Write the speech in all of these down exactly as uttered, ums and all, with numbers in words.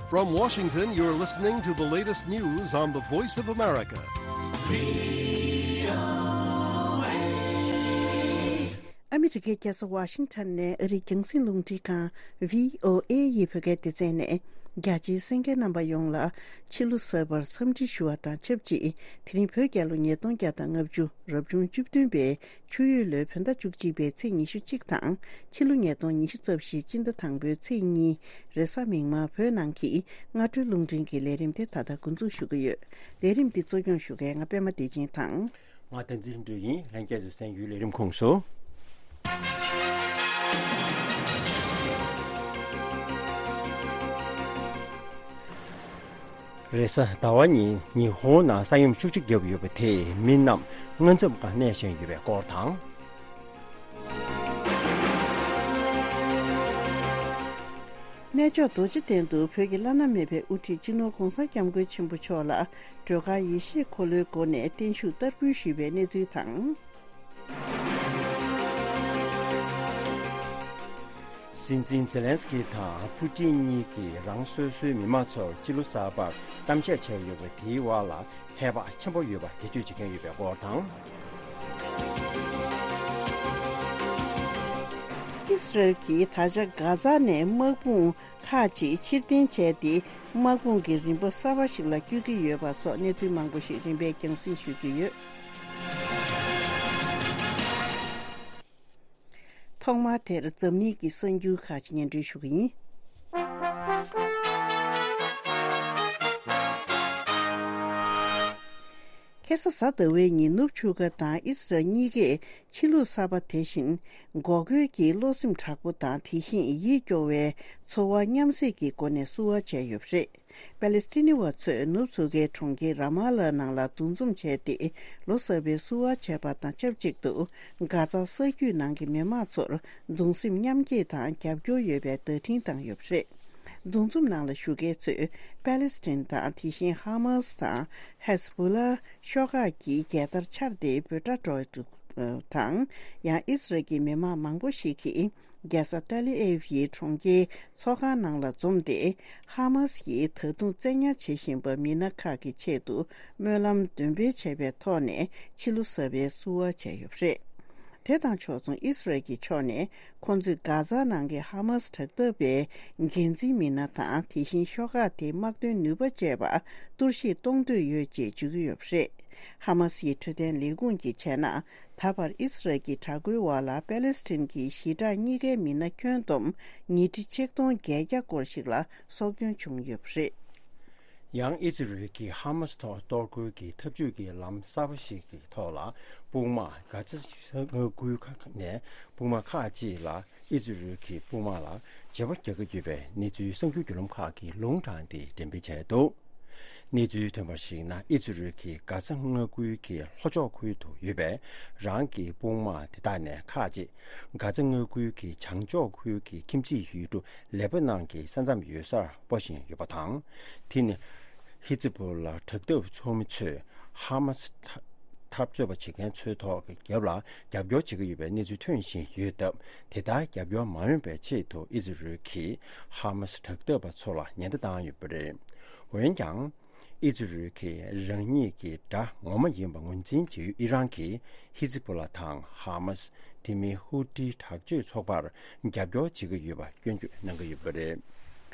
From Washington, you're listening to the latest news on the Voice of America. ཨ་མི་རི་ཀའི་རྒྱལ་ས་ཝ་ཤིང་ཊོན་ནས་ཨ་རིའི་རྒྱང་སྲིང་རླུང་འཕྲིན་ཁང་བྷི་ཨོ་ཨེ་ཡི་བོད་སྐད་སྡེ་ཚན་ནས། རྒྱ་ཆེའི་གསན་མཁན་རྣམ་པ་ཡོངས་ལ་ཕྱི་ལོ་གསར་པར་འཚམས་འདྲི་ཞུ་བ་དང་ཆབས་ཅིག་དེ་རིང་བོད་རྒྱལ་ལོ་ཉིས་སྟོང་བརྒྱ་དང་ལྔ་བཅུ་རབ་བྱུང་བཅུ་བདུན་པའི་ཆུ་ཡོས་ལོའི་བོད་ཟླ་བཅུ་གཅིག་པའི་ཚེས་ཉི་ཤུ་གཅིག་དང་། ཕྱི་ལོ་ཉིས་སྟོང་ཉི་ཤུ་རྩ་བཞིའི་སྤྱི་ཟླ་དང་པོའི་ཚེས་གཉིས། རེས་གཟའ་མིག་དམར་བོད་ནང་གི་སྔ་དྲོའི་རླུང་འཕྲིན་གྱི་ལས་རིམ་དེ་ད་ལྟ་འགོ་འཛུགས་ཞུ་གི་ཡོད། ལས་རིམ་འདི་གཙོ་སྐྱོང་ཞུ་མཁན་ང་པད་མ་བདེ་ཆེན་དང་། ང་བསྟན་འཛིན་ལྷུན་གྲུབ་ཡིན། ལྷན་རྒྱས་ཚོས་གསན་རྒྱུའི་ལས་རིམ་ཁོངས་སུ། རེས་གཟའ་ཟླ་བ་ཉིན་ཉི་ཧོང་ནང་ས་ཡོམ་ཤུགས་ཆེ་བརྒྱབ་ཡོད་པ་དེས་མི་རྣམས་མངའ་འཛོམས་ཁང་གནས་བཞིན་ཡོད་པའི་སྐོར་དང་། གནས་མཆོག་རྡོ་རྗེ་གདན་དུ་བོད་ཀྱི་བླ་ན་མེད་པའི་དབུ་ཁྲིད་སྤྱི་ནོར་༧གོང་ས་༧སྐྱབས་མགོན་ཆེན་པོ་མཆོག་ལ་སྒྲོལ་དཀར་ཡེ་ཤེས་འཁོར་ལོའི་སྒོ་ནས་བརྟན་བཞུགས་བསྟར་འབུལ་ཞུས་པའི་གནས་ཚུལ་དང་། སྲིད་འཛིན་ཛེ་ལན་སི་ཀི་དང་ཕུ་ཀྲིན་གཉིས་ཀྱིས་རང་སོ་སོའི་མི་མང་ཚོར་སྤྱི་ལོ་གསར་པར་གཏམ་བཤད་བྱས་ཡོད་པ་དེའི་བར་ལ། ཧེ་བག་ཆེན་པོ་ཡོད་པ་འགྲེལ་བརྗོད་བྱེད་མཁན་ཡོད་པའི་སྐོར་དང་། ཨི་སི་རལ་གྱིས་ད་ཆ་གྷ་ཛ་ནས་དམག་དཔུང་ཁག་ཅིག་ཕྱིར་འཐེན་བྱས་ཏེ། དམག་དཔུང་གི་རིམ་པ་གསར་པ་ཞིག་ལ་བསྐྱོད་ཀྱི་ཡོད་པ་སོགས་གནས་ཚུལ་མང་པོ་ཞིག་རིམ་པས་རྒྱང་སྲིང་ཞུ་རྒྱུ་ཡོད། ཐོག་མར་དེར་འཛམ་གླིང་གི་གསར་འགྱུར་ཁག་ཅིག་སྙན་སྒྲོན་ཞུ་གི་ཡིན། ཁ་སང་གཟའ་ཟླ་བའི་ཉིན་ནུབ་ཆུ་ཁ་དང་ཨི་སི་རལ་གཉིས་ཀས་ཕྱི་ལུགས་གསར་པ་དེ་བཞིན་འགོག་རྒོལ་གྱི་བློ་སེམས་དྲག་པོ་དང་དེ་བཞིན་ཡིད་སྐྱོ་བའི་ཚོར་བ་མཉམ་བསྲེས་ཀྱི་སྒོ་ནས་བསུ་བ་བྱས་ཡོད་པ་རེད། པ་ལེ་སི་ཐི་ནི་བ་ཚོས་ནུབ་མཚོ་ཁའི་གྲོང་ཁྱེར་ར་མ་ལ་ནང་ལ་འདུ་འཛོམས་བྱས་ཏེ། ལོ་གསར་པའི་བསུ་བ་བྱས་པ་དང་ཆབས་ཅིག་ཏུ། གྷ་ཛ་ས་རྒྱུད་ནང་གི་མི་མང་ཚོར་གདུང་སེམས་མཉམ་སྐྱེད་དང་རྒྱབ་སྐྱོར་ཡོད་པའི་བརྡ་འཕྲིན་བཏང་ཡོད་པ་རེད། འདུ་འཛོམས་ནང་ལ་ཞུགས་མཁན་ཚོས་པ་ལེ་སི་ཐན་དང་དེ་བཞིན་ཧ་མ་སི་དང་ཧེ་ཟི་བྷོ་ལ་ཤོག་ཁག་གི་རྒྱལ་དར་འཕྱར་ཏེ་འབོད་སྒྲ་སྒྲོག་འདུག་དང་། ཡང་ཨི་སི་རལ་གྱི་མི་མང་མང་པོ་ཞིག་གིས། རྒྱལ་ས་ཏཱ་ལི་ཨེབ་ཡི་གྲོང་ཁྱེར་ཚོགས་ཁང་ནང་ལ་འཛོམས་ཏེ། ཧ་མ་སི་ཡིས་ད་དུང་བཙན་ཉར་བྱེད་བཞིན་པ་མི་སྣ་ཁག་གི་ཆེད་དུ་སྨོན་ལམ་འདོན་སྤེལ་བྱས་པའི་ཐོག་ནས་ཕྱི་ལོ་གསར་པའི་བསུ་བ་བྱས་ཡོད་པ་རེད། དེ་དང་ཕྱོགས་མཚུངས་ཨི་སི་རལ་གྱི་ཕྱོགས་ནས་ཁོང་ཚོས་གྷ་ཛ་ནང་གི་ཧ་མ་སི་དྲག་འཐབ་པའི་འགན་འཛིན་མི་སྣ་དང་དེ་བཞིན་ཤོག་ཁག་དེའི་དམག་དོན་ནུས་པ་བཅས་པ་གཏོར་བཤིག་གཏོང་འདོད་ཡོད་ཅེས་བརྗོད་ཀྱི་ཡོད་པ་རེད། ཧ་མ་སི་ཡི་འཕྲོད་བསྟེན་ལས་ཁུངས་ཀྱིས་བྱས་ན། ད་བར་ཨི་སི་རལ་གྱི་དྲག་རྒོལ་འོག་ལ་པེ་ལེ་སི་ཐན་གྱི་ཞི་དྲག་གཉིས་ཀའི་མི་སྣ་ཁྱོན་བསྡོམས་ཉིས་ཁྲི་ཆིག་སྟོང་བརྒྱད་བརྒྱ་སྐོར་ཞིག་ལ་སྲོག་སྐྱོན་བྱུང་ཡོད་པ་རེད། ཡང་ཨི་ཛི་རལ་གྱིས་ཧ་མ་སི་ཐོག་གཏོར་རྒོལ་གྱི་འཐབ་ཇུས་ཀྱི་ལམ་གསར་པ་ཞིག་གི་ཐོག་ལ། དཔུང་དམག་གྷ་ཛ་མངའ་ཁུལ་ཁག་ནས་དཔུང་དམག་ཁག་ཅིག་ལ། ཨི་ཛི་རལ་གྱི་དཔུང་དམག་ལ་བྱེད་པོ་རྒྱག་གི་ཡོད་པའི་གནས་ཚུལ་གསར་འགྱུར་བརྒྱུད་ལམ་ཁག་གིས་ལུང་དྲངས་ཏེ་འགྲེམས་སྤེལ་བྱས་འདུག་གནས་ཚུལ་ཐོན་པར་གཞིགས་ན། ཨི་ཛི་རལ་གྱིས་གྷ་ཛ་མངའ་ཁུལ་གྱི་ལྷོ་ཕྱོགས་ཁུལ་དུ་ཡོད་པའི་རང་གི་དཔུང་དམག་དེ་དག་ནས་ཁག་ཅིག་གྷ་ཛ་མངའ་ཁུལ་གྱི་བྱང་ཕྱོགས་ཁུལ་གྱི་ཁྱིམ་མཚེས་ཡུལ་གྲུ་ལེ་པ་ནན་གྱི་ས་མཚམས་ཡོད་སར་སྤོ་བཞིན་ཡོད་པ་དང་། དེ་ནི་ཧི་ཛི་བྷོ་ལ་དྲག་འཐབ་ཚོགས་མི་ཚོས་ཧ་མ་སི་འཐབ་རྩོད་པ་བྱེད་མཁན་ཚོའི་ཐོག་གི་རྒྱབ་ལ་རྒྱབ་སྐྱོར་བྱེད་ཀྱི་ཡོད་པའི་གནས་ཚུལ་ཐོན་བཞིན་ཡོད་སྟབས། དེ་ལྟར་རྒྱབ་སྐྱོར་མ་འོས་པའི་ཆེད་དུ་ཨི་ཛི་རལ་གྱིས་ཧ་མ་སི་དྲག་འཐབ་པ་ཚོ་ལ་ཉེན་བརྡ་བཏང་ཡོད་པ་རེད། འོན་ཀྱང་། ཨི་ཛི་རལ་གྱིས་རང་ཉིད་ཀྱི་དགྲ་ངོ་མ་ཡིན་པ་ངོས་འཛིན་བྱེད་ཡུལ་ཨི་རན་གྱིས་ཧི་ཛི་བྷོ་ལ་དང་ཧ་མ་སི། དེ་མིན་ཧུ་ཏི་དྲག་སྤྱོད་ཚོགས་པར་རྒྱབ་སྐྱོར་བྱེད་ཀྱི་ཡོད་པ་སྐྱོན་བརྗོད་གནང་གི་ཡོད་པ་རེད།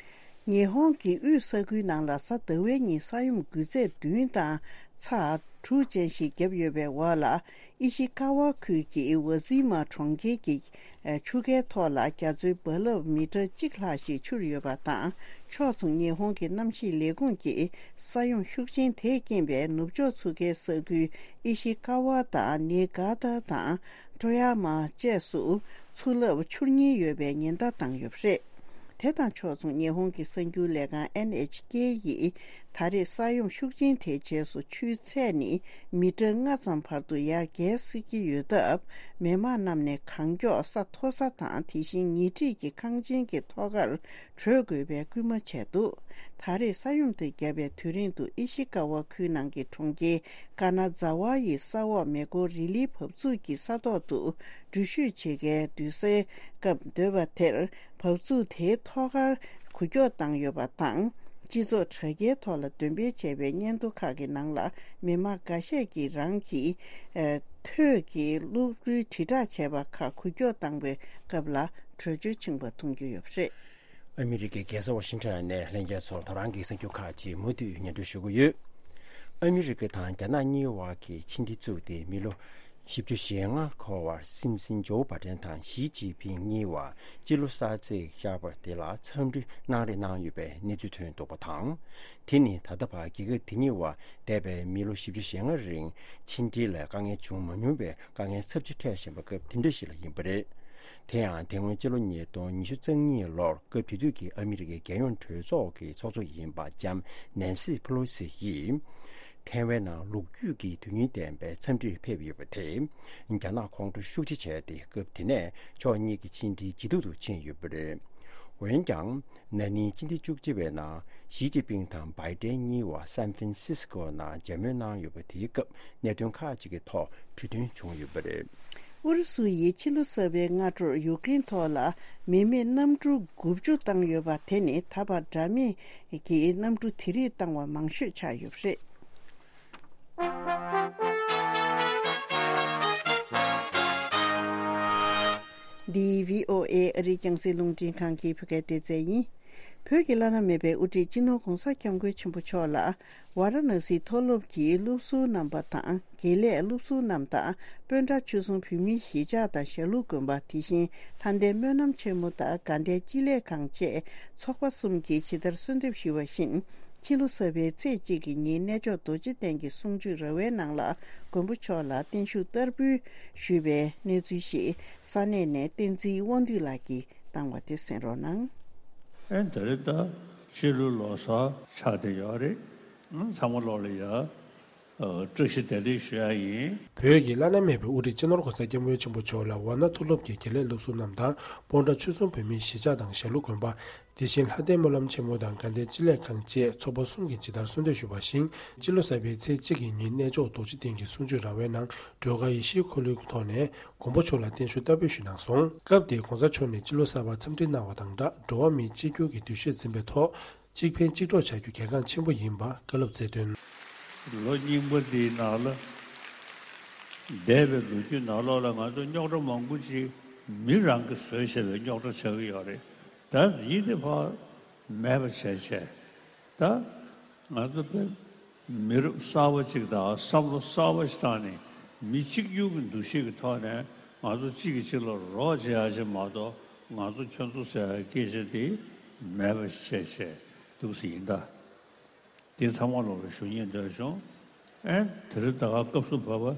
ཉི་ཧོང་གི་དབུས་ས་ཁུལ་ནང་ལ་གཟའ་ཟླ་བའི་ཉིན་ས་ཡོམ་འགུལ་ཚད་བདུན་དང་ཚེག་དྲུག་ཅན་ཞིག་བརྒྱབ་ཡོད་པའི་འོག་ལ། ཨི་ཤི་ཀ་ཝ་ཁུལ་གྱི་ཝ་ཟི་མ་གྲོང་ཁྱེར་གྱི་ཆུ་ཁའི་ཐོག་ལ་རྒྱ་མཚོའི་རྦ་རླབས་མི་ཊར་གཅིག་ལྷག་ཞིག་འཕྱུར་ཡོད་པ་དང་། ཕྱོགས་མཚུངས་ཉི་ཧོང་གི་གནམ་གཤིས་ལས་ཁུངས་ཀྱིས་ས་ཡོམ་ཤུགས་ཆེན་དེས་རྐྱེན་པས་ནུབ་ཕྱོགས་མཚོ་ཁའི་ས་ཁུལ་ཨི་ཤི་ཀ་ཝ་དང་ནི་གྷ་ཏ་དང་ཀྲོ་ཡ་མ་བཅས་སུ་མཚོ་རླབས་འཕྱུར་ཉེན་ཡོད་པའི་ཉེན་བརྡ་བཏང་ཡོད་པ་རེད། དེ་དང་ཕྱོགས་མཚུངས་ཉི་ཧོང་གི་གསར་འགྱུར་ལས་ཁང་ཨེན་ཨེཆ་ཀེ་ཡིས་ད་རེས་ས་ཡོམ་ཤུགས་ཆེན་དེའི་རྗེས་སུ་ཆུའི་ཚད་ནི་མི་ཊར་ལྔ་ཙམ་བར་དུ་ཡར་རྒྱས་སྲིད་ཀྱི་ཡོད་སྟབས། མི་མང་རྣམས་ནས་གང་མགྱོགས་ས་མཐོ་ས་དང་དེ་བཞིན་ཉེ་འཁྲིས་ཀྱི་ཁང་ཆེན་གྱི་ཐོག་ཁར་བྲོས་དགོས་པའི་སྐུལ་མ་བྱས་འདུག་ད་རེས་ས་ཡོམ་དེ་བརྒྱབ་པའི་དུས་རིང་དུ་ཨི་ཤི་ཀ་ཝ་ཁུལ་ནང་གི་གྲོང་ཁྱེར་ཀ་ན་ཛ་ཝ་ཡི་ས་འོག་མེ་འཁོར་རི་ལིའི་འབབ་ཚུགས་ཀྱི་ས་ཐོག་ཏུ་འགྲུལ་བཞུད་བྱེད་མཁན་སྡོད་སའི་སྐབས་སྡོད་པ་དེར། འབབ་ཚུགས་དེའི་ཐོག་ཁར་འགུལ་སྐྱོད་བཏང་ཡོད་པ་དང་ སྤྱི་ཚོགས་དྲ་རྒྱའི་ཐོག་ལ་འདོན་སྤེལ་བྱས་པའི་སྙན་ཐོ་ཁག་གི་ནང་ལ། མི་མང་འགའ་ཤས་ཀྱིས་རང་གི་ཨ་ཐོད་ཀྱི་གློག་རུལ་དྲིལ་བསྒྲགས་བྱས་པ་ཁག་འགུལ་སྐྱོད་བཏང་པའི་སྐབས་ལ་བྲོས་བྱོལ་ཕྱིན་པ་མཐོང་རྒྱུ་ཡོད་པ་རེད། ཨ་མི་རི་ཀའི་རྒྱལ་ས་ཝ་ཤིང་ཊོན་ནས་ལྷན་རྒྱས་ཚོར་ད་རང་གི་གསར་འགྱུར་ཁག་ཅིག་མུ་མཐུད་སྙན་སྒྲོན་ཞུ་གི་ཡོད། ཨ་མི་རི་ཀ་དང་རྒྱ་ནག་གཉིས་བར་གྱི་ཕྱི་འབྲེལ་བཙུགས་ཏེ་མི་ལོ་བཞི་བཅུ་ཞེ་ལྔ་འཁོར་བར་སྲིད་འཛིན་ཇོ་བྷ་ཏན་དང་ཞི་ཅིན་ཕིང་གཉིས་བར་སྤྱི་ལོ་གསར་ཚེས་བཞག་པ་དེ་ལ་འཚམས་འདྲི་གནང་རེས་གནང་ཡོད་པའི་གནས་ཚུལ་ཐོན་འདུག་པ་དང་། དེ་ནི་ད་ལྟ་བར་རྒྱལ་ཁབ་དེ་གཉིས་བར་འདས་པའི་མི་ལོ་བཞི་བཅུ་ཞེ་ལྔ་རིང་ཕྱི་འབྲེལ་ལ་དཀའ་ངལ་བྱུང་མ་མྱོང་བའི་དཀའ་ངལ་ཚབས་ཆེ་འཕྲད་བཞིན་པ་སྐབས་དེ་འདྲ་ཞིག་ལ་ཡིན་པ་རེད། དེ་ཡང་དེ་སྔོན་སྤྱི་ལོ་ཉིས་སྟོང་ཉི་ཤུ་རྩ་གཉིས་ལོར་སྐབས་དེ་དུས་ཀྱི་ཨ་མི་རི་ཀའི་རྒྱལ་ཡོངས་གྲོས་ཚོགས་ཀྱི་ཚོགས་གཙོ་ཡིན་པ་ལྕམ་ནན་སི་ཕེ་ལོ་སི་ཡིས། ཐའེ་ཝན་ནང་ལོ་རྒྱུས་ཀྱི་དོན་སྙིང་ལྡན་པའི་འཚམས་འདྲིར་ཕེབས་ཡོད་པ་དེས། རྒྱ་ནག་ཁོང་ཁྲོ་ཤུགས་ཆེ་བྱས་ཏེ་སྐབས་དེ་ནས་ཕྱོགས་གཉིས་ཀྱི་ཕྱི་འབྲེལ་ཇེ་སྡུག་ཏུ་ཕྱིན་ཡོད་པ་རེད། འོན་ཀྱང་། ན་ནིང་སྤྱི་ཟླ་བཅུ་གཅིག་པའི་ནང་ཞི་ཅིན་ཕིང་དང་བྷའི་ཏན་གཉིས་བར་སན་ཧྥན་སིས་ཀོ་ནང་མཇལ་མོལ་གནང་ཡོད་པ་དེའི་སྐབས་གནད་དོན་ཁག་ཅིག་གི་ཐོག་གྲོས་མཐུན་བྱུང་ཡོད་པ་རེད། ཨུ་རུ་སུ་ཡིས་ཕྱི་ལོ་གསར་པའི་སྔ་དྲོར་ཡུཀ་རེན་ཐོག་ལ་མི་མེད་གནམ་གྲུ་དགུ་བཅུ་བཏང་ཡོད་པ་དེ་ནི་ད་བར་འདྲ་མིན་གྱི་གནམ་གྲུ་དེ་རིགས་བཏང་བ་མང་ཤོས་ཆགས་ཡོད་པ་རེད། འདི་བྷི་ཨོ་ཨེ་ཨ་རིའི་རྒྱང་སྲིང་རླུང་འཕྲིན་ཁང་གི་བོད་སྐད་སྡེ་ཚན་ཡིན། བོད་ཀྱི་བླ་ན་མེད་པའི་དབུ་ཁྲིད་སྤྱི་ནོར་༸གོང་ས་༸སྐྱབས་མགོན་ཆེན་པོ་མཆོག་ལ། ཝཱ་ར་ཎ་སིའི་མཐོ་སློབ་ཀྱི་སློབ་ཟུར་རྣམ་པ་དང་། དགེ་ལས་སློབ་ཟུར་རྣམས་དང་། དཔོན་གྲྭ་ཆོས་གསུམ་བོད་མིའི་གཞིས་ཆགས་དང་ཞྭ་ལུ་དགོན་པ། དེ་བཞིན་ལྷ་ལྡན་སྨོན་ལམ་ཆེན་མོ་དང་དགའ་ལྡན་སྤྱི་ལེ་ཁང་བཅས་ཚོགས་པ་གསུམ་གྱིས་ཇི་ལྟར་གསོལ་འདེབས་ཞུས་པ་བཞིན། ཕྱི་ལོ་གསར་པའི་ཚེས་གཅིག་གི་ཉིན་གནས་མཆོག་རྡོ་རྗེ་གདན་གྱི་གསུང་ཆོས་ར་བའི་ནང་ལ་མགོན་པོ་མཆོག་ལ་བརྟན་བཞུགས་བསྟར་འབུལ་ཞུས་པའི་གནས་ཚུལ་ཞིག་ས་གནས་ནས་བསྟན་འཛིན་དབང་འདུས་ལགས་ཀྱིས་བཏང་བ་དེ་གསན་རོགས་གནང་། ཨེ་ད་རེས་ད་ཕྱི་ལོ་ལོ་གསར་ཆགས་བསྡད་ཡོད་རེད། ཨང་། ཚང་མ་ལོག་ལ་ཡ། ཨ། བཀྲ་ཤིས་བདེ་ལེགས་ཞུ་ཡ་ཡིན། བོད་ཀྱི་བླ་ན་མེད་པའི་དབུ་ཁྲིད་སྤྱི་ནོར་༸གོང་ས་༸སྐྱབས་མགོན་ཆེན་པོ་མཆོག་ལ་ཝཱ་ཎ་མཐོ་སློབ་ཀྱི་དགེ་ལས་སློབ་ཟུར་རྣམས་དང་། སྤོན་ཊ་ཆོས་གསུམ་བོད་མིའི་གཞིས་ཆགས་དང་ཞྭ་ལུ་དགོན་པ། དེ་བཞིན་ལྷ་ལྡན་སྨོན་ལམ་ཆེན་མོ་དང་དགའ་ལྡན་སྤྱི་ལེ་ཁང་བཅས་ཚོགས་པ་གསུམ་གྱིས་ཇི་ལྟར་གསོལ་འདེབས་ཞུས་པ་བཞིན། སྤྱི་ལོ་གསར་པའི་ཚེས་གཅིག་གི་ཉིན་གནས་མཆོག་རྡོ་རྗེ་གདན་གྱི་གསུང་ཆོས་ར་བའི་ནང་སྒྲོལ་དཀར་ཡེ་ཤེས་འཁོར་ལོའི་ཐོག་ནས་མགོན་པོ་མཆོག་ལ་བརྟན་བཞུགས་བསྟར་འབུལ་ཞུས་གནང་སོང་། སྐབས་དེར་༸གོང་ས་མཆོག་ནས་སྤྱི་ལོ་གསར་པར་འཚམས་འདྲི་གནང་བ་དང་སྦྲགས། འགྲོ་བ་མིའི་གཅིག་གྱུར་གྱི་འདུ་ཤེས་འཛིན་པའི་ཐོག་གཅིག་ཕན་གཅིག་གྲོགས་བྱ་རྒྱུ་གལ་འགངས་ཆེན་པོ་ཡིན་པ་བཀའ་སློབ་སྩལ་དོན། ལོ་རྙིང་པ་འདིའི་ནང་ལ། འདས་པའི་ལོ་རྒྱུས་ནང་ལོགས་ལ་ང་ཚོ་རྙོག་དྲ་མང་པོ་ཅིག་མི་རང་གིས་བཟོས་བྱས་པའི་རྙོག་དྲ་ཆགས་ཀྱི་ཡོད་རེད། ད་ཡིན་དེ་ཕར་མེད་པ་བྱས་བྱས། ད་ང་ཚོ་དཔེ་མི་རབས་གསར་པ་ཅིག་དང་བསམ་བློ་གསར་པ་ཞིག་བཏང་ནས་མི་གཅིག་གྱུར་གྱི་འདུ་ཤེས་ཀྱི་ཐོག་ནས་ང་ཚོ་གཅིག་གིས་གཅིག་ལ་རོགས་བྱེད་ཡ་ཅིག་མ་གཏོགས། ང་ཚོ་ཁྱོད་ཚོ་ཟེར་ཡ་སྐད་ཆ་དེ་མེད་པ་བྱས་བྱས་འདུག་སེ་ཡིན་ད། དེ་ཚང་མ་ལོག་ལ་ཞུ་སྙིང་འདོད་བྱུང་། ཨེ་དེ་རིང་ད་ག་སྐབས་སུ་བབས་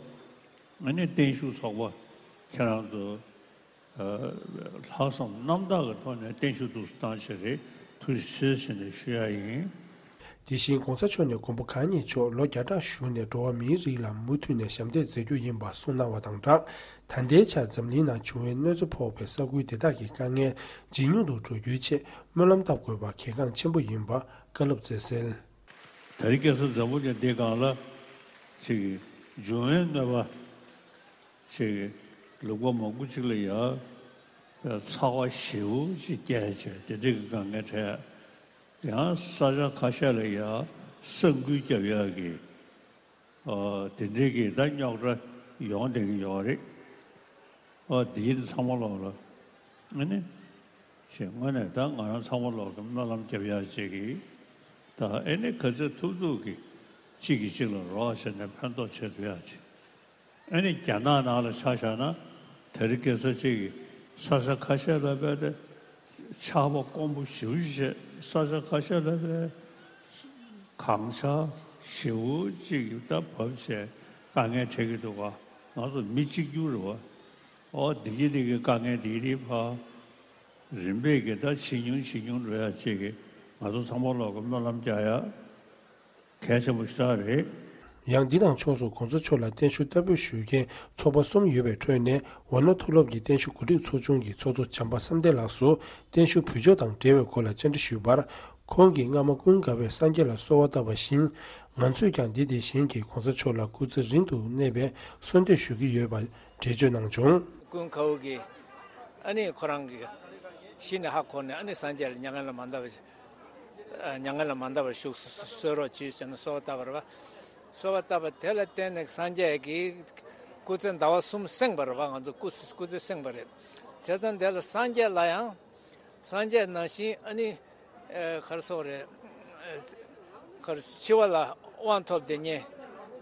པ། ཨ་ནི་བརྟན་བཞུགས་ཚོགས་པ་ཁྱེད་རང་ཚོ་ལྷག་བསམ་རྣམ་དག་གི་ཐོག་ནས་བརྟན་བཞུགས་འདུག་སེ་བཏང་བྱས་རེད། ཐུགས་རྗེ་ཆེ་ཟེར་ནས་ཞུ་ཡ་ཡིན། དེ་བཞིན་༸གོང་ས་མཆོག་ནས་མགོན་པོ་གང་ཉིད་མཆོག་ལོ་བརྒྱ་ཕྲག་བཞུགས་ནས་འགྲོ་བ་མིའི་རིགས་ལ་མུ་མཐུད་ནས་ཞབས་འདེགས་མཛད་རྒྱུ་ཡིན་པ་གསུངས་གནང་བ་དང་སྦྲགས། ད་ལྟའི་ཆར་འཛམ་གླིང་ནང་བྱུང་བའི་གནོད་འཚེ་ཕོག་པའི་ས་ཁུལ་དེ་དག་གི་དཀའ་ངལ་ཇེ་ཉུང་དུ་འགྲོ་རྒྱུའི་ཆེད་སྨོན་ལམ་བཏབ་དགོས་པ་གལ་འགངས་ཆེན་པོ་ཡིན་པ་བཀའ་སློབ་སྩལ་གསལ། ད་རེས་ཁ་སང་འཛམ་བུ་གླིང་འདིའི་སྒང་ལ་ཅིག་འབྱུང་བའི་གནོད་པ་ཅིག་ལུང་པ་མང་པོ་ཅིག་ལ་ཡ་ཚ་བ་ཞེ་པོ་ཅིག་སྐྱེས་བྱས་དེ་འདྲའི་གི་དཀའ་ངལ་འཕྲད། ཡང་ས་ཆ་ཁ་ཤས་ལ་ཡ་ས་འགུལ་རྒྱབ་ཡག་གི་ཨ་དེ་འདྲའི་གི་ད་རྙོག་དྲ་ཡོང་བསྡད་ཀྱི་ཡོད་རེད། ཨ་འདི་ཚང་མ་ལོག་ལ་ཨ་ནི་ཞེས་དངོས་གནས་ད་ང་རང་ཚང་མ་ལོག་གི་སྨོན་ལམ་རྒྱབ་ཡག་ཅིག་གི་ད་ཨ་ནི་ག་ཚོད་ཐུབ་ཐུབ་ཀྱི་གཅིག་གིས་གཅིག་ལ་རོགས་བྱས་ནས་ཕན་ཐོགས་བྱེད་ཐུབ་ཡག་ཅིག་ཨ་ནི་རྒྱ་ནག་ནང་ལ་ཆ་བཞག་ན་དེ་རིང་ཁ་སང་ཅིག་གི་ས་ཆ་ཁ་ཤས་ལ་བས་ཏེ་ཆར་པ་དཀོན་པོ་ཞེ་པོ་ཅིག་བྱས། ས་ཆ་ཁ་ཤས་ལ་བས་གངས་ཆར་ཞེ་པོ་ཅིག་ད་བབས་བྱས་དཀའ་ངལ་འཕྲད་ཀྱི་འདུག་ག་ང་ཚོ་མི་གཅིག་གྱུར་རེད་བ། ཨོ་འདི་གི་འདི་གི་དཀའ་ངལ་འདི་གི་ཕར་རིམ་པས་ཀྱི་ད་ཇེ་ཉུང་ཇེ་ཉུང་འགྲོ་ཡག་ཅིག་གི་ང་ཚོ་ཚང་མ་ལོག་གི་སྨོན་ལམ་རྒྱག་ཡག་གལ་ཆེན་པོ་ཞེ་དྲག་རེད། ཡང་འདི་དང་ཕྱོགས་སུ་༸གོང་ས་མཆོག་ལ་བརྟན་བཞུགས་བསྟར་འབུལ་ཞུ་མཁན་ཚོགས་པ་གསུམ་ཡོད་པའི་ཁྲོད་ནས་ཝཱ་ཎ་མཐོ་སློབ་ཀྱི་བརྟན་བཞུགས་གོ་སྒྲིག་ཚོགས་ཆུང་གི་ཚོགས་གཙོ་བྱམས་པ་བསམ་གཏན་ལགས་སུ་བརྟན་བཞུགས་ཕུལ་ཕྱོགས་དང་འབྲེལ་བའི་སྐོར་ལ་བཅར་འདྲི་ཞུས་པར། ཁོང་གིས་སྔ་མ་ཀུན་དགའ་བས་སངས་རྒྱས་ལ་གསོལ་བ་བཏབ་པ་བཞིན། ང་ཚོས་ཀྱང་འདི་དེ་བཞིན་གྱི་༸གོང་ས་མཆོག་ལ་སྐུ་ཚེ་རིང་དུ་གནས་པའི་གསོལ་འདེབས་ཞུ་གི་ཡོད་པ་འགྲེལ་བརྗོད་གནང་བྱུང་། ཀུན་དགའ་བོ་གིས་ཨ་ནི་ཁོ་རང་གིས་གཞི་ནས་ཧ་གོ་ནས་ཨ་ནི་སངས་རྒྱས་ལ་མྱ་ངན་ལས་མ་འདའ་བ་ཞིག་མྱ་ངན་ལས་མ་འདའ་བར་བཞུགས་སུ་གསོལ་རོགས་གྱིས་ཟེར་ནས་གསོལ་བ་བཏབ་པ་རེད་པ། གསོལ་བ་བཏབ་པ་དེ་ལ་བརྟེན་ནས་སངས་རྒྱས་ཀྱིས་སྐུ་ཚེ་ཟླ་བ་གསུམ་བསྲིངས་པ་རེད་པ། ང་ཚོ་སྐུ་སྐུ་ཚེ་བསྲིངས་པ་རེད། བྱས་ཙང་དེ་ལ་སངས་རྒྱས་ལ་ཡང་། སངས་རྒྱས་ནང་བཞིན་ཨ་ནི། ཨེ། ག་རེ་ཟེར་དགོས་རེད། ཨེ། ག་རེ། འཆི་བ་ལ་དབང་ཐོབ་བསྡད་མཁན།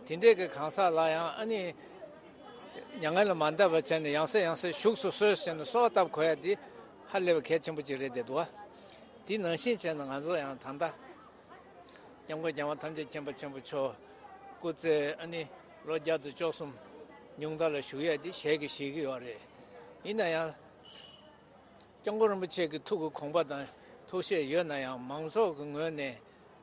དེ་འདྲས་ཀྱི་གང་ཟག་ལ་ཡང་ཨ་ནི། མྱ་ངན་ལས་མ་འདའ་བ་བྱས་ནས་ཡང་སེ་ཡང་སེ་བཞུགས་སུ་གསོལ་ཟེར་ནས་གསོལ་བ་བཏབ་དགོས་ཡ་དེ་ཧ་ལས་པའི་གལ་ཆེན་པོ་ཅིག་རེད་བསྡད་འདུག་པ། དེ་ནང་བཞིན་བྱས་ནས་ང་ཚོ་ཡང་ད་ལྟ། སྐྱབས་མགོན་རྒྱལ་བ་ཐམས་ཅད་མཁྱེན་པ་ཆེན་པོ་མཆོག་སྐུ་ཚེ་ཨ་ནི་ལོ་བརྒྱ་དང་བཅུ་གསུམ་ཉུང་མཐའ་ལ་བཞུགས་ཡས་འདི་ཞལ་གྱིས་བཞེས་ཀྱི་ཡོད་རེད། ཡིན་ན་ཡང་། སྐྱབས་མགོན་རིན་པོ་ཆེ་གི་ཐུགས་ཀྱི་དགོངས་པ་དང་ཐུགས་བཞེད་ཡོད་ན་ཡང་མང་ཚོགས་ཀྱི་ངོས་ནས་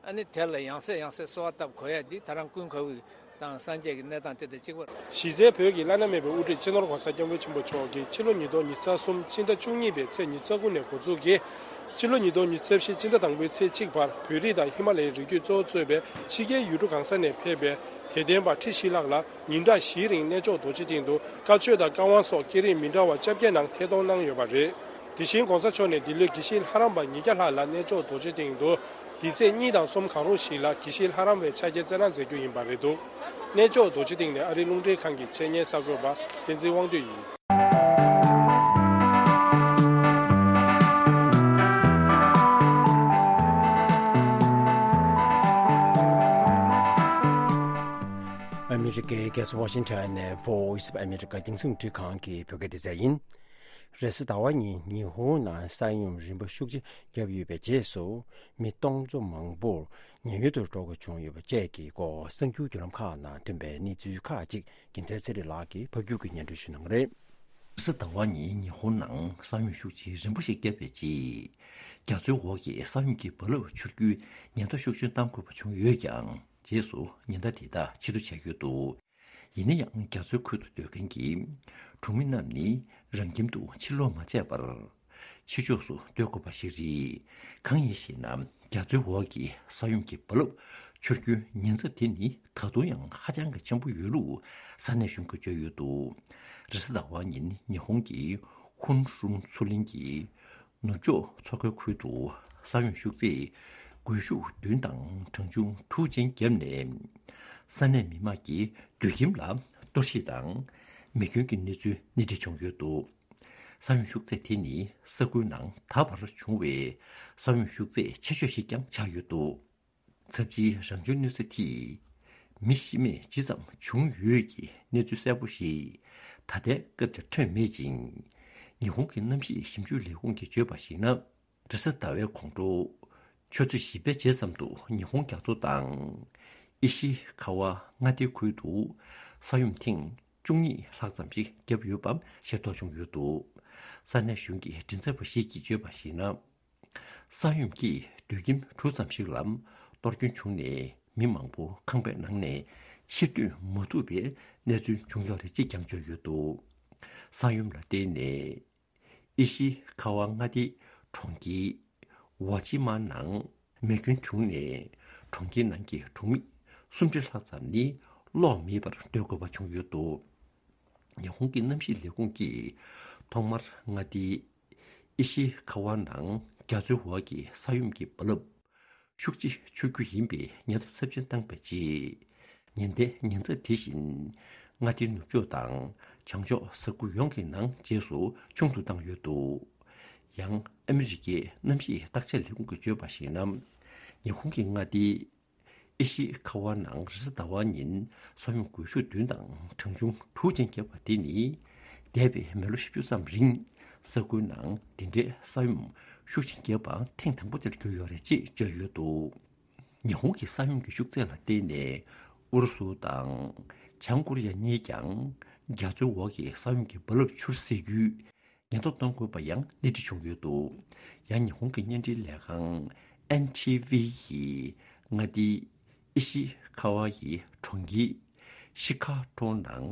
ཨ་ནི་དེ་ལ་ཡང་སེ་ཡང་སེ་གསོལ་བ་བཏབ་དགོས་ཡས་འདི་ད་རང་ཀུན་དགའ་བོ་དང་སངས་རྒྱས་ཀྱི་གནས་སྟངས་དེ་དང་གཅིག་པ་རེད། གཞི་རྩའི་བོད་ཀྱི་བླ་ན་མེད་པའི་དབུ་ཁྲིད་སྤྱི་ནོར་༸གོང་ས་༸སྐྱབས་མགོན་ཆེན་པོ་མཆོག་གིས་ཕྱི་ལོ་ཉིས་སྟོང་ཉི་ཤུ་རྩ་གསུམ་ཕྱི་ཟླ་བཅུ་གཉིས་པའི་ཚེས་ཉི་ཤུ་རྩ་དགུ་ནས་འགོ་འཛུགས་ཀྱིས། ཕྱི་ལོ་ཉིས་སྟོང་ཉི་ཤུ་རྩ་བཞི་ཕྱི་ཟླ་དང་པོའི་ཚེས་གཅིག་བར་བོད་རིགས་དང་ཧི་མ་ལ་ཡའི་རི་རྒྱུད་གཙོ་བོ་གཙོས་པའི་ཕྱི་རྒྱལ་ཡུལ་གྲུ་གང་ས་ནས་ཕེབས་པའི་དད་ལྡན་པ་ཁྲི་བཞི་ལྷག་ལ་ཉིན་གྲངས་བཞིའི་རིང་གནས་མཆོག་རྡོ་རྗེ་གདན་དུ་བཀའ་ཆོས་དང་བཀའ་དབང་སོགས་སྐད་རིགས་མི་འདྲ་བ་བཅོ་བརྒྱད་ནང་ཐད་གཏོང་གནང་ཡོད་པ་རེད། དེ་བཞིན་༸གོང་ས་མཆོག་ནས་འདི་ལོའི་དགེ་བཤེས་ལྷ་རམས་པ་ཉིས་བརྒྱ་ལྷག་ལ་གནས་མཆོག་རྡོ་རྗེ་གདན་དུ། འདི་ཚེས་གཉིས་དང་གསུམ་གང་རུང་ཞིག་ལ་དགེ་བཤེས་ལྷ་རམས་པའི་ཕྱག་འཁྱེར་བསྩལ་གནང་མཛད་རྒྱུ་ཡིན་པ་རེད་འདུག་གནས་མཆོག་རྡོ་རྗེ་གདན་ནས་ཨ་རིའི་རླུང་འཕྲིན་ཁང་གི་ཆེད་གཉེར་གསར་འགོད་པ་བསྟན་འཛིན་དབང་འདུས་ཡིན། ཨ་མི་རི་ཀའི་རྒྱལ་ས་ཝ་ཤིང་ཊོན་ནས་Voice of America རྒྱང་སྲིང་རླུང་འཕྲིན་ཁང་གི་བོད་སྐད་སྡེ་ཚན་ཡིན། རེས་གཟའ་ཟླ་བ་ཉིན་ཉི་ཧོང་ནང་ས་ཡོམ་རིམ་པ་ཤུགས་ཆེ་བརྒྱབ་ཡོད་པའི་རྗེས་སུ། མི་སྟོང་ཚོ་མང་པོར་ཉེན་གཡོལ་དུ་འགྲོ་དགོས་བྱུང་ཡོད་པ་བཅས་ཀྱི་སྐོར་གསར་འགྱུར་བརྒྱུད་ལམ་ཁག་ནང་ཐོན་པའི་གནས་ཚུལ་ཁག་ཅིག་རྒྱལ་མཚན་ཚེ་རིང་ལགས་ཀྱིས་ཕབ་སྒྱུར་གྱིས་སྙན་སྒྲོན་ཞུ་གནང་གི་རེད། རེས་གཟའ་ཟླ་བ་ཉིན་ཉི་ཧོང་ནང་ས་ཡོམ་ཤུགས་ཆེ་རིམ་པ་ཞིག་བརྒྱབ་པའི་རྗེས། རྒྱ་མཚོའི་འོག་གི་ས་ཡོམ་གྱི་རྦ་རླབས་འཕྱུར་རྒྱུའི་ཉེན་བརྡ་ཤུགས་ཆེན་བཏང་དགོས་པ་བྱུང་ཡོད་ཀྱང་། རྗེས་སུ་ཉེན་བརྡ་དེ་དག་ཕྱིར་བསྡུ་བྱས་ཡོད་འདུག་ཡིན་ན་ཡང་རྒྱ་མཚོའི་ཁུལ་དུ་སྡོད་མཁན་གྱི་གྲོང་མི་རྣམས་ནི་རང་ཁྱིམ་དུ་ཕྱིར་ལོག་མ་བྱས་པར། ཕྱི་ཕྱོགས་སུ་སྡོད་དགོས་པ་ཞིག་རེད། གང་ཡིན་ཞེ་ན། རྒྱ་མཚོའི་འོག་གི་ས་ཡོམ་གྱི་རྦ་རླབས་འཕྱུར་རྒྱུའི་ཉེན་ཚབས་དེ་ནི་ད་དུང་ཡང་ཧ་ཅང་གི་ཆེན་པོ་ཡོད་ལུགས་ས་གནས་གཞུང་གིས་བརྗོད་ཡོད་འདུག་རེས་གཟའ་ཟླ་བ་ཉིན་ཉི་ཧོང་གི་ཧུན་ཧྲུན་མཚོ་གླིང་གི་ནུབ་ཕྱོགས་མཚོ་ཁའི་ཁུལ་དུ་ས་ཡོམ་ཤུགས་ཚད་སྒུལ་ཤུགས་བདུན་དང་གྲངས་ཆུང་དྲུག་ཅན་བརྒྱབ་ནས། ས་གནས་མི་མང་གི་སྡོད་ཁྱིམ་ལ་གཏོར་བཤིག་དང་མེ་སྐྱོན་གྱི་གནས་ཚུལ་སྣེ་ཁྲིད་བྱུང་ཡོད་འདུག་ས་ཡོམ་ཤུགས་ཚད་དེ་ནི་ས་ཁུལ་ནང་ད་བར་བྱུང་བའི་ས་ཡོམ་ཤུགས་ཚད་ཆེ་ཤོས་ཤིག་ཀྱང་ཆགས་ཡོད་འདུག་ཚབས་ཆེའི་རང་བྱུང་གནོད་འཚེ་དེས་མི་ཤི་རྨས་ཇི་ཙམ་བྱུང་ཡོད་ཀྱི་གནས་ཚུལ་གསལ་པོ་ཞིག་ད་ལྟའི་སྐབས་དེར་ཐོན་མེད་ཅིང་། ཉི་ཧོང་གི་གནམ་གཤིས་ཞིབ་འཇུག་ལས་ཁུངས་ཀྱིས་བརྗོད་པར་གཞིགས་ན། རེས་གཟའ་ཟླ་བའི་དགོང་དྲོ། ཆུ་ཚོད་བཞི་པའི་རྗེས་ཙམ་དུ་ཉི་ཧོང་རྒྱ་མཚོ་དང་། ཨི་ཤི་ཁ་བ་མངའ་སྡེའི་ཁུལ་དུ་ས་ཡོམ་ཐེངས་བཅུ་གཉིས་ལྷག་ཙམ་ཞིག་བརྒྱབ་ཡོད་པ་ཤེས་རྟོགས་བྱུང་ཡོད་འདུག་ས་གནས་གཞུང་གི་མགྲིན་ཚབ་པ་ཞིག་གིས་བརྗོད་པར་གཞིགས་ན། ས་ཡོམ་གྱིས་སྡོད་ཁྱིམ་དྲུག་ཙམ་ཞིག་ལ་གཏོར་སྐྱོན་བྱུང་ནས། མི་མང་པོ་ཁང་པའི་ནང་ནས་ཕྱིར་ཐོན་མ་ཐུབ་པའི་གནས་ཚུལ་བྱུང་ཡོད་རེད་ཅེས་ཀྱང་བརྗོད་ཡོད་འདུག་ས་ཡོམ་ལ་བརྟེན་ནས། ཨི་ཤི་ཁ་བ་མངའ་སྡེའི་གྲོང་ཁྱེར་ཝ་ཅི་མ་ནང་མེ་སྐྱོན་བྱུང་ནས། གྲོང་ཁྱེར་ནང་གི་གྲོང་མི་སུམ་ཁྲི་ལྷག་ཙམ་ནི་གློག་མེད་པར་སྡོད་དགོས་པ་བྱུང་ཡོད་འདུག་ཉི་ཧོང་གི་གནམ་གཤིས་ལས་ཁུངས་ཀྱིས་ཐོག་མར་མངའ་སྡེའི་ཨི་ཤི་ཁ་བ་ནང་རྒྱ་མཚོའི་འོག་གི་ས་ཡོམ་གྱི་རྦ་རླབས་ཤུགས་ཆེ་འཕྱུར་རྒྱུ་ཡིན་པའི་ཉེན་བརྡ་ཚབས་ཆེན་བཏང་པའི་རྗེས། ཉེན་བརྡའི་ཉེན་ཚབས་དེ་བཞིན་མངའ་སྡེའི་ནུབ་ཕྱོགས་དང་བྱང་ཕྱོགས་ས་ཁུལ་ཡོངས་ཀྱི་ནང་རྗེས་སུ་ཆུང་དུ་བཏང་ཡོད་འདུག་ཡང་ཨ་མི་རི་ཀའི་གནམ་གཤིས་བརྟག་དཔྱད་ལས་ཁུངས་ཀྱིས་བརྗོད་པར་གཞིགས་ན། ཉི་ཧོང་གི་མངའ་སྡེའི་ཨི་ཤི་ཁ་བ་ནང་རེས་གཟའ་ཟླ་བ་ཉིན་ས་ཡོམ་སྒུལ་ཤུགས་བདུན་དང་གྲངས་ཆུང་དྲུག་ཅན་བརྒྱབ་པ་དེ་ནི། འདས་པའི་མི་ལོ་བཞི་བཅུ་ཙམ་རིང་ས་ཁུལ་ནང་འདི་འདྲའི་ས་ཡོམ་ཤུགས་ཆེན་བརྒྱབ་པ་ཐེངས་དང་པོ་དེར་གྱུར་ཡོད་རེད་ཅེས་བརྗོད་ཡོད་འདུག་ཉི་ཧོང་གི་ས་ཡོམ་གྱི་ཤུགས་ཚད་ལ་བརྟེན་ནས་ཨུ་རུ་སུ་དང་བྱང་ཀོ་རི་ཡ་གཉིས་ཀྱང་རྒྱ་མཚོའི་འོག་གི་ས་ཡོམ་གྱི་རྦ་རླབས་འཕྱུར་སྲིད་རྒྱུའི་ཉེན་རྟོག་གཏོང་དགོས་པ་ཡང་སྣེ་ཁྲིད་བྱུང་ཡོད་འདུག་ཡང་ཉི་ཧོང་གི་བརྙན་འཕྲིན་ལས་ཁང་ཨེན་ཐི་ཝི་ཡིས་མངའ་སྡེའི་ཨི་ཤི་ཁ་ཝ་ཡི་གྲོང་ཁྱེར་ཤི་ཁ་ཁྲོ་ནང་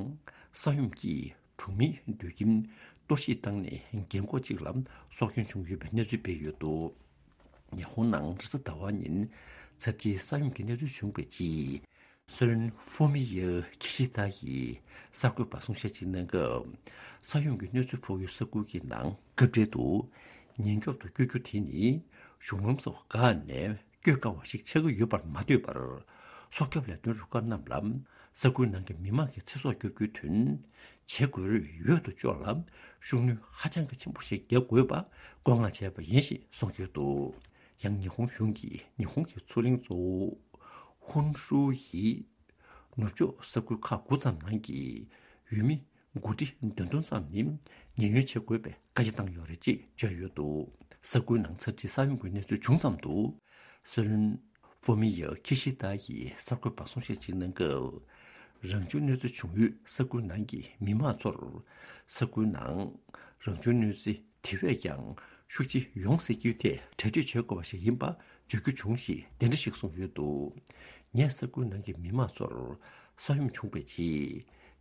ས་ཡོམ་གྱིས་གྲོང་མིའི་སྡོད་ཁྱིམ་གཏོར་བཤིག་བཏང་ནས་རྒན་འཁོགས་གཅིག་ལ་སྲོག་སྐྱོན་བྱུང་ཡོད་པའི་གནས་ཚུལ་སྤེལ་ཡོད་འདུག་ཉི་ཧོང་ནང་རེས་གཟའ་ཟླ་བ་ཉིན་ཚབས་ཆེའི་ས་ཡོམ་གྱི་གནས་ཚུལ་བྱུང་བའི་རྗེས། སུ་ལེན་ཧྥུ་མི་ཡ་ཁི་ཤི་ད་ཡིས་གསར་འགོད་པར་གསུང་བཤད་ཅིག་གནང་སྐབས། ས་ཡོམ་གྱི་གནོད་འཚེ་ཕོག་ཡུལ་ས་ཁུལ་གྱི་ནང་སྐབས་འཕྲལ་དུ་ཉེན་སྐྱོབ་ཏུ་བསྐྱོད་རྒྱུ་དེ་ནི་གཞུང་ལམ་སོགས་འགག་ནས་ བསྐྱོད་དཀའ་བ་ཞིག་ཆགས་ཀྱི་ཡོད་པར་མ་ལྟོས་པར། སྲོག་སྐྱོབ་ལས་དོན་རུ་ཁག་རྣམས་ལ་ས་ཁུལ་ནང་གི་མི་མང་གི་ཚེ་སྲོག་སྐྱོབ་རྒྱུའི་དོན་བྱེད་དགོས་རེད། ཡོད་དོ་ཅོག་ལ་ཤུགས་སྣོན་ཧ་ཅང་གི་ཆེན་པོ་ཞིག་བརྒྱབ་དགོས་པ་བཀོད་མངགས་བྱས་པ་ཡིན་ཞེས་གསུངས་ཡོད་འདུག་ཡང་ཉི་ཧོང་གཞུང་གིས་ཉི་ཧོང་གི་མཚོ་གླིང་གཙོ་བོ་ཧོན་ཧྲུའུ་ཡི་ནུབ་ཕྱོགས་ས་ཁུལ་ཁག་དགུ་ཙམ་ནང་གི་ཡུལ་མི་འགོ་ཁྲིད་བདུན་སྟོང་ཙམ་ནི་ཉེན་གཡོལ་བྱེད་དགོས་པའི་བཀའ་རྒྱ་བཏང་ཡོད་རེད་ཅེས་བརྗོད་ཡོད་འདུག་ས་ཁུལ་ནང་ཚབས་ཆེའི་ས་ཡོམ་གྱི་གནས་ཚུལ་བྱུང་ཙམ་དུ། སྲིད་བློན་ཧྥུ་མི་ཡ་ཁི་ཤི་ཏཱ་ཡིས་གསར་འགོད་པར་གསུང་བཤད་ཅིག་གནང་སྐབས། རང་བྱུང་གནོད་འཚེ་བྱུང་ཡུལ་ས་ཁུལ་ནང་གི་མི་མང་ཚོར་ས་ཁུལ་ནང་རང་བྱུང་གནོད་འཚེ་དེ་བས་ཀྱང་ཤུགས་ཆེ་ཡོང་སྲིད་རྒྱུའི་ཐད་གྲ་སྒྲིག་བྱེད་དགོས་པ་ཞིག་ཡིན་པ་བརྗོད་རྒྱུ་བྱུང་ཞེས་དེ་འདྲ་ཞིག་གསུངས་ཡོད་འདུག་ངས་ས་ཁུལ་ནང་གི་མི་མང་ཚོར་ས་ཡོམ་བྱུང་བའི་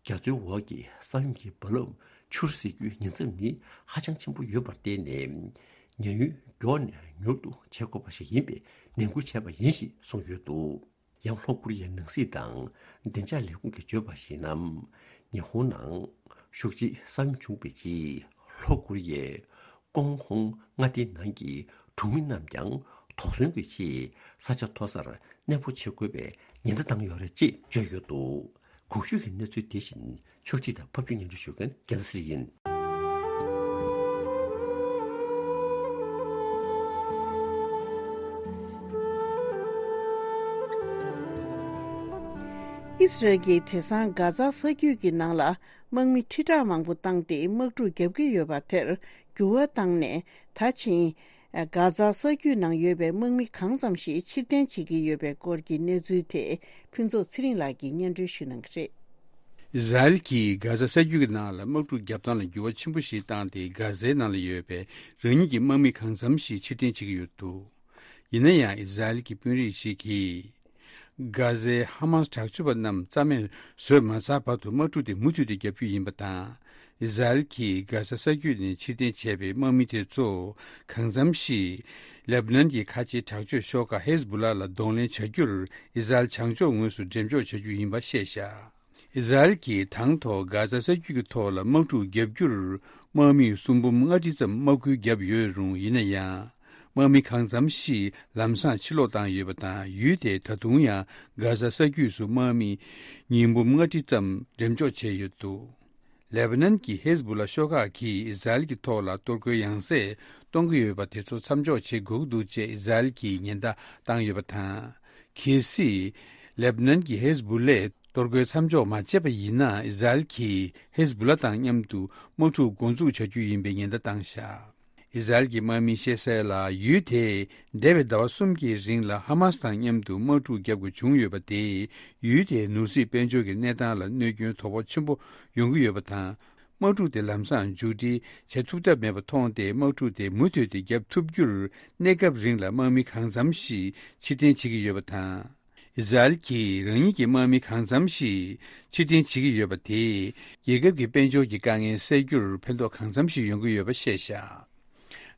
རྗེས། རྒྱ་མཚོའི་འོག་གི་ས་ཡོམ་གྱི་རྦ་རླབས་འཕྱུར་སྲིད་རྒྱུའི་ཉེན་ཚབས་ནི་ཧ་ཅང་ཆེན་པོ་ཡོད་པར་བརྟེན་ནས། ཉེན་གཡོལ་མགྱོགས་ནས་མྱུར་དུ་བྱེད་དགོས་པ་ཞིག་ཡིན་པའི་ནན་སྐུལ་བྱས་པ་ཡིན་ཞེས་གསུངས་ཡོད་འདུག་ཡང་ལྷོ་ཀོ་རི་ཡའི་ནང་སྲིད་དང་བདེ་འཇགས་ལས་ཁུངས་ཀྱིས་བརྗོད་པར་གཞིགས་ན། ཉི་ཧོང་ནང་ཤུགས་ཆེའི་ས་ཡོམ་བྱུང་བའི་རྗེས། ལྷོ་ཀོ་རི་ཡས་ཀོང་ཧོང་མངའ་སྡེའི་ནང་གི་གྲོང་མི་རྣམས་ཀྱང་དོགས་ཟོན་གྱི་ཆེད་ས་ཆ་མཐོ་སར་གནས་སྤོ་བྱེད་དགོས་པའི་ཉེན་བརྡ་བཏང་ཡོད་རེད་ཅེས་བརྗོད་ཡོད་འདུག་གོང་ཞུས་ཀྱི་གནས་ཚུལ་དེ་བཞིན་ཕྱོགས་སྒྲིག་དང་ཕབ་སྒྱུར་སྙན་སྒྲོན་ཞུ་མཁན་རྒྱལ་མཚན་ཡིན། ཨི་སི་རལ་གྱིས་དེང་སང་གྷ་ཛ་ས་རྒྱུད་ཀྱི་ནང་ལ་དམག་མི་ཁྲི་ཕྲག་མང་པོ་བཏང་སྟེ་དམག་འཁྲུག་བརྒྱབ་ཀྱི་ཡོད་པ་དེར་འགྱུར་བ་བཏང་ནས། ད་ཕྱིན། གྷ་ཛ་ས་རྒྱུད་ནང་ཡོད་པའི་དམག་མི་གང་ཙམ་ཞིག་ཕྱིར་འཐེན་བྱེད་ཀྱི་ཡོད་པའི་སྐོར་གྱི་གནས་ཚུལ་དེ་ཕུན་ཚོགས་ཚེ་རིང་ལགས་ཀྱིས་སྙན་སྒྲོན་ཞུ་གནང་གི་རེད། ཨི་ཟ་རེལ་གྱིས་གྷ་ཛ་ས་རྒྱུད་ཀྱི་ནང་ལ་དམག་འཁྲུག་བརྒྱབ་སྟངས་ལ་འགྱུར་བ་ཆེན་པོ་ཞིག་བཏང་སྟེ། གྷ་ཛའི་ནང་ལ་ཡོད་པའི་རང་ཉིད་ཀྱི་དམག་མི་གང་འཚམ་ཞིག་ཕྱིར་འཐེན་བྱེད་ཀྱི་ཡོད་འདུག་ཡིན་ན་ཡང་། ཨི་ཟ་རེལ་གྱི་དཔོན་རིགས་ཤིག་གིས། གྷ་ཟའི་ཧ་མཱས་དྲག་སྤྱོད་པ་རྣམས་རྩ་མེད་བཟོས་མ་ཚར་བར་དུ་དམག་འཁྲུག་དེ་མུ་མཐུད་དེ་བརྒྱབ་རྒྱུ་ཡིན་པ་དང་། ཨི་ཟ་རེལ་གྱིས་གྷ་ཟ་ས་རྒྱུད་ནས་ཕྱིར་འཐེན་བྱས་པའི་དམག་མི་དེ་ཚོ་གང་འཚམ་ཞིག་ལེ་བྷ་ནན་གྱི་ཁ་ཆེའི་དྲག་སྤྱོད་ཤོག་ཁག་ཧེ་ཟ་བྷུ་ལ་ལ་གདོང་ལེན་བྱ་རྒྱུར་ཨི་ཟ་རེལ་བྱང་ཕྱོགས་ངོས་སུ་འགྲེམས་འཇོག་བྱ་རྒྱུ་ཡིན་པ་བཤད་བཞག་ཨི་ཟ་རེལ་གྱིས་དང་ཐོག་གྷ་ཟ་ས་རྒྱུད་ཀྱི་ཐོག་ལ་དམག་འཁྲུག་བརྒྱབ་རྒྱུར་དམག་མི་སུམ་འབུམ་ལྔ་ཁྲི་ཙམ་དམག་སྐུལ་བརྒྱབ་ཡོད་རུང་། ཡིན་ན་ཡང་། དམག་མི་གང་འཚམ་ཞིག་ལམ་སང་ཕྱིར་ལོག་བཏང་ཡོད་པ་དང་། ཡུལ་དེས་ད་དུང་ཡང་གྷ་ཟ་ས་རྒྱུད་སུ་དམག་མི་ཉིས་འབུམ་ལྔ་ཁྲི་ཙམ་འགྲེམས་འཇོག་བྱས་ཡོད་འདུག་ལེ་བྷ་ནན་གྱི་ཧེ་ཟ་བྷུ་ལ་ཤོག་ཁག་གིས་ཨི་ཟ་རེལ་གྱི་ཐོག་ལ་གཏོར་རྒོལ་ཡང་སེ་གཏོང་གི་ཡོད་པ་དེ་ཚོ་མཚམས་འཇོག་བྱེད་དགོས་ཀྱི་འདུག་ཅེས་ཨི་ཟ་རེལ་གྱིས་ཉེན་བརྡ་བཏང་ཡོད་པ་དང་། གལ་སྲིད་ལེ་བྷ་ནན་གྱི་ཧེ་ཟ་བྷུ་ལས་གཏོར་རྒོལ་མཚམས་འཇོག་མ་བྱས་པ་ཡིན་ན། ཨི་ཟ་རེལ་གྱིས་ཧེ་ཟ་བྷུ་ལ་དང་མཉམ་དུ་དམག་འཁྲུག་འགོ་འཛུགས་བྱ་རྒྱུ་ཡིན་པའི་ཉེན་བརྡ་བཏང་བཞག་ཨི་ཟ་རེལ་གྱི་དམག་མིས་བཤད་གསལ་ལ། ཡུལ་དེས་འདས་པའི་ཟླ་བ་གསུམ་གྱི་རིང་ལ་ཧ་མཱས་དང་མཉམ་དུ་དམག་འཁྲུག་བརྒྱབ་དགོས་བྱུང་ཡོད་པ་དེས། ཡུལ་དེའི་ནོར་སྲིད་དཔལ་འབྱོར་གྱི་གནས་སྟངས་ལ་གནོད་སྐྱོན་དོ་ཕོག་ཆེན་པོ་ཡོང་གི་ཡོད་པ་དང་། དམག་འཁྲུག་དེ་ལམ་སང་མཇུག་སྒྲིལ་བྱེད་ཐུབ་ཐབས་མེད་པ་མཐོང་སྟེ། དམག་འཁྲུག་དེ་མུ་མཐུད་དེ་བརྒྱབ་ཐུབ་རྒྱུར་གནས་སྐབས་རིང་ལ་དམག་མི་གང་འཚམ་ཞིག་ཕྱིར་འཐེན་བྱེད་ཀྱི་ཡོད་པ་དང་། ཨི་ཟ་རེལ་གྱིས་རང་ཉིད་ཀྱི་དམག་མི་གང་འཚམ་ཞིག་ཕྱིར་འཐེན་བྱེད་ཀྱི་ཡོད་པ་དེས། རྒྱལ་ཁབ་ཀྱི་དཔལ་འབྱོར་གྱི་དཀའ་ངལ་སེལ་རྒྱུར་ཕན་ཐོགས་གང་འཚམ་ཞིག་ཡོང་གི་ཡོད་པ་བཤད་བཞག་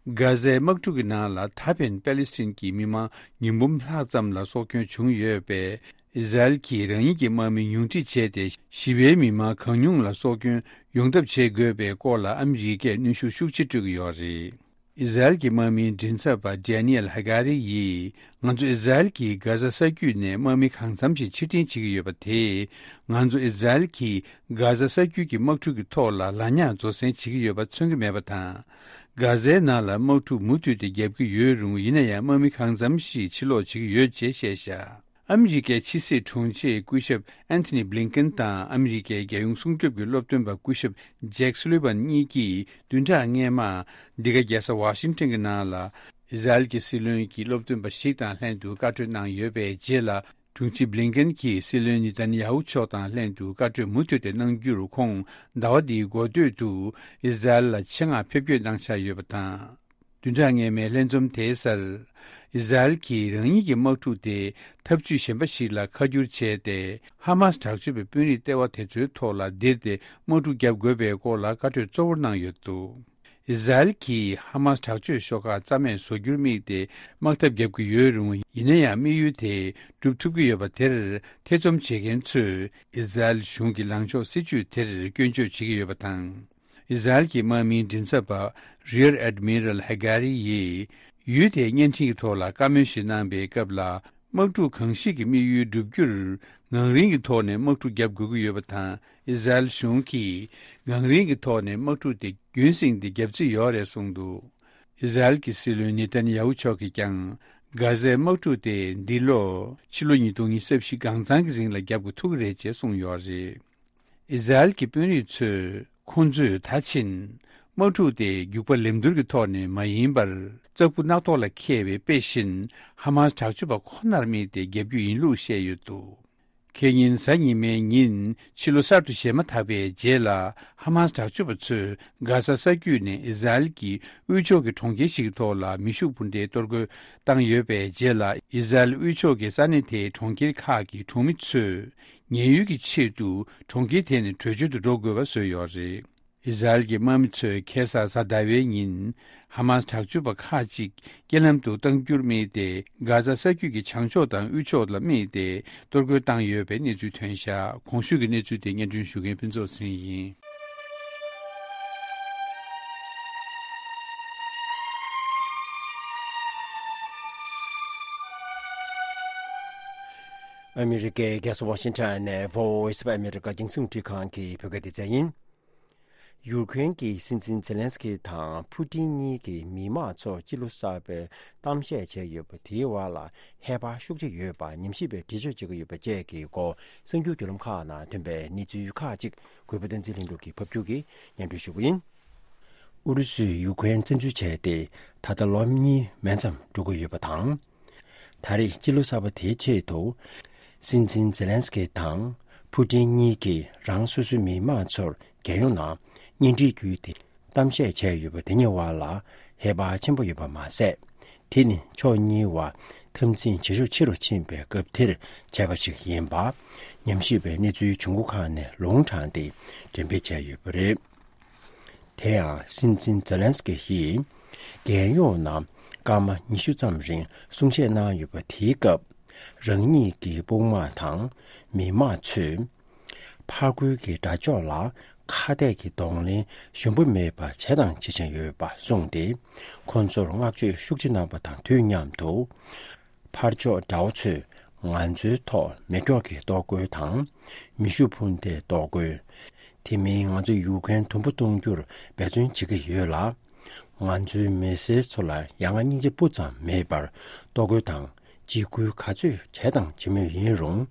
གྷ་ཟའི་དམག་འཁྲུག་གི་ནང་ལ་ད་ཕན་པེ་ལི་སི་ཐན་གྱི་མི་མང་ཉིས་འབུམ་ལྷག་ཙམ་ལ་སྲོག་སྐྱོན་བྱུང་ཡོད་པས། ཨི་ཟ་རེལ་གྱིས་རང་ཉིད་ཀྱི་དམག་མི་ཉུང་འཕྲི་བྱས་ཏེ། ཞི་བའི་མི་མང་གང་ཉུང་ལ་སྲོག་སྐྱོན་ཡོང་ཐབས་བྱེད་དགོས་པའི་སྐོར་ལ་ཨ་མི་རི་ཀས་གནོན་ཤུགས་ཤུགས་ཆེ་སྤྲོད་ཀྱི་ཡོད་རེད། ཨི་ཟ་རེལ་གྱི་དམག་མིའི་མགྲིན་ཚབ་པ་ཌེ་ནི་ཨེལ་ཧ་ག་རི་ཡིས། ང་ཚོ་ཨི་ཟ་རེལ་གྱིས་གྷ་ཟ་ས་རྒྱུད་ནས་དམག་མི་གང་འཚམ་ཞིག་ཕྱིར་འཐེན་བྱེད་ཀྱི་ཡོད་པ་དེས། ང་ཚོ་ཨི་ཟ་རེལ་གྱིས་གྷ་ཟ་ས་རྒྱུད་ཀྱི་དམག་འཁྲུག་གི་ཐོག་ལ་ལ་ཉག་རྫོགས་སེང་བྱེད་ཀྱི་ཡོད་པ་མཚོན་གྱི་མེད་པ་དང་། གྷ་ཟའི་ནང་ལ་དམག་འཁྲུག་མུ་མཐུད་དེ་བརྒྱབ་ཀྱི་ཡོད་རུང་། ཡིན་ན་ཡང་དམག་མི་གང་འཚམ་ཞིག་ཕྱིར་ལོག་བྱེད་ཀྱི་ཡོད་ཅེས་བཤད་བཞག་ཨ་མི་རི་ཀའི་ཕྱི་སྲིད་དྲུང་ཆེ་སྐུ་ཞབས་ཨན་ཐོ་ནི་བྷི་ལིན་ཀེན་དང་ཨ་མི་རི་ཀའི་རྒྱལ་ཡོངས་སྲུང་སྐྱོབ་ཀྱི་སློབ་སྟོན་པ་སྐུ་ཞབས་ཇེག་སུ་ལི་ཝན་གཉིས་ཀྱིས་བདུན་ཕྲག་སྔོན་མ་འདི་ག་རྒྱལ་ས་ཝ་ཤིང་ཊོན་གྱི་ནང་ལ་ཨི་ཟ་རེལ་གྱི་སྲིད་བློན་གྱི་སློབ་སྟོན་པ་ཞིག་དང་ལྷན་དུ་བཀའ་གྲོས་གནང་ཡོད་པའི་རྗེས་ལ། དྲུང་ཆེ་བྷི་ལིན་ཀེན་གྱིས་སྲིད་བློན་ནེ་ཐན་ཡ་ཧུ་མཆོག་དང་ལྷན་དུ་བཀའ་གྲོས་མུ་མཐུད་དེ་གནང་རྒྱུར། ཁོང་ཟླ་བ་འདིའི་འགོ་སྟོད་དུ་ཨི་ཟ་རེལ་ལ་ཆེད་མངགས་ཕེབས་སྐྱོད་གནང་འཆར་ཡོད་པ་དང་། བདུན་ཕྲག་སྔོན་མའི་ལྷན་འཛོམས་དེའི་སར། ཨི་ཟ་རེལ་གྱིས་རང་ཉིད་ཀྱི་དམག་འཁྲུག་དེ་འཐབ་ཇུས་གཞན་པ་ཞིག་ལ་ཁ་བསྒྱུར་བྱས་ཏེ། ཧ་མཱས་དྲག་སྤྱོད་པའི་དཔོན་རིགས་ལྟེ་བ་དེ་ཚོའི་ཐོག་ལ་ལྡིར་ཏེ་དམག་འཁྲུག་བརྒྱབ་དགོས་པའི་སྐོར་ལ་བཀའ་གྲོས་གཙོ་བོར་གནང་ཡོད་འདུག་ཨི་ཟ་རེལ་གྱིས་ཧ་མཱས་དྲག་སྤྱོད་ཤོག་ཁག་རྩ་མེད་བཟོ་རྒྱུར་དམིགས་ཏེ་དམག་འཐབ་བརྒྱབ་ཀྱི་ཡོད་རུང་། ཡིན་ན་ཡང་དམིགས་ཡུལ་དེ་འགྲུབ་ཐུབ་ཀྱི་ཡོད་པ་དེར་ཐེ་ཚོམ་བྱེད་མཁན་ཚོས་ཨི་ཟ་རེལ་གཞུང་གི་ལངས་ཕྱོགས་སྲིད་ཇུས་དེར་སྐྱོན་བརྗོད་བྱེད་ཀྱི་ཡོད་པ་དང་། ཨི་ཟ་རེལ་གྱི་དམག་མིའི་མགྲིན་ཚབ་པ་རི་ཡར་ཨེཌ་མི་རལ་ཧེ་གྷ་རི་ཡིས། ཡུལ་དེའི་བརྙན་འཕྲིན་གྱི་ཐོག་ལ་བཀའ་མོལ་ཞིག་གནང་པའི་སྐབས་ལ། དམག་འཁྲུག་གང་ཞིག་གི་དམིགས་ཡུལ་བསྒྲུབ་རྒྱུར་ངང་རིང་གི་ཐོག་ནས་དམག་འཁྲུག་བརྒྱབ་དགོས་ཀྱི་ཡོད་པ་དང་། ཨི་ཟ་རེལ་གཞུང་གིས་ངང་རིང་གི་ཐོག་ནས་དམག་འཁྲུག་དེ་རྒྱུན་བསྲིངས་ཏེ་བརྒྱབ་རྩིས་ཡོད་རེད་གསུངས་འདུག་ཨི་ཟ་རེལ་གྱི་སྲིད་བློན་ནེ་ཐན་ཡ་ཧུ་མཆོག་གིས་ཀྱང་། གྷ་ཟའི་དམག་འཁྲུག་དེ་འདི་ལོ་ཕྱི་ལོ་ཉིས་སྟོང་ཉི་ཤུ་རྩ་བཞི་སྒང་གཙང་གི་རིང་ལ་བརྒྱབ་དགོས་ཐུག་གི་རེད་ཅེས་གསུངས་ཡོད་རེད། ཨི་ཟ་རེལ་གྱི་དཔོན་རིགས་ཚོས་ཁོང་ཚོས་ད་ཕྱིན་དམག་འཁྲུག་དེ་རྒྱུག་པ་ལེབ་མདོར་གྱི་ཐོག་ནས་མ་ཡིན་པར། གཙགས་བུ་སྣ་ཐོག་ལ་འཁེལ་བའི་དཔེ་བཞིན་ཧ་མཱས་དྲག་སྤྱོད་པ་ཁོ་ནར་དམིགས་ཏེ་བརྒྱབ་རྒྱུ་ཡིན་ལུགས་བཤད་ཡོད་འདུག་ཁེ་ཉིན་གཟའ་ཉི་མའི་ཉིན་ཕྱི་ལོ་གསར་དུ་གཞས་མ་འཐག་པའི་རྗེས་ལ། ཧ་མཱས་དྲག་སྤྱོད་པ་ཚོས་གྷ་ས་ས་རྒྱུད་ནས་ཨི་ཟ་རེལ་གྱི་དབུས་ཕྱོགས་ཀྱི་གྲོང་ཁྱེར་ཞིག་གི་ཐོག་ལ་མེ་ཤུགས་འཕུར་མདེལ་གཏོར་རྒོལ་བཏང་ཡོད་པའི་རྗེས་ལ། ཨི་ཟ་རེལ་དབུས་ཕྱོགས་ཀྱི་ས་གནས་དེའི་གྲོང་ཁྱེར་ཁག་གི་གྲོང་མི་ཚོས་ཉེན་གཡོལ་གྱི་ཆེད་དུ་གྲོང་ཁྱེར་དེ་ནས་བྲོས་བྱོལ་དུ་འགྲོ་དགོས་པ་བཟོས་ཡོད་རེད། ཨི་ཟ་རེལ་གྱི་དམག་མི་ཚོས་ཁ་སང་གཟའ་ཟླ་བའི་ཉིན་ཧ་མཱས་དྲག་སྤྱོད་པ་ཁག་ཅིག་རྐྱེན་ལམ་དུ་གཏང་རྒྱུར་དམིགས་ཏེ། གྷ་ཟ་ས་རྒྱུད་ཀྱི་བྱང་ཕྱོགས་དང་དབུས་ཕྱོགས་ལ་དམིགས་ཏེ་གཏོར་རྒོལ་བཏང་ཡོད་པའི་གནས་ཚུལ་ཐོན་བཞག་གོང་ཞུས་ཀྱི་གནས་ཚུལ་དེ་སྙན་སྒྲོན་ཞུ་མཁན་ཕུན་ཚོགས་ཚེ་རིང་ཡིན། ཨ་མི་རི་ཀའི་རྒྱལ་ས་ཝ་ཤིང་ཊོན་ནས་Voice of America རྒྱང་སྲིང་རླུང་འཕྲིན་ཁང་གི་བོད་སྐད་སྡེ་ཚན་ཡིན། ཡུཀ་རེན་གྱི་སྲིད་འཛིན་ཛེ་ལན་སི་ཀི་དང་ཕུ་ཏིན་གཉིས་ཀྱིས་མི་དམངས་ཚོར་སྤྱི་ལོ་གསར་པའི་གཏམ་བཤད་བྱས་ཡོད་པ་དེའི་བར་ལ་ཧེ་བག་ཤུགས་ཆེ་ཡོད་པ་ཉམས་ཞིབ་པས་འགྲེལ་བརྗོད་བྱེད་ཀྱི་ཡོད་པ་བཅས་ཀྱི་སྐོར་གསར་འགྱུར་བརྒྱུད་ལམ་ཁག་ནང་ཐོན་པའི་གནས་ཚུལ་ཁག་ཅིག་གུས་པ་བསྟན་འཛིན་ལྷུན་གྲུབ་ཀྱིས་ཕབ་སྒྱུར་གྱིས་སྙན་སྒྲོན་ཞུ་རྒྱུ་ཡིན། ཨུ་རུ་སུས་ཡུཀ་རེན་བཙན་འཛུལ་བྱས་ཏེ་ད་ལྟ་ལོ་གཉིས་མན་ཙམ་འགྲོ་གི་ཡོད་པ་དང་། ད་རེས་སྤྱི་ལོ་གསར་པ་དེའི་ཆེད་དུ། སྲིད་འཛིན་ཛེ་ལན་སི་ཀི་དང་ཕུ་ཏིན་གཉིས་ཀྱིས་རང་སོ་སོའི་མི་དམངས་ཚོར་རྒྱལ་ཡོངས་ནང་བརྙན་འཕྲིན་བརྒྱུད་དེ་གཏམ་བཤད་བྱས་ཡོད་པ་དེ་གཉིས་བར་ལ་ཧེ་བག་ཆེན་པོ་ཡོད་པ་མ་ཟད། དེ་ནི་ཕྱོགས་གཉིས་བར་འཐབ་འཛིང་བྱེད་ཤུགས་ཆེ་རུ་ཕྱིན་པའི་སྐབས་དེར་བྱས་པ་ཞིག་ཡིན་པ། ཉམས་ཞིབ་པའི་གནས་ཚུལ་བྱུང་ཁུངས་ཁག་ནས་ལུང་དྲངས་ཏེ་འགྲེམས་སྤེལ་བྱས་ཡོད་པ་རེད། དེ་ཡང་སྲིད་འཛིན་ཛེ་ལན་སི་ཀི་ཡིས་རྒྱལ་ཡོངས་ནང་སྐར་མ་ཉི་ཤུ་ཙམ་རིང་གསུང་བཤད་གནང་ཡོད་པ་དེའི་སྐབས། རང་ཉིད་ཀྱི་དཔུང་དམག་དང་མི་དམངས་ཚོས་ཕར་རྒོལ་གྱི་དགྲ་ཕྱོགས་ལ་ཁ་གཏད་ཀྱི་གདོང་ལེན་ཞུམ་པ་མེད་པར་བྱས་དང་བྱེད་བཞིན་ཡོད་པ་གསུངས་ཏེ། ཁོང་ཚོར་བསྔགས་བརྗོད་ཤུགས་ཆེ་གནང་པ་དང་དུས་མཉམ་དུ། ཕར་ཕྱོགས་དགྲ་བོ་ཚོས་ང་ཚོའི་ཐོག་མེ་སྒྱོགས་ཀྱི་གཏོར་རྒོལ་དང་། མེ་ཤུགས་འཕུར་མདའི་གཏོར་རྒོལ། དེ་མིན་ང་ཚོ་ཡུཀ་རེན་དུམ་བུ་གཏོང་རྒྱུར་འབད་བརྩོན་བྱེད་ཀྱི་ཡོད་ལ། ང་ཚོའི་མི་སེར་ཚོ་ལ་ཡ་ང་སྙིང་རྗེ་སྤུ་ཙམ་མེད་པར་གཏོར་རྒོལ་དང་འཇིགས་སྐུལ་ག་ཚོད་བྱས་དང་བྱེད་མུས་ཡིན་རུང་།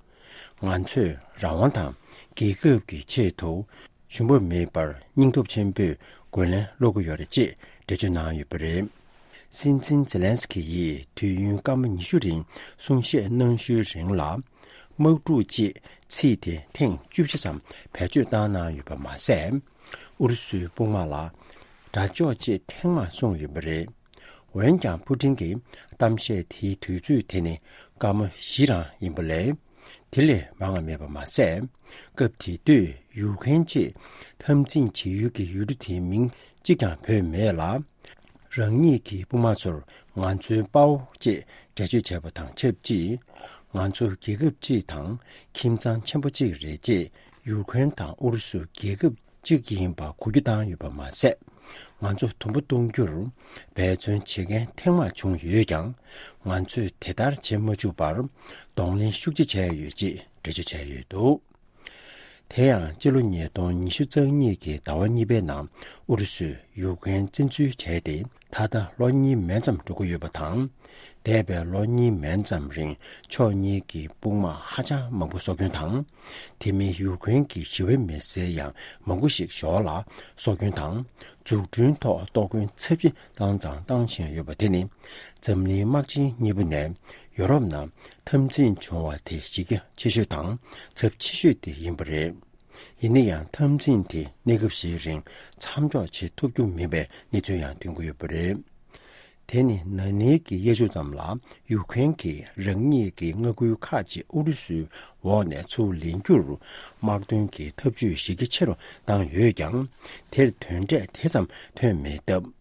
ང་ཚོས་རང་དབང་དང་རྒྱལ་ཁབ་ཀྱི་ཆེད་དུ། ཞུམ་པ་མེད་པར་སྙིང་སྟོབས་ཆེན་པོས་རྒོལ་ལན་སློག་གི་ཡོད་རེད་ཅེས་འགྲེལ་བརྗོད་གནང་ཡོད་པ་རེད། སྲིད་འཛིན་ཛེ་ལན་སི་ཀི་ཡིས་དུས་ཡུན་སྐར་མ་ཉི་ཤུ་རིང་གསུང་བཤད་གནང་ཤུལ་རིང་ལ། དམག་འཁྲུག་ཅེས་ཚིག་དེ་ཐེངས་བཅུ་བཞི་ཙམ་བེད་སྤྱོད་བཏང་གནང་ཡོད་པ་མ་ཟད། ཨུ་རུ་སུའི་དཔུང་དམག་ལ་དགྲ་ཕྱོགས་ཅེས་ཐེངས་མང་གསུངས་ཡོད་པ་རེད། འོན་ཀྱང་ཕུ་ཏིན་གྱི་གཏམ་བཤད་དེའི་དུས་ཚོད་དེ་ནི་སྐར་མ་བཞི་རང་ཡིན་པ་ལས། དེ་ལས་མང་བ་མེད་པ་མ་ཟད། སྐབས་དེ་དུས་ཡུཀ་རེན་ཅེས་འཐབ་འཛིང་བྱེད་ཡུལ་གྱི་ཡུལ་གྲུ་དེའི་མིང་གཅིག་ཀྱང་བོས་མེད་ལ། རང་ཉིད་ཀྱི་དཔུང་དམག་ཚོར་ང་ཚོའི་དཔའ་བོ་ཅེས་འགྲེལ་བརྗོད་བྱས་པ་དང་ཆབས་ཅིག་ང་ཚོ་རྒྱལ་ཁབ་ཅིག་དང་ཁྱིམ་ཚང་ཆེན་པོ་ཅིག་རེད་ཅེས་ཡུཀ་རེན་དང་ཨུ་རུ་སུ་རྒྱལ་ཁབ་ཅིག་ཡིན་པ་གོ་རྒྱུ་བཏང་ཡོད་པ་མ་ཟད། ང་ཚོ་དུམ་བུ་གཏོང་རྒྱུར་འབད་བརྩོན་བྱེད་མཁན་ཐེངས་མང་བྱུང་ཡོད་ཀྱང་། ང་ཚོས་དེ་ལྟར་བྱེད་མ་བཅུག་པར་གདོང་ལེན་ཤུགས་ཆེ་བྱས་ཡོད་ཅེས་འགྲེལ་བརྗོད་བྱས་ཡོད་འདུག་དེ་ཡང་སྤྱི་ལོ་ཉིས་སྟོང་ཉི་ཤུ་རྩ་གཉིས་ཀྱི་ཟླ་བ་གཉིས་པའི་ནང་ཨུ་རུ་སུས་ཡུཀ་རེན་བཙན་འཛུལ་བྱས་ཏེ་ད་ལྟ་ལོ་གཉིས་མན་ཙམ་འགྲོ་གི་ཡོད་པ་དང་། འདས་པའི་ལོ་གཉིས་མན་ཙམ་རིང་ཕྱོགས་གཉིས་ཀྱི་དཔུང་དམག་ཧ་ཅང་མང་པོ་སྲོག་སྐྱོན་དང་། དེ་མིན་ཡུཀ་རེན་གྱི་ཞི་བའི་མི་སེར་ཡང་མང་པོ་ཞིག་ཞོར་ལ་སྲོག་སྐྱོན་དང་། འཛུགས་སྐྲུན་ཐོག་གཏོར་སྐྱོན་ཚབས་ཆེ་བཏང་དང་བཏང་བཞིན་ཡོད་པ་དེ་ནི་འཛམ་གླིང་དམག་ཆེན་གཉིས་པོ་ནས་ཡོ་རོབ་ནང་འཐབ་འཛིང་བྱུང་བ་དེ་གཞི་རྒྱ་ཆེ་ཤོས་དང་ཚབས་ཆེ་ཤོས་དེ་ཡིན་པ་རེད། ཡིན་ན་ཡང་འཐབ་འཛིང་དེ་གནས་སྐབས་ཤིག་རིང་མཚམས་འཇོག་བྱེད་ཐུབ་རྒྱུ་མིན་པའི་གནས་ཚུལ་ཡང་ཐོན་གྱི་ཡོད་པ་རེད། དེ་ནི་ན་ནིང་གི་དབྱར་ཆུ་ཙམ་ལ་ཡུཀ་རེན་གྱིས་རང་ཉིད་ཀྱི་མངའ་ཁུལ་ཁག་ཅིག་ཨུ་རུ་སུའི་འོག་ནས་ཚུར་ལེན་རྒྱུར་དམག་དོན་གྱི་འཐབ་ཇུས་གཞི་རྒྱ་ཆེ་རུ་བཏང་ཡོད་ཀྱང་། དེར་དོན་འབྲས་དེ་ཙམ་ཐོན་མེད་སྟབས།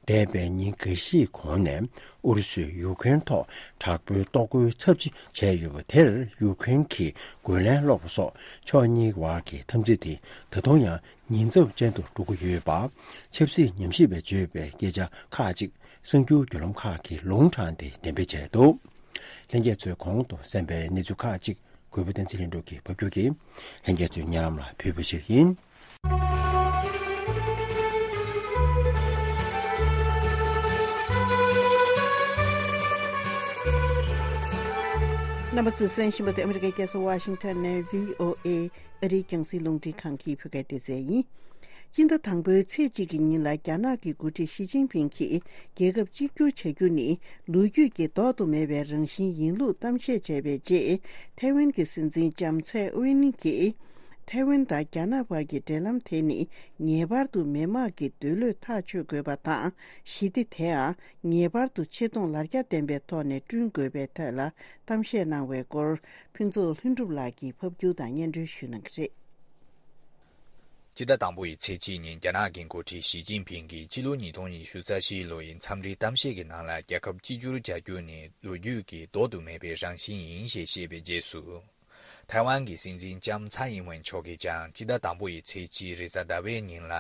འདས་པའི་ཉིན་འགའ་ཤས་གོང་ནས་ཨུ་རུ་སུས་ཡུཀ་རེན་ཐོག་དྲག་པོའི་གཏོར་རྒོལ་ཚབས་ཆེ་བྱས་ཡོད་པ་དེར་ཡུཀ་རེན་གྱིས་རྒོལ་ལན་སློག་པ་སོགས་ཕྱོགས་གཉིས་བར་གྱི་འཐབ་འཛིང་དེ་ད་དུང་ཡང་ ཉེན་ཚབས་ཅན་དུ་འགྲོ་གི་ཡོད་པ། ཆབ་སྲིད་ཉམས་ཞིབ་པས་བརྗོད་པའི་སྐད་ཆ་ཁག་ཅིག་གསར་འགྱུར་བརྒྱུད་ལམ་ཁག་གིས་ལུང་དྲངས་ཏེ་འགྲེམས་སྤེལ་བྱས་འདུག། ལྷན་རྒྱས་ཚོས་གོང་དུ་གསན་པའི་གནས་ཚུལ་ཁག་ཅིག་གུས་པ་བསྟན་འཛིན་ལྷུན་གྲུབ་ཀྱིས་ཕབ་སྒྱུར་གྱིས་ལྷན་རྒྱས་ཚོའི་སྙན་ལམ་ལ་ཕུལ་བ་ཞིག་ཡིན། རྣམ་པ་ཚོས་གསན་བཞིན་པ་དེ་ཨ་མི་རི་ཀའི་རྒྱལ་ས་ཝ་ཤིང་ཊོན་ནས་བྷི་ཨོ་ཨེ་ཨ་རིའི་རྒྱང་སྲིང་རླུང་འཕྲིན་ཁང་གི་བོད་སྐད་སྡེ་ཚན་ཡིན། སྤྱི་ཟླ་དང་པོའི་ཚེས་གཅིག་གི་ཉིན་ལ་རྒྱ་ནག་གི་འགོ་ཁྲིད་ཞི་ཅིན་ཕིང་གིས་རྒྱལ་ཁབ་གཅིག་གྱུར་བྱ་རྒྱུ་ནི་ལོ་རྒྱུས་ཀྱི་ལྡོག་ཏུ་མེད་པའི་རང་བཞིན་ཡིན་ལུགས་གཏམ་བཤད་བྱས་པའི་རྗེས། ཐའེ་ཝན་གྱི་སྲིད་འཛིན་ལྕམ་ཚའེ་ཝེན་གྱིས། ཐའེ་ཝན་དང་རྒྱ་ནག་བར་གྱི་འབྲེལ་ལམ་དེ་ནི་ངེས་པར་དུ་མི་དམངས་ཀྱི་འདོད་བློས་ཐག་གཅོད་དགོས་པ་དང་། ཞི་བདེ་དེའང་ངེས་པར་དུ་ཆེ་མཐོང་ལ་རྒྱ་ལྡན་པའི་ཐོག་ནས་བསྐྲུན་དགོས་པའི་ཐད་ལ་གཏམ་བཤད་གནང་བའི་སྐོར། ཕུན་ཚོགས་ལྷུན་གྲུབ་ལགས་ཀྱིས་ཕབ་སྒྱུར་དང་སྙན་སྒྲོན་ཞུ་གནང་གི་རེད། སྤྱི་ཟླ་དང་པོ་ཡི་ཚེས་གཅིག་ཉིན་རྒྱ་ནག་གི་འགོ་ཁྲིད་ཞི་ཅིན་ཕིང་གིས་ཕྱི་ལོ་ཉིས་སྟོང་ཉི་ཤུ་རྩ་བཞི་ལོ་ཡི་འཚམས་འདྲིའི་གཏམ་བཤད་ཀྱི་ནང་ལ། རྒྱལ་ཁབ་གཅིག་གྱུར་བྱ་རྒྱུ་ནི་ལོ་རྒྱུས་ཀྱི་ལྡོག་ཏུ་མེད་པའི་རང་བཞིན་ཡིན་ཞེས་བཤད་པའི་རྗེས་སུ། ཐའེ་ཝན་གྱི་སྲིད་འཛིན་ལྕམ་ཚའེ་ཨིན་ཝེན་མཆོག་གིས་ཀྱང་སྤྱི་ཟླ་དང་པོ་ཡི་ཚེས་གཅིག་རེས་གཟའ་ཟླ་བའི་ཉིན་ལ།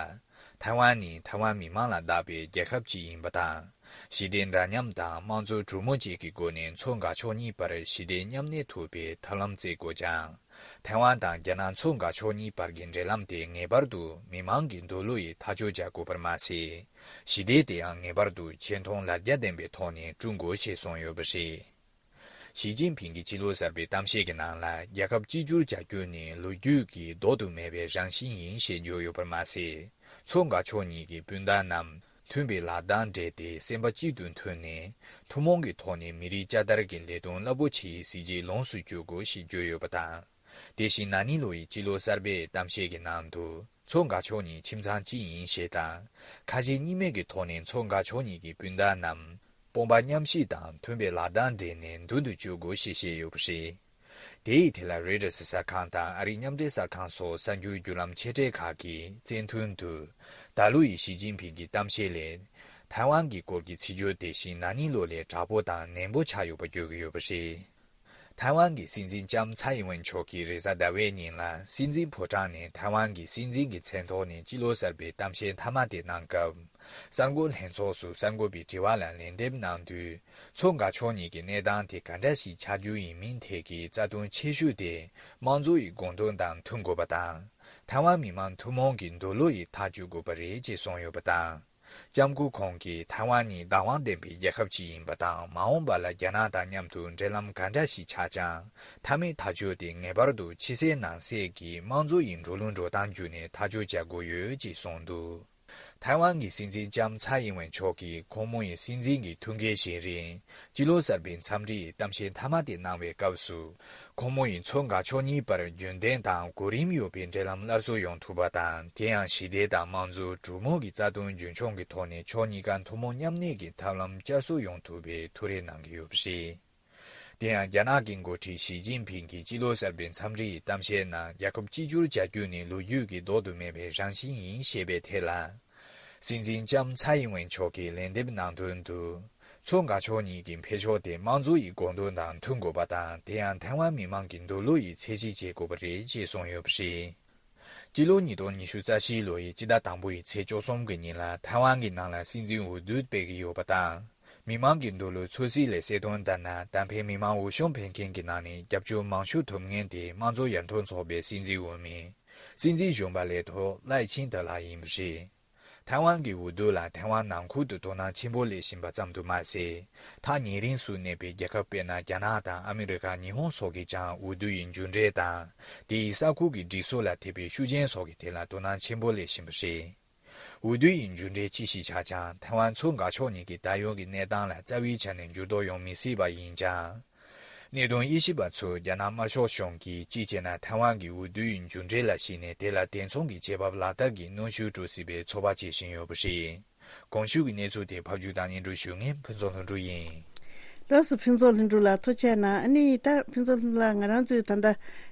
ཐའེ་ཝན་ནི་ཐའེ་ཝན་མི་དམངས་ལ་བདག་པའི་རྒྱལ་ཁབ་ཅིག་ཡིན་པ་དང་། ཞི་བདེ་འདྲ་མཉམ་དང་དམངས་གཙོ་གྲོས་མོལ་བཅས་ཀྱི་སྒོ་ནས་མཚོ་འགག་ཕྱོགས་གཉིས་བར་ཞི་བདེ་མཉམ་གནས་ཐུབ་པའི་ཐབས་ལམ་བཙལ་དགོས་ཀྱང་། ཐའེ་ཝན་དང་རྒྱ་ནག་མཚོ་འགག་ཕྱོགས་གཉིས་བར་གྱི་འབྲེལ་ལམ་དེ་ངེས་པར་དུ་མི་དམངས་ཀྱི་འདོད་བློ་ཡིས་ཐག་གཅོད་བྱ་དགོས་པར་མ་ཟད། ཞི་བདེ་དེའང་ངེས་པར་དུ་ཆེ་མཐོང་ལ་རྒྱ་ལྡན་པའི་ཐོག་ནས་བསྐྲུན་དགོས་ཞེས་གསུངས་ཡོད་པ་རེད། ཞི་ཅིན་ཕིང་གིས་ཕྱི་ལོ་གསར་པའི་གཏམ་བཤད་ཀྱི་ནང་ལ། རྒྱལ་ཁབ་གཅིག་གྱུར་བྱ་རྒྱུ་ནི་ལོ་རྒྱུས་ཀྱི་ལྡོག་ཏུ་མེད་པའི་རང་བཞིན་ཡིན་ཞེས་བརྗོད་ཡོད་པར་མ་ཟད། མཚོ་འགག་ཕྱོགས་གཉིས་ཀྱི་སྤུན་ཟླ་རྣམས་མཐུན་པའི་ལག་གདང་སྦྲེལ་ཏེ་སེམས་པ་གཅིག་ཏུ་མཐུན་ནས། ཐུན་མོང་གི་ཐོག་ནས་མི་རིགས་བསྐྱར་དར་གྱི་ལས་དོན་རླབས་པོ་ཆེའི་གཟི་བརྗིད་ལོངས་སུ་སྤྱོད་དགོས་ཞེས་བརྗོད་ཡོད་པ་དང་། དེ་བཞིན་ན་ནིང་ལོ་ཡི་ཕྱི་ལོ་གསར་པའི་གཏམ་བཤད་ཀྱི་ནང་དུ། མཚོ་འགག་ཕྱོགས་གཉིས་ཁྱིམ་ཚང་གཅིག་ཡིན་ཞེས་དང་། ཁ་ཞེ་གཉིས་མེད་ཀྱི་ཐོག་ནས་མཚོ་འགག་ཕྱོགས་གཉིས་ཀྱི་སྤུན་ཟླ་རྣམས་དཔུང་པ་མཉམ་གཤིབ་དང་མཐུན་པའི་ལག་གདང་སྦྲེལ་ནས་མདུན་དུ་སྐྱོད་དགོས་ཞེས་བཤད་ཡོད་པ་རེད། དེ་ཡི་ཐད་ལ་རོའི་ཊར་གསར་ཁང་དང་ཨ་རིའི་མཉམ་འབྲེལ་གསར་ཁང་སོགས་གསར་འགྱུར་བརྒྱུད་ལམ་ཆེ་གྲས་ཁག་གིས་བཙན་ཐུང་དུ། ད་ལོ་ཡི་ཞི་ཅིན་ཕིང་གི་གཏམ་བཤད་ལས། ཐའེ་ཝན་གྱི་སྐོར་གྱི་ཚིག་སྦྱོར་དེ་བཞིན་ན་ནིང་ལོ་ལས་དྲག་པོ་དང་ནན་པོ་ཆགས་ཡོད་པ་བརྗོད་ཀྱི་ཡོད་པ་རེད། ཐའེ་ཝན་གྱི་སྲིད་འཛིན་ལྕམ་ཚའེ་ཨིན་ཝེན་མཆོག་གིས་རེས་གཟའ་ཟླ་བའི་ཉིན་ལ་སྲིད་འཛིན་ཕོ་བྲང་ནས་ཐའེ་ཝན་གྱི་སྲིད་འཛིན་གྱི་མཚན་ཐོག་ནས་སྤྱི་ལོ་གསར་པའི་གཏམ་བཤད་མཐའ་མ་དེ་གནང་སྐབས། གསར་འགོད་ལྷན་ཚོགས་སུ་གསར་འགོད་པའི་དྲི་བ་ལ་ལན་འདེབས་གནང་དུས། མཚོ་འགག་ཕྱོགས་གཉིས་ཀྱི་གནས་སྟངས་དེ་ག་འདྲ་ཞིག་ཆགས་རྒྱུ་ཡིན་མིན་ཐད་ཀྱི་རྩ་དོན་ཆེ་ཤོས་དེ་དམངས་གཙོ་ཡི་དགོངས་དོན་དང་མཐུན་དགོས་པ་དང་། ཐའེ་ཝན་མི་དམངས་ཐུན་མོང་གི་འདོད་བློ་ཡིས་ཐག་གཅོད་དགོས་པ་རེད་ཅེས་གསུངས་ཡོད་པ་དང་། ལྕམ་སྐུ་ཁོང་གིས་ཐའེ་ཝན་ནི་བདག་དབང་ལྡན་པའི་རྒྱལ་ཁབ་ཅིག་ཡིན་པ་དང་། མ་འོངས་པ་ལ་རྒྱ་ནག་དང་མཉམ་དུ་འབྲེལ་ལམ་ག་འདྲ་ཞིག་ཆགས་ཀྱང་། མཐའ་མའི་ཐག་གཅོད་དེ་ངེས་པར་དུ་ཕྱི་གསལ་ནང་གསལ་གྱི་དམངས་གཙོ་ཡི་འགྲོ་ལུགས་འགྲོ་སྟངས་བརྒྱུད་ནས་ཐག་གཅོད་བྱ་དགོས་ཡོད་ཅེས་གསུངས་འདུག། ཐའེ་ཝན་གྱི་སྲིད་འཛིན་ལྕམ་ཚའེ་ཨིན་ཝེན་མཆོག་གིས་ཁོང་མོ་ཡི་སྲིད་འཛིན་གྱི་ཐུགས་འགན་བཞེས་རིང་། སྤྱི་ལོ་གསར་པའི་འཚམས་འདྲིའི་གཏམ་བཤད་མཐའ་མ་དེ་གནང་བའི་སྐབས་སུ། ཁོང་མོ་ཡིས་མཚོ་འགག་ཕྱོགས་གཉིས་བར་རྒྱུན་ལྡན་དང་གོ་རིམ་ཡོད་པའི་འབྲེལ་ལམ་སླར་གསོ་ཡོང་ཐུབ་པ་དང་། དེ་ཡང་ཞི་བདེ་དང་དམངས་གཙོ་གྲོས་མོལ་གྱི་རྩ་དོན་རྒྱུན་འཁྱོངས་ཀྱི་ཐོག་ནས་ཕྱོགས་གཉིས་ཀ་ཐུན་མོང་མཉམ་གནས་ཀྱི་ཐབས་ལམ་བསྐྱར་གསོ་ཡོང་ཐུབ་པའི་ཐུགས་རེ་གནང་གི་ཡོད་པ་རེད། དེ་ཡང་རྒྱ་ནག་གི་འགོ་ཁྲིད་ཞི་ཅིན་ཕིང་གིས་སྤྱི་ལོ་གསར་པའི་འཚམས་འདྲི་ཡི་གཏམ་བཤད་ནང་རྒྱལ་ཁབ་གཅིག་གྱུར་བྱ་རྒྱུ་ནི་ལོ་རྒྱུས་ཀྱི་ལྡོག་ཏུ་མེད་པའི་རང་བཞིན་ཡིན་ཞེས་པའི་ཐད་ལ། སྲིད་འཛིན་ལྕམ་ཚའེ་ཨིན་ཝེན་མཆོག་གིས་ལན་འདེབས་གནང་དོན་དུ། མཚོ་འགག་ཕྱོགས་གཉིས་ཀྱི་འཕེལ་ཕྱོགས་དེ་དམངས་གཙོ་ཡི་དགོངས་དོན་དང་མཐུན་དགོས་པ་དང་། དེ་ཡང་ཐའེ་ཝན་མི་དམངས་ཀྱི་འདོད་བློ་ཡི་ཚད་གཞི་བྱེད་དགོས་པ་རེད་ཅེས་གསུངས་ཡོད་པ་རེད། སྤྱི་ལོ་ཉིས་སྟོང་ཉི་ཤུ་རྩ་བཞི་ལོ་ཡི་སྤྱི་ཟླ་དང་པོ་ཡི་ཚེས་བཅུ་གསུམ་གྱི་ཉིན་ལ་ཐའེ་ཝན་གྱི་ནང་ལ་སྲིད་འཛིན་འོས་བསྡུ་སྤེལ་གྱི་ཡོད་པ་དང་། མི་མང་གི་འདོད་བློ་ཚོད་རྩིས་ལས་གསལ་དོན་ལྟར་ན། གདན་ཕེབས་མི་མང་འོས་ཤོག་འཕེན་མཁན་གྱི་ནང་ནས་རྒྱབ་སྐྱོར་མང་ཤོས་ཐོབ་མཁན་དེ་དམངས་གཙོ་ཡར་ཐོན་ཚོགས་པའི་སྲིད་འཛིན་འོས་མི། སྲིད་འཛིན་གཞོན་པ་ལས་ཐོག་ལའེ་ཆིང་ཏེ་ལགས་ཡིན་པ་རེད། ཐའེ་ཝན་གྱི་འོས་བསྡུ་ལ་ཐའེ་ཝན་ནང་ཁུལ་དུ་དོ་སྣང་ཆེན་པོ་སླེབས་བཞིན་པ་ཙམ་དུ་མ་ཟད། ཐག་ཉེ་རིང་སུ་གནས་པའི་རྒྱལ་ཁབ་དཔེར་ན་རྒྱ་ནག་དང་ཨ་མི་རི་ཀ་ཉི་ཧོང་སོགས་ཀྱིས་ཀྱང་འོས་བསྡུ་ཡི་མཇུག་འབྲས་དང་། དེ་ཡི་ས་ཁུལ་གྱི་སྒྲིག་སྲོལ་ལ་འཐད་པའི་ཤུགས་རྐྱེན་སོགས་ཀྱི་ཐད་ལ་དོ་སྣང་ཆེན་པོ་སླེབས་བཞིན་པ་རེད། འོས་བསྡུ་ཡི་མཇུག་འབྲས་ཅི་ཞིག་ཆགས་ཀྱང་། ཐའེ་ཝན་མཚོ་འགག་ཕྱོགས་གཉིས་ཀྱི་ད་ཡོད་ཀྱི་གནས་སྟངས་ལ་རྩ་བའི་ཆ་ནས་འགྱུར་ལྡོག་ཡོང་མི་སྲིད་པ་ཡིན་ཀྱང་། གནད་དོན་དབྱེ་ཞིབ་པ་ཚོས་རྒྱ་ནག་དམར་ཤོག་གཞུང་གིས་གཅིག་བྱས་ན་ཐའེ་ཝན་གྱི་འོས་བསྡུ་ཡི་མཇུག་འབྲས་ལ་གཞིགས་ནས་དེ་ལ་དེ་མཚུངས་ཀྱི་བྱེད་བབ་ལག་བསྟར་གྱི་གནོན་ཤུགས་འགྲོ་སྲིད་པའི་ཚོད་དཔག་བྱེད་བཞིན་ཡོད་པ་རེད། གོང་ཞུས་ཀྱི་གནས་ཚུལ་དེ་ཕབ་སྒྱུར་དང་སྙན་སྒྲོན་ཞུ་མཁན་ཕུན་ཚོགས་ལྷུན་གྲུབ་ཡིན། ལགས་སོ། ཕུན་ཚོགས་ལྷུན་གྲུབ་ལགས་ཐུགས་རྗེ་གནང་། ཨ་ནི་ད་ཕུན་ཚོགས་ལྷུན་གྲུབ་ལགས་ང་རང་ཚོས་ད་ལྟ་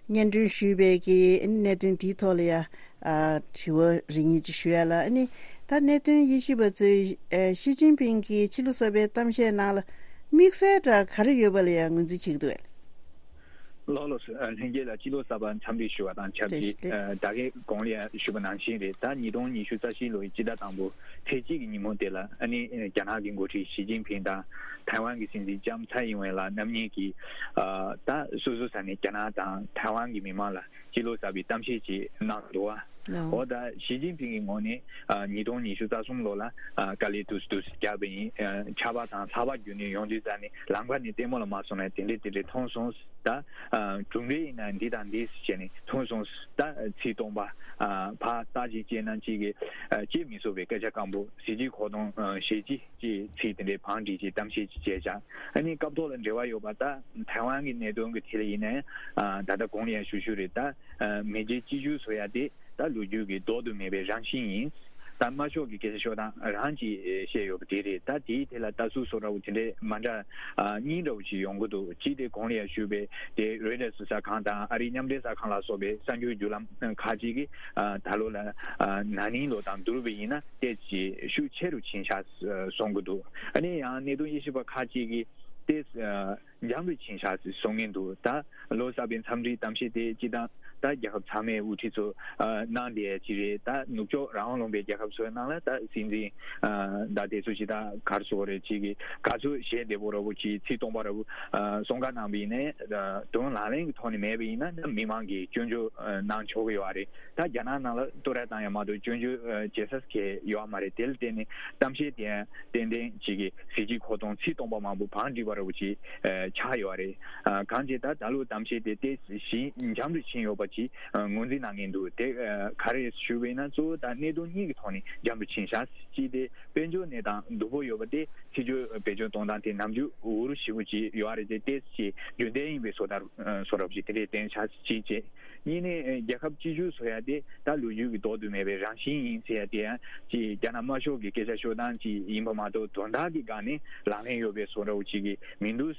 སྙན་སྒྲོན་ཞུས་པའི་གི་ཨ་ནི་གནད་དོན་འདིའི་ཐོག་ལ་ཡ། ཨ། དྲི་བ་རེ་གཉིས་ཅིག་ཞུ་ཡ་ལ། ཨ་ནི་ད་གནད་དོན་དབྱེ་ཞིབ་པ་ཚོས་ཨ། ཞི་ཅིན་ཕིང་གིས་ཕྱི་ལོ་གསར་པའི་གཏམ་བཤད་ནང་ལ་དམིགས་བསལ་འདྲ་ག་རེ་ཡོད་པ་ལ་ཡང་ངོས་འཛིན་བྱེད་ཀྱི་འདུག་གས། ལགས་ལགས་སོ། ལྷན་རྒྱས་ལ་སྤྱི་ལོ་གསར་པ་འཚམས་འདྲི་ཞུ་བ་དང་ཆབས་ཅིག་བདེ་ལེགས། ད་གིན་གོང་ལ་ཡང་ཞུས་པ་ནང་བཞིན་རེད། ད་ཉིས་སྟོང་ཉི་ཤུ་རྩ་བཞི་ལོའི་སྤྱི་ཟླ་དང་པོ་ཚེས་གཅིག་གི་ཉིན་མོ་དེ་ལ་ཨ་ནི་རྒྱ་ནག་གི་འགོ་ཁྲིད་ཞི་ཅིན་ཕིང་དང་ཐའེ་ཝན་གྱི་སྲིད་འཛིན་ལྕམ་ཚའེ་ཡིན་ཝེན་ལགས་རྣམ་གཉིས་ཀྱིས་ད་སོ་སོའི་ས་ནས་རྒྱ་ནག་དང་ཐའེ་ཝན་གྱི་མི་མང་ལ་སྤྱི་ལོ་གསར་པའི་གཏམ་བཤད་ཅིག་གནང་འདུག་བ། འོ་ད་ཞི་ཅིན་ཕིང་གི་ངོས་ནས་ཉིས་སྟོང་ཉི་ཤུ་རྩ་གསུམ་ལོ་ལ་དཀའ་ལས་ཏོག་ཙམ་ཏོག་ཙམ་བརྒྱབ་པ་ཡིན། ཆར་པ་དང་ལྷགས་པ་བརྒྱུད་ནས་ཡོང་དུས་ཙ་ནས་ལམ་ཁ་ནས་ལྟད་མོ་ལ་མ་སོང་ན་དེ་འདྲས་དེ་འདྲས་མཐོང་སོང་། ད་གྲུབ་འབྲས་ཡིན་ན་འདི་དང་འདི་བྱས་ནས་མཐོང་སོང་། ད་ཚིག་སྟོང་པ་ཕར་བལྟ་ཅིག་བྱས་ན་ཅིག་གི་བྱེད་མི་ཆོག་པའི་སྐད་ཆ་སྐམ་པོ་ཟིལ་གྱིས་ཁོག་སྟོང་ཞེ་གཅིག་ཅེས་ཚིག་དེ་འདྲའི་བང་སྒྲིག་ཅིག་གཏམ་བཤད་ཅིག་བྱས་བཞག་ཨ་ནི་སྐབས་ཐོག་ལ་འབྲེལ་བ་ཡོད་པ་ད་ཐའེ་ཝན་གྱི་གནད་དོན་གྱི་ཐད་ལ་ཡིན་ནའི་ད་ལྟ་གོང་ལ་ཡང་ཞུ་ཞུ་རེད། ད་མེས་རྒྱལ་གཅིག་གྱུར་བཟོ་ཡ་དེ་ད་ལོ་རྒྱུས་ཀྱི་ལྡོག་ཏུ་མེད་པའི་རང་བཞིན་ཡིན། ད་དམར་ཤོག་གི་སྐད་ཆ་ཤོད་སྟངས་རང་གིས་བཤད་ཡོད་པ་དེ་རེད། ད་དེའི་ཐད་ལ་ལྟ་ཚུལ་བཟོ་འདྲ་བོ་དེ་འདྲའི་མ་འདྲ་གཉིས་འདྲ་བོ་ཞིག་ཡོང་གི་འདུག་གཅིག་དེ་གོང་ལ་ཡང་ཞུས་པའི་དེ་རོའི་ཊར་གསར་ཁང་དང་ཨ་རིའི་མཉམ་འབྲེལ་གསར་ཁང་ལ་སོགས་པའི་གསར་འགྱུར་བརྒྱུད་ལམ་ཁག་ཅིག་གིས་ད་ལོ་ལ་ན་ནིང་ལོ་དང་བསྡུར་བ་ཡིན་ན་ཏོག་ཙམ་ཤུགས་ཆེ་རུ་ཕྱིན་ཤག་གསུང་གི་འདུག་ཨ་ནི་ཡང་གནད་དོན་དབྱེ་ཞིབ་པ་ཁག་ཅིག་གིས་ཏོག་ཙམ་འཇམ་རུ་ཕྱིན་ཤག་ཟེར་གསུང་གིན་འདུག་ད་ལོ་གསར་པའི་འཚམས་འདྲིའི་གཏམ་བཤད་དེ་སྤྱི་བཏང་ད་རྒྱལ་ཁབ་ཚང་མའི་དབུ་ཁྲིད་ཚོ་གནང་བསྡད་ཡ་ཅིག་རེད། ད་ནུབ་ཕྱོགས་རང་དབང་ལུང་པའི་རྒྱལ་ཁབ་ཚོའི་ནང་ལ་ད་སྲིད་འཛིན་ད་དེ་ཚོ་ཅིག་ད་ག་རེ་ཟེར་དགོས་རེད། ཅིག་གི་ག་ཚོད་ཞལ་བདེ་པོ་འདྲ་བོ་ཅིག་ཚིག་སྟོང་པ་འདྲ་བོ་གསུང་བཀའ་གནང་བ་ཡིན་ནའི་དོན་ལག་ལེན་གྱི་ཐོག་ནས་མེད་པ་ཡིན་ན་ད་མི་མང་གིས་སྐྱོན་བརྗོད་གནང་ཆོག་གི་ཡོད་རེད། ད་རྒྱ་ནག་ནང་ལ་བསྟོད་ར་བཏང་ཡ་མ་གཏོགས་སྐྱོན་བརྗོད་བྱེད་ས་གང་ཡོད་མ་རེད། དེ་ལ་བརྟེན་ནས་གཏམ་བཤད་དེ་ཏན་ཏན་ཅིག་གི་ཟིལ་གྱིས་ཁོག་སྟོང་ཚིག་སྟོང་པ་མང་པོ་བང་སྒྲིག་པ་འདྲ་བོ་ཅིག་ཆགས་ཡོད་རེད། གང་ཅི་ད་ད་ལོ་གཏམ་བཤད་དེ་ཏོག་ཙམ་ཞིག་འཇམ་རུ་ཕྱིན་ཡོད་པ་ཅིག་ངོས་འཛིན་གནང་གིན་འདུག་དེ་ག་རེ་ཞུ་བས་ན་གཙོ་བོ་ད་གནད་དོན་གཉིས་ཀྱི་ཐོག་ནས་འཇམ་རུ་ཕྱིན་ཤག་གཅིག་དེ་དཔལ་འབྱོར་གནས་སྟངས་སྡུག་པོ་ཡོད་པ་དེ་ཕྱི་སྐྱོད་བེད་སྤྱོད་གཏོང་སྟངས་དེ་ནམ་རྒྱུན་འུར་ཞེ་པོ་ཅིག་ཡོད་རེད། དེ་ཏོག་ཙམ་རྒྱུན་ལྡན་ཡིན་པའི་བཟོ་ལྟ་བཟོ་འདྲ་བོ་ཅིག་དེ་འདྲས་བསྟན་ཤག་གཅིག་བྱས། གཉིས་ནས་རྒྱལ་ཁབ་གཅིག་གྱུར་བཟོ་ཡ་དེ་ད་ལོ་རྒྱུས་ཀྱི་ལྡོག་ཏུ་མེད་པའི་རང་བཞིན་ཡིན་ཟེར་ཡ་དེ་ཡང་ཅིག་རྒྱ་ནག་དམར་ཤོག་གི་སྐད་ཆ་ཤོད་སྟངས་ཅིག་ཡིན་པ་མ་གཏོགས་དོན་དག་གི་སྒང་ནས་ལག་ལེན་ཡོད་པའི་བཟོ་འདྲ་བོ་ཅིག་གི་མི་འདུག་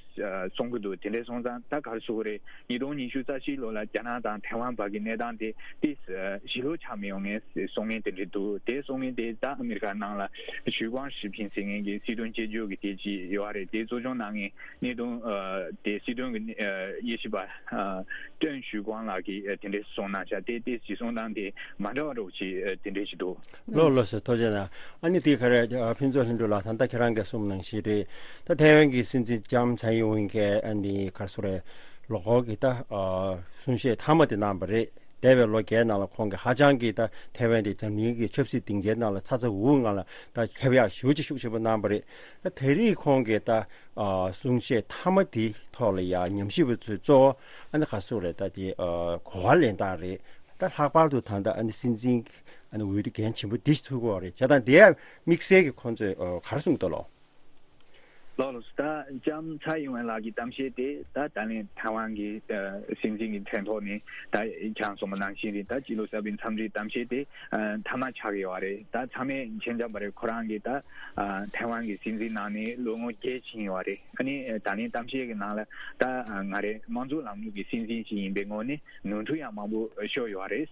གསུང་གི་འདུག་དེ་འདྲས་སོང་ཙང་ད་ག་རེ་ཟེར་དགོས་རེད། ཉིས་སྟོང་ཉི་ཤུ་རྩ་བཞི་ལོ་ལ་རྒྱ་ནག་དང་ཐའེ་ཝན་བར་གྱི་གནས་སྟངས་དེ་ཏོག་ཙམ་ཞི་ལྷོད་ཆགས་མི་ཡོང་ངེས་གསུང་མཁན་དེ་འདྲས་འདུག་དེ་གསུང་མཁན་དེ་ད་ཨ་མི་རི་ཀ་ནང་ལ་ཞུས་ཀོང་ཞི་ཕིང་ཟེར་མཁན་གྱི་སྲིད་དོན་དཔྱད་བརྗོད་ཀྱི་དེ་ཅིག་ཡོད་རེད། དེ་གཙོ་སྐྱོང་གནང་མཁན་གནད་དོན་དེ་སྲིད་དོན་གྱི་དབྱེ་ཞིབ་པ་ཀྲེན་ཞུས་ཀོང་ལགས་ཀྱིས་དེ་འདྲས་གསུངས་གནང་ཤག་དེ་དེ་གཞི་བཟུང་སྟངས་དེ་མ་འདྲ་བ་འདྲ་བོ་ཅིག་དེ་འདྲས་ཞིག་འདུག་ལགས་ལགས་སོ། ཐུགས་རྗེ་གནང་། ཨ་ནི་དེ་ག་རེ་ཕུན་ཚོགས་ལྷུན་གྲུབ་ལགས། ད་ལྟ་ཁྱེད་རང་གིས་གསུངས་ནང་བཞིན་རེད། ད་ཐའེ་ཝན་གྱི་སྲིད་འཛིན་ལྕམ་ཚའེ་ཡིན་ཝེན་གྱིས་ཨ་ནི་ག་རེ་ཟེར་དགོས་རེད། ལོ་འཁོར་གྱི་ད་གསུང་བཤད་མཐའ་མ་དེ་གནང་བ་རེད། འདས་པའི་ལོ་བརྒྱད་ནང་ལ་ཁོང་གིས་ཧ་ཅང་གི་ད་ཐའེ་ཝན་དེ་འཛམ་གླིང་གི་ཆབ་སྲིད་སྡིངས་ཆའི་ནང་ལ་ཚ་ཚ་འུར་འུར་ངང་ལ་ད་ཕེབས་ཡག་ཞེ་པོ་ཅིག་ཤུགས་ཆེན་པོ་གནང་བ་རེད། ད་དེ་རིང་ཁོང་གིས་ད་གསུང་བཤད་མཐའ་མ་དེའི་ཐོག་ལ་ཡང་ཉམས་ཞིབ་པ་ཚོས་གཙོ་བོ་ཨ་ནི་ག་རེ་ཟེར་དགོས་རེད། ད་དེ་གོ་བ་ལེན་སྟངས་རེད། ད་ལྷག་པར་དུ་ད་ལྟ་ཨ་ནི་སྲིད་འཛིན་ཨ་ནི་འོས་བསྡུ་འགན་ཆེན་པོ་འདི་ཞིག་ཐུག་གི་ཡོད་རེད། བྱས་ཙང་དེ་ཡང་དམིགས་བསལ་གྱི་ཁོང་ཚོས་ག་རེ་གསུངས་འདུག་ལོ། ལགས་ལགས་སོ། ད་ལྕམ་ཚའེ་ཡིན་ཝེན་ལགས་ཀྱི་གཏམ་བཤད་དེ་ད་ད་ལན་ཐའེ་ཝན་གྱི་སྲིད་འཛིན་གྱི་མཚན་ཐོག་ནས་ད་ཁྱེད་རང་གསུངས་པ་ནང་བཞིན་རེད། ད་སྤྱི་ལོ་གསར་པའི་འཚམས་འདྲིའི་གཏམ་བཤད་དེ་མཐའ་མ་ཆགས་ཀྱི་ཡོད་རེད། ད་ཚང་མས་མཁྱེན་རྐྱང་པ་རེད། ཁོ་རང་གིས་ད་ཐའེ་ཝན་གྱི་སྲིད་འཛིན་གནང་ནས་ལོ་ངོ་བརྒྱད་ཕྱིན་ཡོད་རེད། ཨ་ནི་ད་ལན་གཏམ་བཤད་ཀྱི་ནང་ལ་ད་ང་རེ་དམངས་གཙོ་ལམ་ལུགས་ཀྱི་སྲིད་འཛིན་ཞིག་ཡིན་པའི་ངོས་ནས་ནོར་འཁྲུལ་ཡང་མང་པོ་ཤོར་ཡོད་རེད།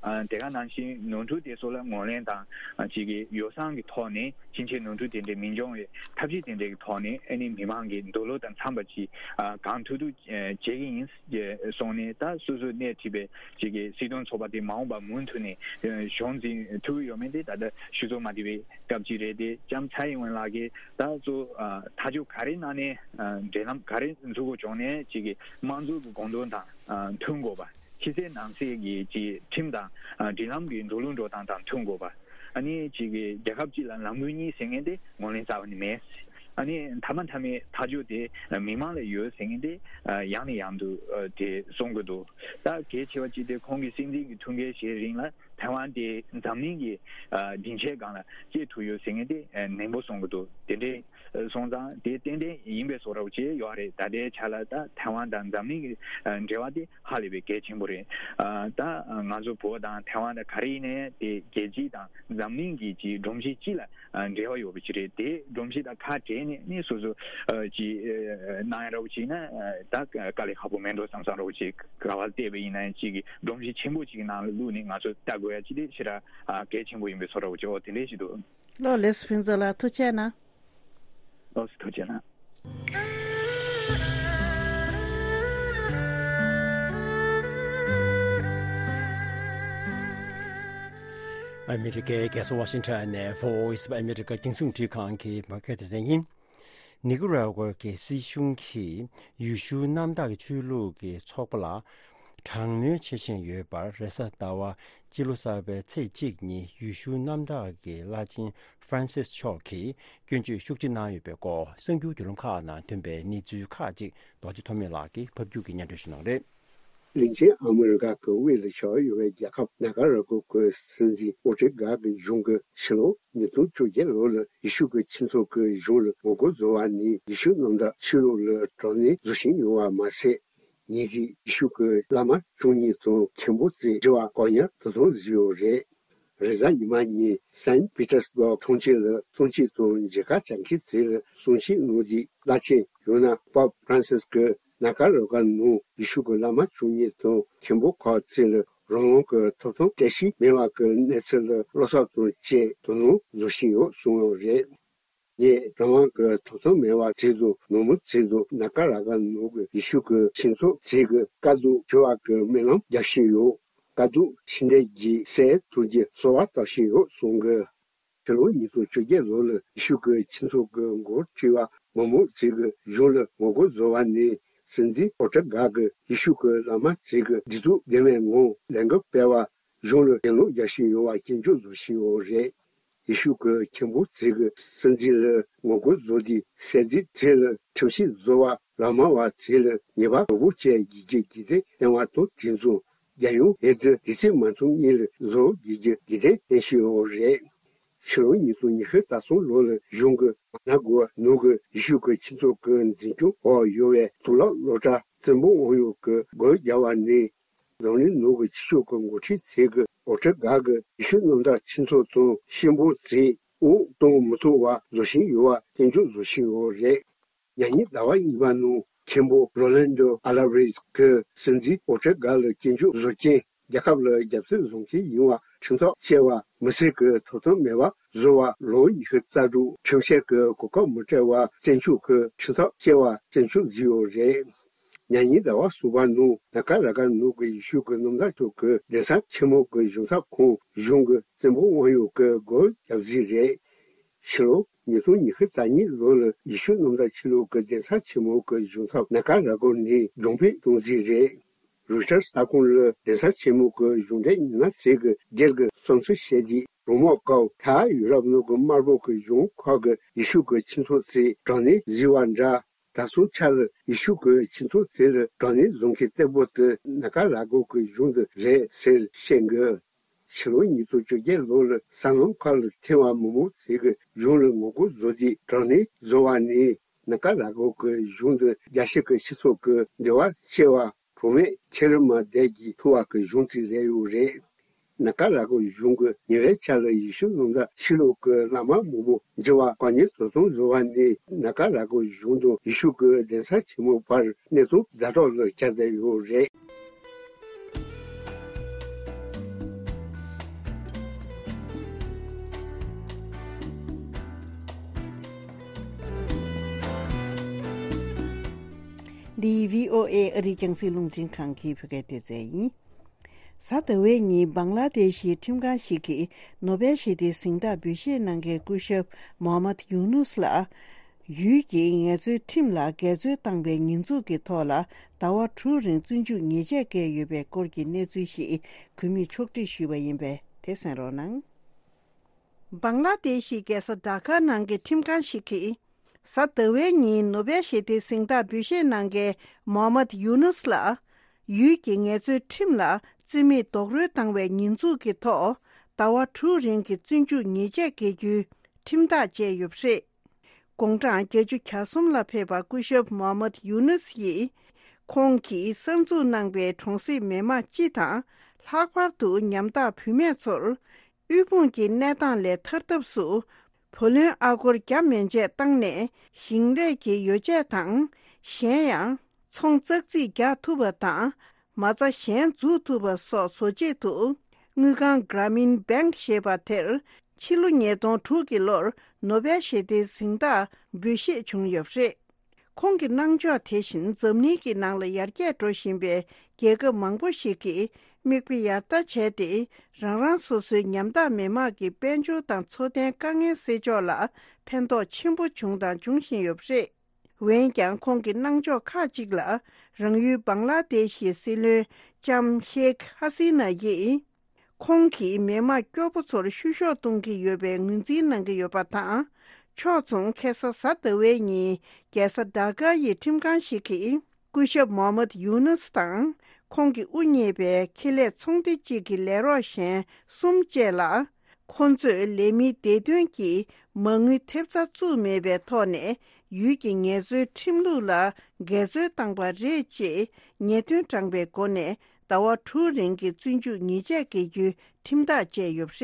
ཨ་དེ་ག་ནང་བཞིན་ནོར་འཁྲུལ་དེ་ཚོ་ལ་ངོས་ལེན་དང་ཅིག་གི་ཡོ་བསྲང་གི་ཐོག་ནས་ཕྱིན་ཆད་ནོར་འཁྲུལ་དེ་འདྲ་མི་འབྱུང་བའི་ཐབས་ཤེས་དེ་འདྲ་གི་ཐོག་ནས་ཨ་ནི་མི་མང་གི་འདོད་བློ་དང་འཚམས་པ་ཅིག་ཨ་གང་ཐུབ་ཐུབ་བྱེད་ཀྱི་ཡིན་གསུངས་ནས། ད་སོ་སོས་སྣེ་ཁྲིད་པའི་ཅིག་གི་སྲིད་དོན་ཚོགས་པ་དེ་མ་འོངས་པར་མུ་མཐུད་ནས་གཞུང་འཛིན་ཐུབ་ཀྱི་ཡོད་མེད་དེ་ད་ལྟ་ཞུ་ཚོད་མ་བདེ་བའི་སྐབས་ཅིག་རེད་དེ། ལྕམ་ཚའེ་ཡིན་ཝེན་ལགས་ཀྱིས་ད་གཙོ་ཨ་ཐག་གཅོད་ག་རེ་གནང་ནས་ཨ་འབྲེལ་ལམ་ག་རེ་འཛུགས་དགོས་བྱུང་ནས་ཅིག་གི་དམངས་གཙོ་གི་དགོངས་དོན་དང་ཨ་མཐུན་དགོས་པ། ཕྱི་གསལ་ནང་གསལ་གྱི་ཅིག་ཁྲིམས་དང་ཨ་སྒྲིག་ལམ་གྱི་འགྲོ་ལུགས་འགྲོ་སྟངས་དང་མཐུན་དགོས་པ། ཨ་ནི་ཅིག་གི་རྒྱལ་ཁབ་གཅིག་ལ་ལམ་ལུགས་གཉིས་ཟེར་མཁན་དེ་ངོས་ལེན་རྩ་བ་ནས་མེད། ཨ་ནི་མཐའ་མ་མཐའ་མའི་ཐག་གཅོད་དེ་མི་མང་ལ་ཡོད་ཟེར་མཁན་དེ་ཡང་ནས་ཡང་དུ་དེ་གསུང་གི་འདུག་ད་གལ་ཆེ་བ་གཅིག་དེ་ཁོང་གི་སྲིད་འཛིན་གྱི་ཐུགས་འགན་བཞེས་རིང་ལ་ཐའེ་ཝན་དེ་འཛམ་གླིང་གི་སྡིངས་ཆའི་སྒང་ལ་སྐྱེལ་ཐུབ་ཡོད་ཟེར་མཁན་དེ་ནན་པོ་གསུང་གི་འདུག་དེ་འདྲའི་སོང་ཙང་དེ་ཏན་ཏན་ཡིན་པའི་བཟོ་འདྲ་བོ་ཅིག་ཡོད་རེད། ད་ལྟའི་ཆ་ལ་ད་ཐའེ་ཝན་དང་འཛམ་གླིང་གི་འབྲེལ་བ་དེ་ཧ་ལས་པའི་གལ་ཆེན་པོ་རེད། ད་ང་ཚོ་བོད་དང་ཐའེ་ཝན་དང་ག་རེ་ཡིན་ནའི་དེ་རྒྱལ་སྤྱི་དང་འཛམ་གླིང་གི་ཅིག་སྒྲོམ་གཞི་གཅིག་ལ་འབྲེལ་བ་ཡོད་པ་ཅིག་རེད། དེ་སྒྲོམ་གཞི་དང་ཁ་བྲལ་ནས་ནི་སོ་སོ་ཅིག་གནང་ཡ་འདྲ་བོ་ཅིག་ན་ད་དཀའ་ལས་ཁག་པོ་མེད་འགྲོ་བསམ་བསམ་འདྲ་བོ་ཅིག་ག་བ་བལྟས་པ་ཡིན་ན་ཅིག་གི་སྒྲོམ་གཞི་ཆེན་པོ་ཅིག་གི་ནང་ལ་བླུགས་ནས་ང་ཚོ་ལྟ་དགོས་ཡ་ཅིག་དེ་ཞེ་དྲག་གལ་ཆེན་པོ་ཡིན་པའི་བཟོ་འདྲ་བོ་ཅིག་འོ་དེ་འདྲས་ཞིག་འདུག་ལགས་ལགས་སོ། ཕུན་ཚོགས་ལགས་ཐུགས་རྗེ་གནང་། ལགས་སོ། ཐུགས་རྗེ་གནང་། ཨ་མི་རི་ཀའི་རྒྱལ་ས་ཝ་ཤིང་ཊོན་ནས་Voice of America རྒྱང་སྲིང་རླུང་འཕྲིན་ཁང་གི་བོད་སྐད་སྡེ་ཚན་ཡིན། ནི་ཀ་ར་ཀུ་ཝ་གི་སྲིད་གཞུང་གིས་ཡེ་ཤུ་གནམ་བདག་གི་ཆོས་ལུགས་ཀྱི་ཚོགས་པ་ལ་དྲག་གནོན་བྱེད་བཞིན་ཡོད་པར། རེས་གཟའ་ཟླ་བ་སྤྱི་ལོ་གསར་པའི་ཚེས་གཅིག་ཉིན་ཡེ་ཤུ་གནམ་བདག་གི་བླ་ཆེན་ཧྥ་རན་སིས་མཆོག་གིས་སྐྱོན་བརྗོད་ཤུགས་ཆེ་གནང་ཡོད་པའི་སྐོར། གསར་འགྱུར་བརྒྱུད་ལམ་ཁག་ནང་ཐོན་པའི་གནས་ཚུལ་ཁག་ཅིག་རྡོ་རྗེ་ཐོགས་མེད་ལགས་ཀྱིས་ཕབ་སྒྱུར་གྱིས་སྙན་སྒྲོན་ཞུ་གནང་རེད། གླིང་ཆེན་ཨ་མི་རི་ཀ་གི་དབུས་ལ་བྱ་བ་ཡོད་པའི་རྒྱལ་ཁབ་ནཱ་ཀ་ར་ཀོ་གི་སྲིད་འཛིན་ཨོ་ཏྲེ་གྷ་གི་གཞུང་གིས་ཕྱི་ལོ་ཉིས་སྟོང་བཅོ་བརྒྱད་ལོ་ལ་ཡེ་ཤུ་གི་ཁྱུ་ཚོགས་ཀྱི་གཞུང་ལ་ངོ་རྒོལ་བཟོ་བ་ནི་ཡེ་ཤུ་གནམ་བདག་ཆོས་ལུགས་ལ་དྲག་གནོན་བཟོ་བཞིན་ཡོད་པ་མ་ཟད། ཉིན་དེའི་ཡེ་ཤུ་གི་བླ་མ་བཅུ་གཉིས་དང་མཁན་པོ་ཚོའི་འབྲེལ་བ་བཀག་ཉར་དུ་གཏོང་བཟོས་ཡོད་རེད། རེས་གཟའ་ཉི་མ་ཉིན་སན་པི་ཏར་སི་བྷག་མཐོང་ཆེན་ལ་གསུང་ཆོས་དང་མཇལ་ཁ་བྱ་མཁན་ཚོ་ལ་གསུང་ཆོས་གནང་རྗེས། བླ་ཆེན་ཡོ་ན་པོབ་ཧྥ་རན་སིས་ཀྱིས་ནཱ་ཀ་ར་ཀོ་ནང་ཡེ་ཤུ་གི་བླ་མ་བཅུ་གཉིས་དང་མཁན་པོ་ཁག་ཚོ་ལ་རང་དབང་གི་ཐོབ་ཐང་བཀྲ་ཤིས་མེད་པ་གི་གནས་ཚུལ་ལ་བློ་འཚབ་དང་བཅས་དོ་སྣང་བཟོ་བཞིན་ཡོད་གསུངས་ཡོད་རེད། ངས་རང་དབང་གི་ཐོབ་ཐང་མེད་པ་ཚོ་དང་ནོར་མི་ཚོ་དང་ནཱ་ཀ་ར་ཀོ་ནང་གི་ཡེ་ཤུ་གི་ཁྱུ་ཚོགས་ཚོ་གི་དཀའ་སྡུག་བརྗོད་པ་གི་སྨོན་ལམ་རྒྱག་བཞིན་ཡོད། དཀའ་སྡུག་ཕྱི་འབྲེལ་གྱི་སེལ་ཐུབ་རྒྱུ་གསོལ་བ་བཏབ་བཞིན་ཡོད་གསུངས་གི། ཕྱི་ལོ་ཉིས་སྟོང་བཅོ་བརྒྱད་ལོ་ལ་ཡེ་ཤུ་གི་ཁྱུ་ཚོགས་ཀྱི་འགོ་ཁྲིད་པ་མང་པོ་ཞིག་གིས་གཞུང་ལ་ངོ་རྒོལ་བཟོ་བ་ནི། སྲིད་འཛིན་ཨོ་ཏྲ་གྷ་གིས་ཡེ་ཤུ་གི་བླ་མ་ཞིག་གིས་བདེ་སྡུག་ལྡན་པའི་ངང་ལས་འགུལ་སྤེལ་བར་གཞུང་ལ་གྱེན་ལོག་རྒྱག་བཞིན་ཡོད་པར་སྐྱོན་བརྗོད་བཟོ་བཞིན་ཡོད་རེད། ཡེ་ཤུ་གི་མཁན་པོ་ཞིག་གིས་སྲིད་འཛིན་ལ་ངོ་རྒོལ་བཟོ་དུས། སྲིད་འཛིན་དེ་ལ་ཁྲིམས་ཞིབ་བཟོ་བ། ལག་དམར་བ་ཚོ་ལ་ཉེས་པ་དོད་པོ་བཅས་དགོས་རྒྱུ་གི་འགན་བཏོན་པ་དང་། དེ་མཚུངས་རྒྱལ་ཡོངས་འོས་བསྡུ་དུས་ཚོད་མ་ཐོན་སྔོན་ལ་བཟོ་དགོས་རྒྱུ་གི་འགན་བཏོན་བཞིན་ཡོད་རེད། ཕྱི་ལོ་ཉིས་སྟོང་ཉི་ཤུ་རྩ་གསུམ་ལོ་ལ་གཞུང་གིས་མ་ན་གོ་ནང་གི་ཡེ་ཤུ་གི་ཁྱུ་ཚོགས་ཀྱི་འཛིན་སྐྱོང་འོག་ཡོད་པའི་གཙུག་ལག་སློབ་གྲྭ་བཙན་པོ་དབང་ཡོད་ཀྱི་སྒོ་བརྒྱབ་པ་ནི། འཛམ་གླིང་ནང་གི་ཆོས་ཕྱོགས་ཀྱི་འགོ་ཁྲིད་ཚོ་གིས་ཨོ་ཏྲ་གྷ་གིས་ཡེ་ཤུ་གནམ་བདག་ཁྱུ་ཚོགས་དང་གཤིན་པོ་ཚོའི་འོག་གཏོང་མི་ཐུབ་པ་བཟོ་བཞིན་ཡོད་པ་སྐྱོན་བརྗོད་བཟོ་བཞིན་ཡོད་རེད། ཉེ་ཉིན་ཟླ་བ་གཉིས་པ་ནང་མཁན་པོ་རོ་ལན་ཌོ་ཨ་ལ་ཝར་ཛི་གིས་སྲིད་འཛིན་ཨོ་ཏྲ་གྷ་ལ་སྐྱོན་བརྗོད་བཟོ་མཁན། རྒྱལ་ཁབ་ལ་རྒྱབ་སྐྱོར་བཟོ་མཁན་ཡིན་པ་ཁྲིམས་ཐག་བཅད་པ་མི་སེར་གྱི་ཐོབ་ཐང་མེད་པ་བཟོ་བ། ལོ་ཉི་ཤུ་རྩ་དྲུག་ཁྲིམས་བཤེར་གྱི་གོ་སྐབས་མི་སྤྲད་པ་བཙན་འཕྲོག་གི་ཁྲིམས་ཐག་བཅད་པ་སྐྱོན་བརྗོད་བཟོས་ཡོད་རེད། ཉེ་ཉིན་ཟླ་བ་གསུམ་པ་ནང་ནཱ་ཀ་ར་ཀོ་ནང་གི་ཡེ་ཤུ་གི་གནམ་བདག་མཆོག་གི་གདན་ས་ཆེན་མོ་གི་གཞུང་ཚབ་ཁང་གཞུང་གི་བཙན་པོ་དབང་ཡོད་ཀྱི་སྒོ་བརྒྱབ་རྩིས་རེད། ཕྱི་ལོ་ཉིས་སྟོང་ཉི་ཤུ་རྩ་གཉིས་ལོ་ལ་ཡེ་ཤུ་གནམ་བདག་ཆོས་ལུགས་ཀྱི་གདན་ས་ཆེན་མོ་གི་གཞུང་ཚབ་ནཱ་ཀ་ར་ཀོ་ནས་རྒྱུན་སྤེལ་གཏོང་རྩིས་རེད། རོའི་ཊར་གསར་ཁང་ལ་གདན་ས་ཆེན་མོ་གི་གཞུང་འབྲེལ་ཉམས་ཞིབ་པ་ཚོས་སྒེར་གྱི་བསམ་ཚུལ་བཤད་དུས། རོགས་དམག་སྐབས་མཐའ་ཡུ་རོབ་ནང་གི་དམར་པོ་གི་གཞུང་ཁག་གིས་ཡེ་ཤུ་གི་ཁྱུ་ཚོགས་ཚོས་དྲག་གནོན་བཟོས་པ་འདྲ། ད་སོང་ཆ་ལ་ཡེ་ཤུ་གི་ཁྱུ་ཚོགས་ཚོ་ལ་དྲག་གནོན་བཟོ་མཁན་གཏེ་པོ་དེ་ནཱ་ཀ་ར་ཀོ་གི་གཞུང་དེ་རེད་ཟེར་བཤད་འདུག་ཕྱི་ལོ་ཉིས་སྟོང་བཅོ་བརྒྱད་ལོ་ལ་སྲང་ལམ་ཁག་ལ་ཐོན་པ་མང་པོ་ཞིག་གིས་གཞུང་ལ་ངོ་རྒོལ་བཟོ་དུས། དྲག་གནོན་བཟོ་བ་ནི་ནཱ་ཀ་ར་ཀོ་གི་གཞུང་དེ་རྒྱལ་སྤྱི་གི་སྤྱི་ཚོགས་ཀྱི་འབྲེལ་བ་བཅད་པ། གྲོགས་མེད་ཁྱེར་མ་བསྡད་ཀྱི་ཐུ་བ་གི་གཞུང་ཚིག་རེ་ཡོད་རེད། ནཱ་ཀ་ར་ཀོ་གཞུང་གི་ཉེ་བའི་ཆར་ལ་ཡེ་ཤུ་གནམ་བདག་ཆོས་ལུགས་ཀྱི་བླ་མ་མང་པོ་འཇུ་བ་བཀག་ཉར་དུ་གཏོང་བཟོ་བ་ནི། ནཱ་ཀ་ར་ཀོ་གཞུང་དང་ཡེ་ཤུ་གི་གདན་ས་ཆེན་མོ་བར་གནས་སྟངས་ཛ་དྲག་ལ་ཁྱབ་བསྡད་ཡོད་རེད། འདི་བྷི་ཨོ་ཨེ་ཨ་རིའི་རྒྱང་སྲིང་རླུང་འཕྲིན་ཁང་གི་བོད་སྐད་སྡེ་ཚན་ཡིན། གཟའ་ཟླ་བའི་ཉིན་བང་ལ་དེ་ཤིའི་ཁྲིམས་ཁང་ཞིག་གིས་ནོ་བེལ་ཞི་བདེའི་གཟེངས་རྟགས་འབུལ་བཞེས་གནང་མཁན་སྐུ་ཞབས་མོ་ཧམ་མད་ཡུ་ནུས་ལ། ཡུལ་གྱི་ངལ་རྩོལ་ཁྲིམས་ལ་འགལ་འཛོལ་བཏང་བའི་ཉེས་འཛུགས་ཀྱི་ཐོག་ལ་ཟླ་བ་དྲུག་རིང་བཙོན་འཇུག་ཉེས་ཆད་བཀལ་ཡོད་པའི་སྐོར་གྱི་གནས་ཚུལ་ཞིག་གུས་མོས་ཕྱོགས་སྒྲིག་ཞུས་པ་ཡིན་པས། དེ་གསན་རོགས་གནང་། བང་ལ་དེ་ཤི་རྒྱལ་ས་ཌ་ཀ་ནང་གི་ཁྲིམས་ཁང་ཞིག་གིས། གཟའ་ཟླ་བའི་ཉིན་ནོ་བེལ་ཞི་བདེའི་གཟེངས་རྟགས་འབུལ་བཞེས་གནང་མཁན་མོ་ཧམ་མད་ཡུ་ནུས་ལ། ཡུལ་གྱི་ངལ་རྩོལ་ཁྲིམས་ལ་རྩིས་མེད་རྡོག་རོལ་བཏང་བའི་ཉེས་འཛུགས་ཀྱི་ཐོག་ཟླ་བ་དྲུག་རིང་གི་བཙོན་འཇུག་ཉེས་ཆད་འགེལ་རྒྱུའི་ཁྲིམས་ཐག་བཅད་ཡོད་པ་རེད། དགུང་གྲངས་བརྒྱད་ཅུ་གྱ་གསུམ་ལ་ཕེབས་པ་སྐུ་ཞབས་མོ་ཧམ་མད་ཡུ་ནུས་ཡིས། ཁོང་གིས་གསར་འཛུགས་གནང་བའི་གྲོང་གསེབ་མི་མང་སྤྱི་དང་། ལྷག་པར་དུ་ཉམ་ཐག་བུད་མེད་ཚོར། དབུལ་ཕོངས་ཀྱི་གནས་སྟངས་ལས་ཐར་ཐབས་སུ། བུ་ལོན་ཨ་སྒོར་བརྒྱ་མན་ཆད་བཏང་ནས། ཞིང་ལས་ཀྱི་ཡོ་བྱད་དང་། གཞན་ཡང་། ཚོང་ཙག་ཙིག་རྒྱག་ཐུབ་པ་དང་། མ་རྩ་གཞན་འཛུགས་ཐུབ་པ་སོགས་བཟོ་ཆེད་དུ། དངུལ་ཁང་Grameen Bank ཞེས་པ་དེར། ཕྱི་ལོ་ཉིས་སྟོང་དྲུག་གི་ལོར། ནོ་བེལ་ཞི་བདེའི་གཟེངས་རྟགས་འབུལ་བཞེས་བྱུང་ཡོད་པ་རེད། ཁོང་གི་གནང་ཕྱོགས་དེ་བཞིན་འཛམ་གླིང་གི་ནང་ལ་ཡར་རྒྱས་འགྲོ་བཞིན་པའི་རྒྱལ་ཁབ་མང་པོ་ཞིག་གིས་ མིག་དཔེ་ཡར་ལྟ་བྱས་ཏེ། རང་རང་སོ་སོའི་ཉམ་ཐག་མི་དམངས་ཀྱི་དཔལ་འབྱོར་དང་འཚོ་རྟེན་དཀའ་ངལ་སེལ་ཕྱོགས་ལ་ཕན་ཐོགས་ཆེན་པོ་བྱུང་དང་འབྱུང་བཞིན་ཡོད་པ་རེད། འོན་ཀྱང་ཁོང་གི་གནང་ཕྱོགས་ཁག་ཅིག་ལ། རང་ཡུལ་བང་ལ་དེ་ཤི་སྲིད་བློན་ལྕམ་ཤེག་ཧ་སི་ན་ཡིས། ཁོང་གིས་མི་དམངས་སྐྱོ་པོ་ཚོར་བཤུ་གཞོག་གཏོང་གི་ཡོད་པའི་ངོས་འཛིན་གནང་གི་ཡོད་པ་དང་། ཕྱོགས་མཚུངས་ཁ་སང་གཟའ་ཟླ་བའི་ཉིན་རྒྱལ་ས་ཌ་ཀ་ཡི་ཁྲིམས་ཁང་ཞིག་གིས། སྐུ་ཞབས་མོ་ཧམ་མད་ཡུ་ནུས་དང་། ཁོང་གི་དབུ་བརྙེས་པའི་ཁེ་ལས་ཚོང་སྡེ་གཅིག་གི་ལས་རོགས་གཞན་གསུམ་བཅས་ལ། ཁོང་ཚོས་ལས་མིའི་བདེ་དོན་གྱི་མ་དངུལ་ཐེབས་རྩ་བཙུགས་མེད་པའི་ཐོག་ནས། ཡུལ་གྱི་ངལ་རྩོལ་ཁྲིམས་ལུགས་ལ་འགལ་འཛོལ་བཏང་པ་རེད་ཅེས། ཉེས་དོན་བགྲངས་པའི་སྒོ་ནས་ཟླ་བ་དྲུག་རིང་གི་བཙོན་འཇུག་ཉེས་ཆད་འགེལ་རྒྱུའི་ཁྲིམས་ཐག་བཅད་ཡོད་པ་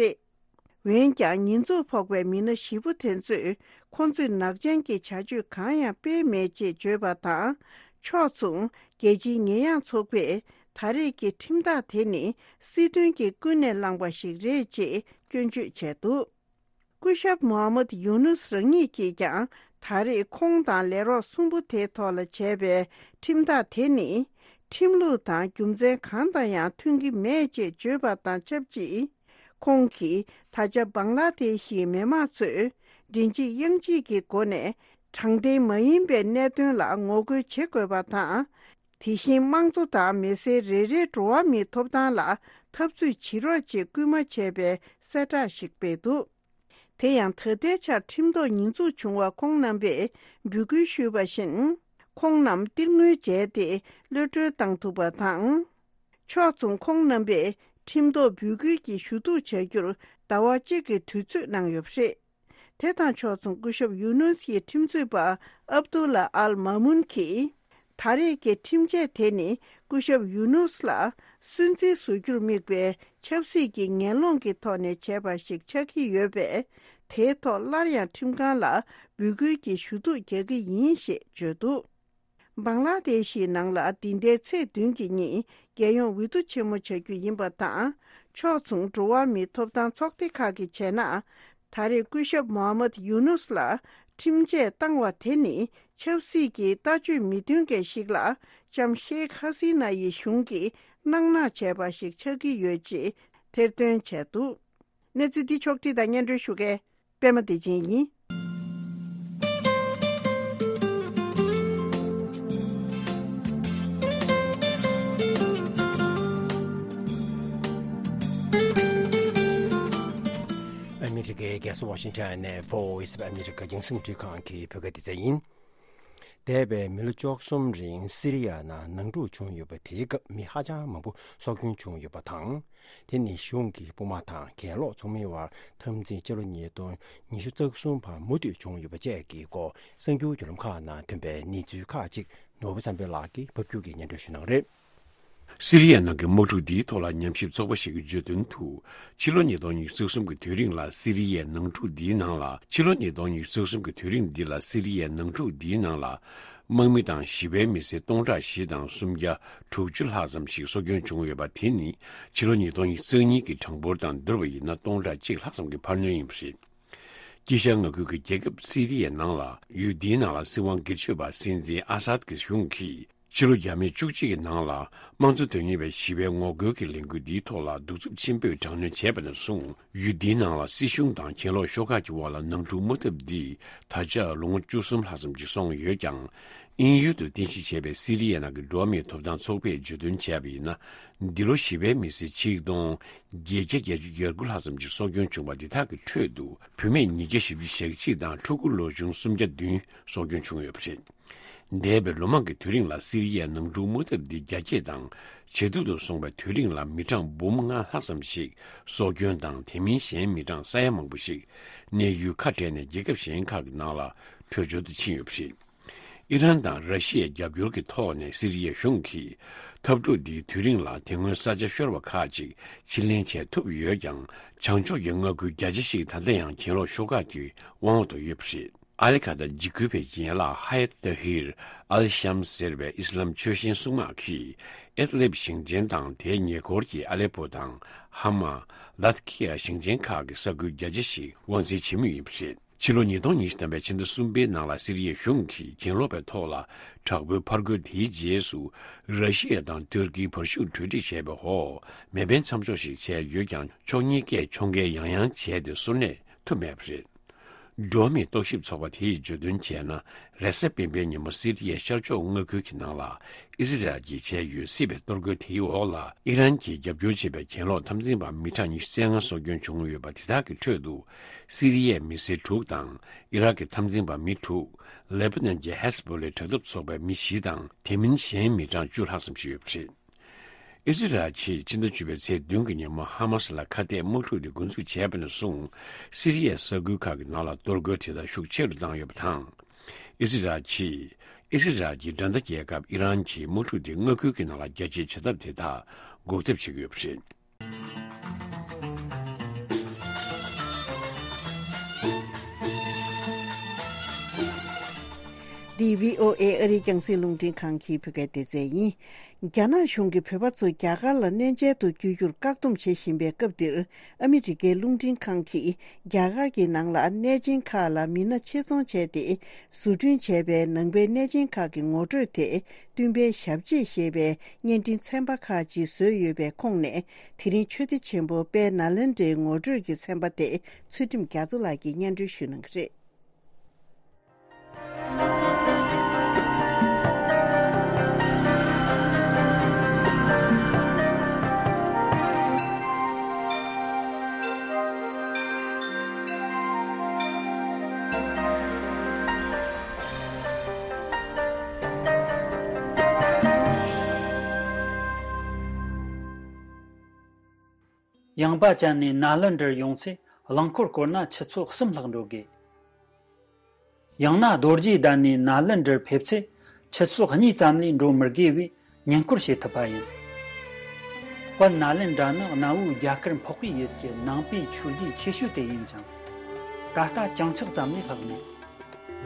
རེད། འོན་ཀྱང་། ཉེས་འཛུགས་ཕོག་པའི་མི་སྣ་བཞི་པོ་དེ་ཚོས། ཁོང་ཚོས་ནག་ཅན་གྱི་བྱ་སྤྱོད་གང་ཡང་སྤེལ་མེད་ཅེས་བརྗོད་པ་དང་། ཕྱོགས་མཚུངས། རྒྱལ་སྤྱིའི་ཉེས་ཡངས་ཚོགས་པས། ད་རེས་ཀྱི་ཁྲིམས་ཐག་དེ་ནི། སྲིད་དོན་གྱིས་ཀུན་ནས་བསླངས་པ་ཞིག་རེད་ཅེས་སྐྱོན་བརྗོད་བྱས་འདུག་སྐུ་ཞབས་མོ་ཧམ་མད་ཡུ་ནུས་རང་ཉིད་ཀྱིས་ཀྱང་། ད་རེས་ཁོང་དང་ལས་རོགས་གསུམ་པོ་དེའི་ཐོག་ལ་བྱས་པའི་ཁྲིམས་ཐག་དེ་ནི། ཁྲིམས་ལུགས་དང་རྒྱུ་མཚན་གང་དང་ཡང་མཐུན་གྱི་མེད་ཅེས་བརྗོད་པ་དང་ཆབས་ཅིག་ཁོང་གིས། ད་ཆ་བང་ལ་དེ་ཤིའི་མི་དམངས་ཚོས། མགྲིན་གཅིག་དབྱངས་གཅིག་གི་སྒོ་ནས། དྲང་བདེན་མ་ཡིན་པའི་གནད་དོན་ལ་ངོ་རྒོལ་བྱེད་དགོས་པ་དང་། དེ་བཞིན་དམངས་གཙོ་དང་མི་སེར་རེ་རེའི་འགྲོ་བ་མིའི་ཐོབ་ཐང་ལ་འཐབ་རྩོད་བྱེད་རོགས་ཅེས་སྐུལ་མ་བྱས་པའི་གསལ་བསྒྲགས་ཤིག་སྤེལ་འདུག་དེ་ཡང་ད་ལྟའི་ཆར་ཁྲིམས་ཐོག་ཉེས་འཛུགས་བྱུང་བ་ཁོང་རྣམ་པས་འབོད་སྐུལ་ཞུས་པ་བཞིན། ཁོང་རྣམས་གཏེར་དངུལ་འཇལ་ཏེ་གློད་གྲོལ་བཏང་ཐུབ་པ་དང་། ཕྱོགས་མཚུངས་ཁོང་རྣམ་པས་ཁྲིམས་ཐོག་འབོད་སྐུལ་གྱི་ཞུ་གཏུག་བྱ་རྒྱུར་ཟླ་བ་གཅིག་གི་དུས་ཚོད་གནང་ཡོད་པ་རེད། དེ་དང་ཕྱོགས་མཚུངས་སྐུ་ཞབས་ཡུ་ནུས་ཡི་ཁྲིམས་རྩོད་པ་ཨབ་ཏུ་ལ་ཨལ་མ་མུན་གྱིས། ད་རེས་ཀྱི་ཁྲིམས་ཆད་དེ་ནི་སྐུ་ཞབས་ཡུ་ནུས་ལ་སུན་གཙེར་བཟོ་རྒྱུར་དམིགས་པའི་ཆབ་སྲིད་ཀྱི་ངན་སློང་གི་ཐོག་ནས་བྱས་པ་ཞིག་ཆགས་ཀྱི་ཡོད་པས། དེའི་ཐོག་སླར་ཡང་ཁྲིམས་ཁང་ལ་འབོད་སྐུལ་གྱི་ཞུ་གཏུག་རྒྱག་གི་ཡིན་ཞེས་བརྗོད་འདུག་བང་ལ་དེ་ཤིའི་ནང་ལ་འདི་ཟླའི་ཚེས་བདུན་གྱི་ཉིན་རྒྱལ་ཡོངས་འོས་བསྡུ་ཆེན་མོ་བྱ་རྒྱུ་ཡིན་པ་དང་། ཕྱོགས་མཚུངས་འགྲོ་བ་མིའི་ཐོབ་ཐང་ཚོགས་སྡེ་ཁག་གིས་བྱས་ན། ད་རེས་སྐུ་ཞབས་མོ་ཧ་མད་ཡུ་ནུས་ལ་ཁྲིམས་ཆད་བཏང་བ་དེ་ནི་ཆབ་སྲིད་ཀྱི་ལྟ་སྤྱོད་མི་མཐུན་མཁན་ཞིག་ལ་ལྕམ་ཤེག་ཧ་སི་ན་ཡི་གཞུང་གིས་སྣང་མནའ་བྱས་པ་ཞིག་ཆགས་ཀྱི་ཡོད་ཅེས་ཐེར་འདོན་བྱས་འདུག་གནས་ཚུལ་འདི་ཕྱོགས་བསྒྲིགས་དང་སྙན་སྒྲོན་ཞུ་མཁན་པད་མ་བདེ་ཆེན་ཡིན། ཨ་མི་རི་ཀའི་རྒྱལ་ས་ཝ་ཤིང་ཊོན་ནས་Voice of America རྒྱང་སྲིང་རླུང་འཕྲིན་ཁང་གི་བོད་སྐད་སྡེ་ཚན་ཡིན། འདས་པའི་མི་ལོ་བཅུ་གསུམ་རིང་སི་རི་ཡ་ནང་ནང་འཁྲུག་བྱུང་ཡོད་པ་དེའི་སྐབས་མི་ཧ་ཅང་མང་པོ་སྲོག་སྐྱོན་བྱུང་ཡོད་པ་དང་། དེ་ནི་གཞུང་གི་དཔུང་དམག་དང་གྱེན་ལོག་ཚོགས་མིའི་དབར་འཐབ་འཛིང་ཕྱི་ལོ་ཉིས་སྟོང་ཉི་ཤུ་རྩ་གསུམ་བར་མུ་མཐུད་བྱུང་ཡོད་པ་བཅས་ཀྱི་སྐོར་གསར་འགྱུར་བརྒྱུད་ལམ་ཁག་ནང་ཐོན་པའི་གནས་ཚུལ་ཁག་ཅིག་ནོར་བུ་བསམ་འཕེལ་ལགས་ཀྱིས་ཕབ་སྒྱུར་གྱིས་སྙན་སྒྲོན་ཞུ་གནང་གི་རེད། སི་རི་ཡའི་ནང་གི་དམག་འཁྲུག་འདིའི་ཐོག་ལ་ཉམས་ཞིབ་ཚོགས་པ་ཞིག་གིས་བརྗོད་དོན་དུ། ཕྱི་ལོ་ཉིས་སྟོང་ཉི་ཤུ་རྩ་གསུམ་གྱི་དུས་རིང་ལ་སི་རི་ཡའི་ནང་འཁྲུག་འདིའི་ནང་ལ། ཕྱི་ལོ་ཉིས་སྟོང་ཉི་ཤུ་རྩ་གསུམ་གྱི་དུས་རིང་འདི་ལ་སི་རི་ཡའི་ནང་འཁྲུག་འདིའི་ནང་ལ། དམག་མི་དང་ཞི་བའི་མི་སེར་སྟོང་ཕྲག་བཞི་དང་སུམ་བརྒྱ་དྲུག་ཅུ་ལྷག་ཙམ་ཞིག་སྲོག་སྐྱོན་བྱུང་ཡོད་པ་དེ་ནི། ཕྱི་ལོ་ཉིས་སྟོང་ཉི་ཤུ་རྩ་གཉིས་ཀྱི་གྲངས་འབོར་དང་བསྡུར་བ་ཡིན་ན་སྟོང་ཕྲག་གཅིག་ལྷག་ཙམ་གྱི་འཕར་སྣོན་ཡིན་པ་རེད། དཀྱིལ་ཤར་མངའ་ཁུལ་གྱི་རྒྱལ་ཁབ་སི་རི་ཡའི་ནང་ལ་ཡུལ་འདིའི་ནང་ལ་སྲིད་དབང་སྒེར་གཅོད་པ་སྲིད་འཛིན་ཨ་སཱད་ཀྱི་གཞུང་གིས། ཕྱི་ལོ་བརྒྱ་མེད་བཅུ་གཅིག་གི་ནང་ལ་དམངས་གཙོ་དོན་གཉེར་བའི་ཞི་བའི་ངོ་རྒོལ་གྱི་ལས་འགུལ་འདིའི་ཐོག་ལ་གདུག་རྩུབ་ཆེན་པོས་དྲག་གནོན་བྱས་པ་ནས་བཟུང་། ཡུལ་འདིའི་ནང་ལ་སྲིད་གཞུང་དང་གྱེན་ལོག་ཤོག་ཁག་གི་དབར་ལ་ནང་འཁྲུག་དམག་འཐབ་འདིས་ད་ཆ་ལོ་ངོ་བཅུ་གསུམ་ལྷག་ཙམ་ཞིག་སོང་ཡོད་ཀྱང་། དབྱིན་ཡུལ་དུ་རྟེན་གཞི་བྱས་པའི་སི་རི་ཡའི་ནང་གི་འགྲོ་བ་མིའི་ཐོབ་ཐང་ཚོགས་པས་བརྗོད་དོན་བྱས་པ་ཡིན་ན། འདི་ལོ་ཞི་བའི་མི་སེར་ཆིག་སྟོང་བརྒྱད་བརྒྱ་བརྒྱད་ཅུ་གྱ་དགུ་ལྷག་ཙམ་ཞིག་སྲོག་སྐྱོན་བྱུང་བ་འདི་དག་གི་ཁྲོད་དུ། བུད་མེད་ཉིས་བརྒྱ་བཞི་བཅུ་ཞེ་གཅིག་དང་ཕྲུ་གུ་ལོ་ཆུང་སུམ་བརྒྱ་བདུན་སྲོག་སྐྱོན་བྱུང་ཡོད་པ་རེད། འདས་པའི་ལོ་མང་གི་དུས་རིང་ལ་སི་རི་ཡའི་ནང་འཁྲུག་དམག་འཐབ་འདི་རྒྱ་སྐྱེད་དང་ཇེ་སྡུག་ཏུ་སོང་བའི་དུས་རིང་ལ་མི་གྲངས་འབུམ་ལྔ་ལྷག་ཙམ་ཞིག་སྲོག་སྐྱོན་དང་དེ་མིན་གཞན་མི་གྲངས་ས་ཡ་མང་པོ་ཞིག་གནས་ཡུལ་ཁ་བྲལ་ནས་རྒྱལ་ཁབ་གཞན་ཁག་གི་ནང་ལ་བྲོས་བྱོལ་དུ་ཕྱིན་ཡོད་པ་རེད། ཨི་རན་དང་ར་ཤི་ཡའི་རྒྱབ་སྐྱོར་གྱི་ཐོག་ནས་སི་རི་ཡའི་གཞུང་གིས་འཐབ་འཁྲུག་འདིའི་དུས་རིང་ལ་དེ་སྔོན་ས་ཆ་ཤོར་བ་ཁག་ཅིག་ཕྱིར་ལེན་བྱས་ཐུབ་ཡོད་ཀྱང་། བྱང་ཕྱོགས་ཀྱི་མངའ་ཁུལ་བརྒྱ་ཆ་ཞིག་ད་ལྟ་ཡང་གྱེན་ལོག་ཤོག་ཁག་གི་དབང་འོག་ཏུ་ཡོད་པ་རེད། ཨ་ལི་ཁ་ཏ་འཇིགས་སྐུལ་བའི་ཡན་ལག་ཧ་ཡད་ཏཱ་ཧིར་ཨལ་ཤམ་ཟེར་བའི་ཨི་སི་ལམ་ཆོས་ཞེན་སྲུང་དམག་གིས་ཨེད་ལིབ་ཞིང་ཆེན་དང་དེའི་ཉེ་འཁོར་གྱི་ཨ་ལེ་པོ་དང་ཧ་མ། ལཱ་ཐི་ཁི་ཡ་ཞིང་ཆེན་ཁག་གི་ས་ཁུལ་བརྒྱ་ཆ་ཞིག་དབང་འཛིན་བྱེད་མུས་ཡིན་པ་རེད། ཕྱི་ལོ་ཉིས་སྟོང་ཉི་ཤུ་ཐམ་པའི་ཕྱི་ཟླ་གསུམ་པའི་ནང་ལ་སི་རི་ཡའི་གཞུང་གིས་གྱེན་ལོག་པའི་ཐོག་ལ་དྲག་པོའི་ཕར་རྒོལ་དེའི་རྗེས་སུ་ར་ཤི་ཡ་དང་ཏུར་ཀིའི་བར་ཤུགས་གྲོས་འགྲིག་བྱས་པའི་འོག་མེ་འཕེན་མཚམས་འཇོག་ཞིག་བྱས་ཡོད་ཀྱང་ཕྱོགས་གཉིས་ཀས་ཕྱོགས་འགལ་ཡང་ཡང་བྱས་ཏེ་གསོལ་རས་ཐོབ་མེད་པ་རེད། འགྲོ་བ་མིའི་རྟོག་ཞིབ་ཚོགས་པ་དེས་བརྗོད་དོན་བྱས་ན། རེས་གཟའ་སྤེན་པའི་ཉིན་མོ་སི་རི་ཡའི་ཤར་ཕྱོགས་མངའ་ཁུལ་གྱི་ནང་ལ་ཨི་སི་རལ་གྱིས་བྱས་ཡོད་སྲིད་པའི་གཏོར་རྒོལ་དེའི་འོག་ལ་ཨི་རན་གྱིས་རྒྱབ་སྐྱོར་བྱས་པའི་གྱེན་ལོག་འཐབ་འཛིང་པ་མི་གྲངས་ཉི་ཤུ་རྩ་ལྔ་སྲོག་སྐྱོན་བྱུང་ཡོད་པ་དེ་དག་གི་ཁྲོད་དུ་སི་རི་ཡའི་མི་སེར་དྲུག་དང་ཨི་རག་གི་འཐབ་འཛིང་པ་མི་དྲུག་ལེ་པ་ནན་གྱི་ཧེ་ཟ་བྷོ་ལའི་དྲག་འཐབ་ཚོགས་པའི་མི་བཞི་དང་དེ་མིན་གཞན་མི་གྲངས་བཅུ་ལྷག་ཙམ་ཞིག་ཡོད་པ་རེད། ཨི་སི་རལ་གྱིས་ཕྱི་ཟླ་བཅུ་པའི་ཚེས་བདུན་གྱི་ཉིན་མོ་ཧ་མ་སི་ལ་ཁ་གཏད་དམག་འཁྲུག་དེ་འགོ་འཛུགས་བྱས་པ་ནས་བཟུང་སི་རི་ཡའི་ས་ཁུལ་ཁག་གི་ནང་ལ་གཏོར་རྒོལ་དེ་དག་ཤུགས་ཆེ་རུ་བཏང་ཡོད་པ་དང་། ཨི་སི་རལ་གྱིས་ཨི་སི་རལ་གྱི་འགྲན་ཟླ་རྒྱལ་ཁབ་ཨི་རན་གྱིས་དམག་འཁྲུག་དེ་མངའ་ཁུལ་གྱི་ནང་ལ་རྒྱ་སྐྱེད་བྱེད་ཐབས་དེ་དག་འགོག་ཐབས་བྱེད་ཀྱི་ཡོད་པ་རེད། འདི་བྷི་ཨོ་ཨེ་ཨ་རིའི་རྒྱང་སྲིང་རླུང་འཕྲིན་ཁང་གི་བོད་སྐད་སྡེ་ཚན་ཡིན། རྒྱ་ནག་གཞུང་གིས་བོད་པ་ཚོ་རྒྱ་གར་ལ་གནས་མཇལ་དུ་བསྐྱོད་རྒྱུར་བཀག་སྡོམ་བྱེད་བཞིན་པའི་སྐབས་འདིར། ཨ་མི་རི་ཀའི་རླུང་འཕྲིན་ཁང་གིས་རྒྱ་གར་གྱི་ནང་ལ་གནས་ཆེན་ཁག་ལ་མི་སྣ་ཆེད་རྫོང་བྱས་ཏེ། བཟོ་སྐྲུན་བྱས་པའི་ནང་པའི་གནས་ཆེན་ཁག་གི་ངོ་སྤྲོད་དེ། སྟོན་པའི་ཞབས་རྗེས་ཞེས་པའི་བརྙན་འཕྲིན་ཚན་པ་ཁག་ཅིག་བཟོས་ཡོད་པའི་ཁོངས་ནས། དེ་རིང་ཆོས་སྡེ་ཆེན་པོ་དཔལ་ནཱ་ལེནྡྲའི་ངོ་སྤྲོད་ཀྱི་ཚན་པ་དེ་ཚུལ་ཁྲིམས་རྒྱ་མཚོ་ལགས་ཀྱིས་སྙན་སྒྲོན་ཞུ་གནང་གི་རེད། ཡངས་པ་ཅན་ནས་ནཱ་ལེནྡྲར་ཡོང་ཚེ་རླངས་འཁོར་བསྐོར་ན་ཆུ་ཚོད་གསུམ་ལྷག་འགྲོ་དགོས། ཡང་ན་རྡོ་རྗེ་གདན་ནས་ནཱ་ལེནྡྲར་ཕེབས་ཚེ་ཆུ་ཚོད་གཉིས་ཙམ་ལས་འགྲོ་མི་དགོས་པས་ཉེན་སྐོར་བྱེད་ཐུབ་པ་ཡིན། དཔལ་ནཱ་ལེནྡྲ་ནི་གནའ་བོའི་རྒྱ་གར་འཕགས་པའི་ཡུལ་གྱི་ནང་པའི་ཆོས་སྡེ་ཆེ་ཤོས་དེ་ཡིན་ཅིང་། ད་ལྟ་གྱང་ཆག་ཙམ་ལས་ལྷག་མེད།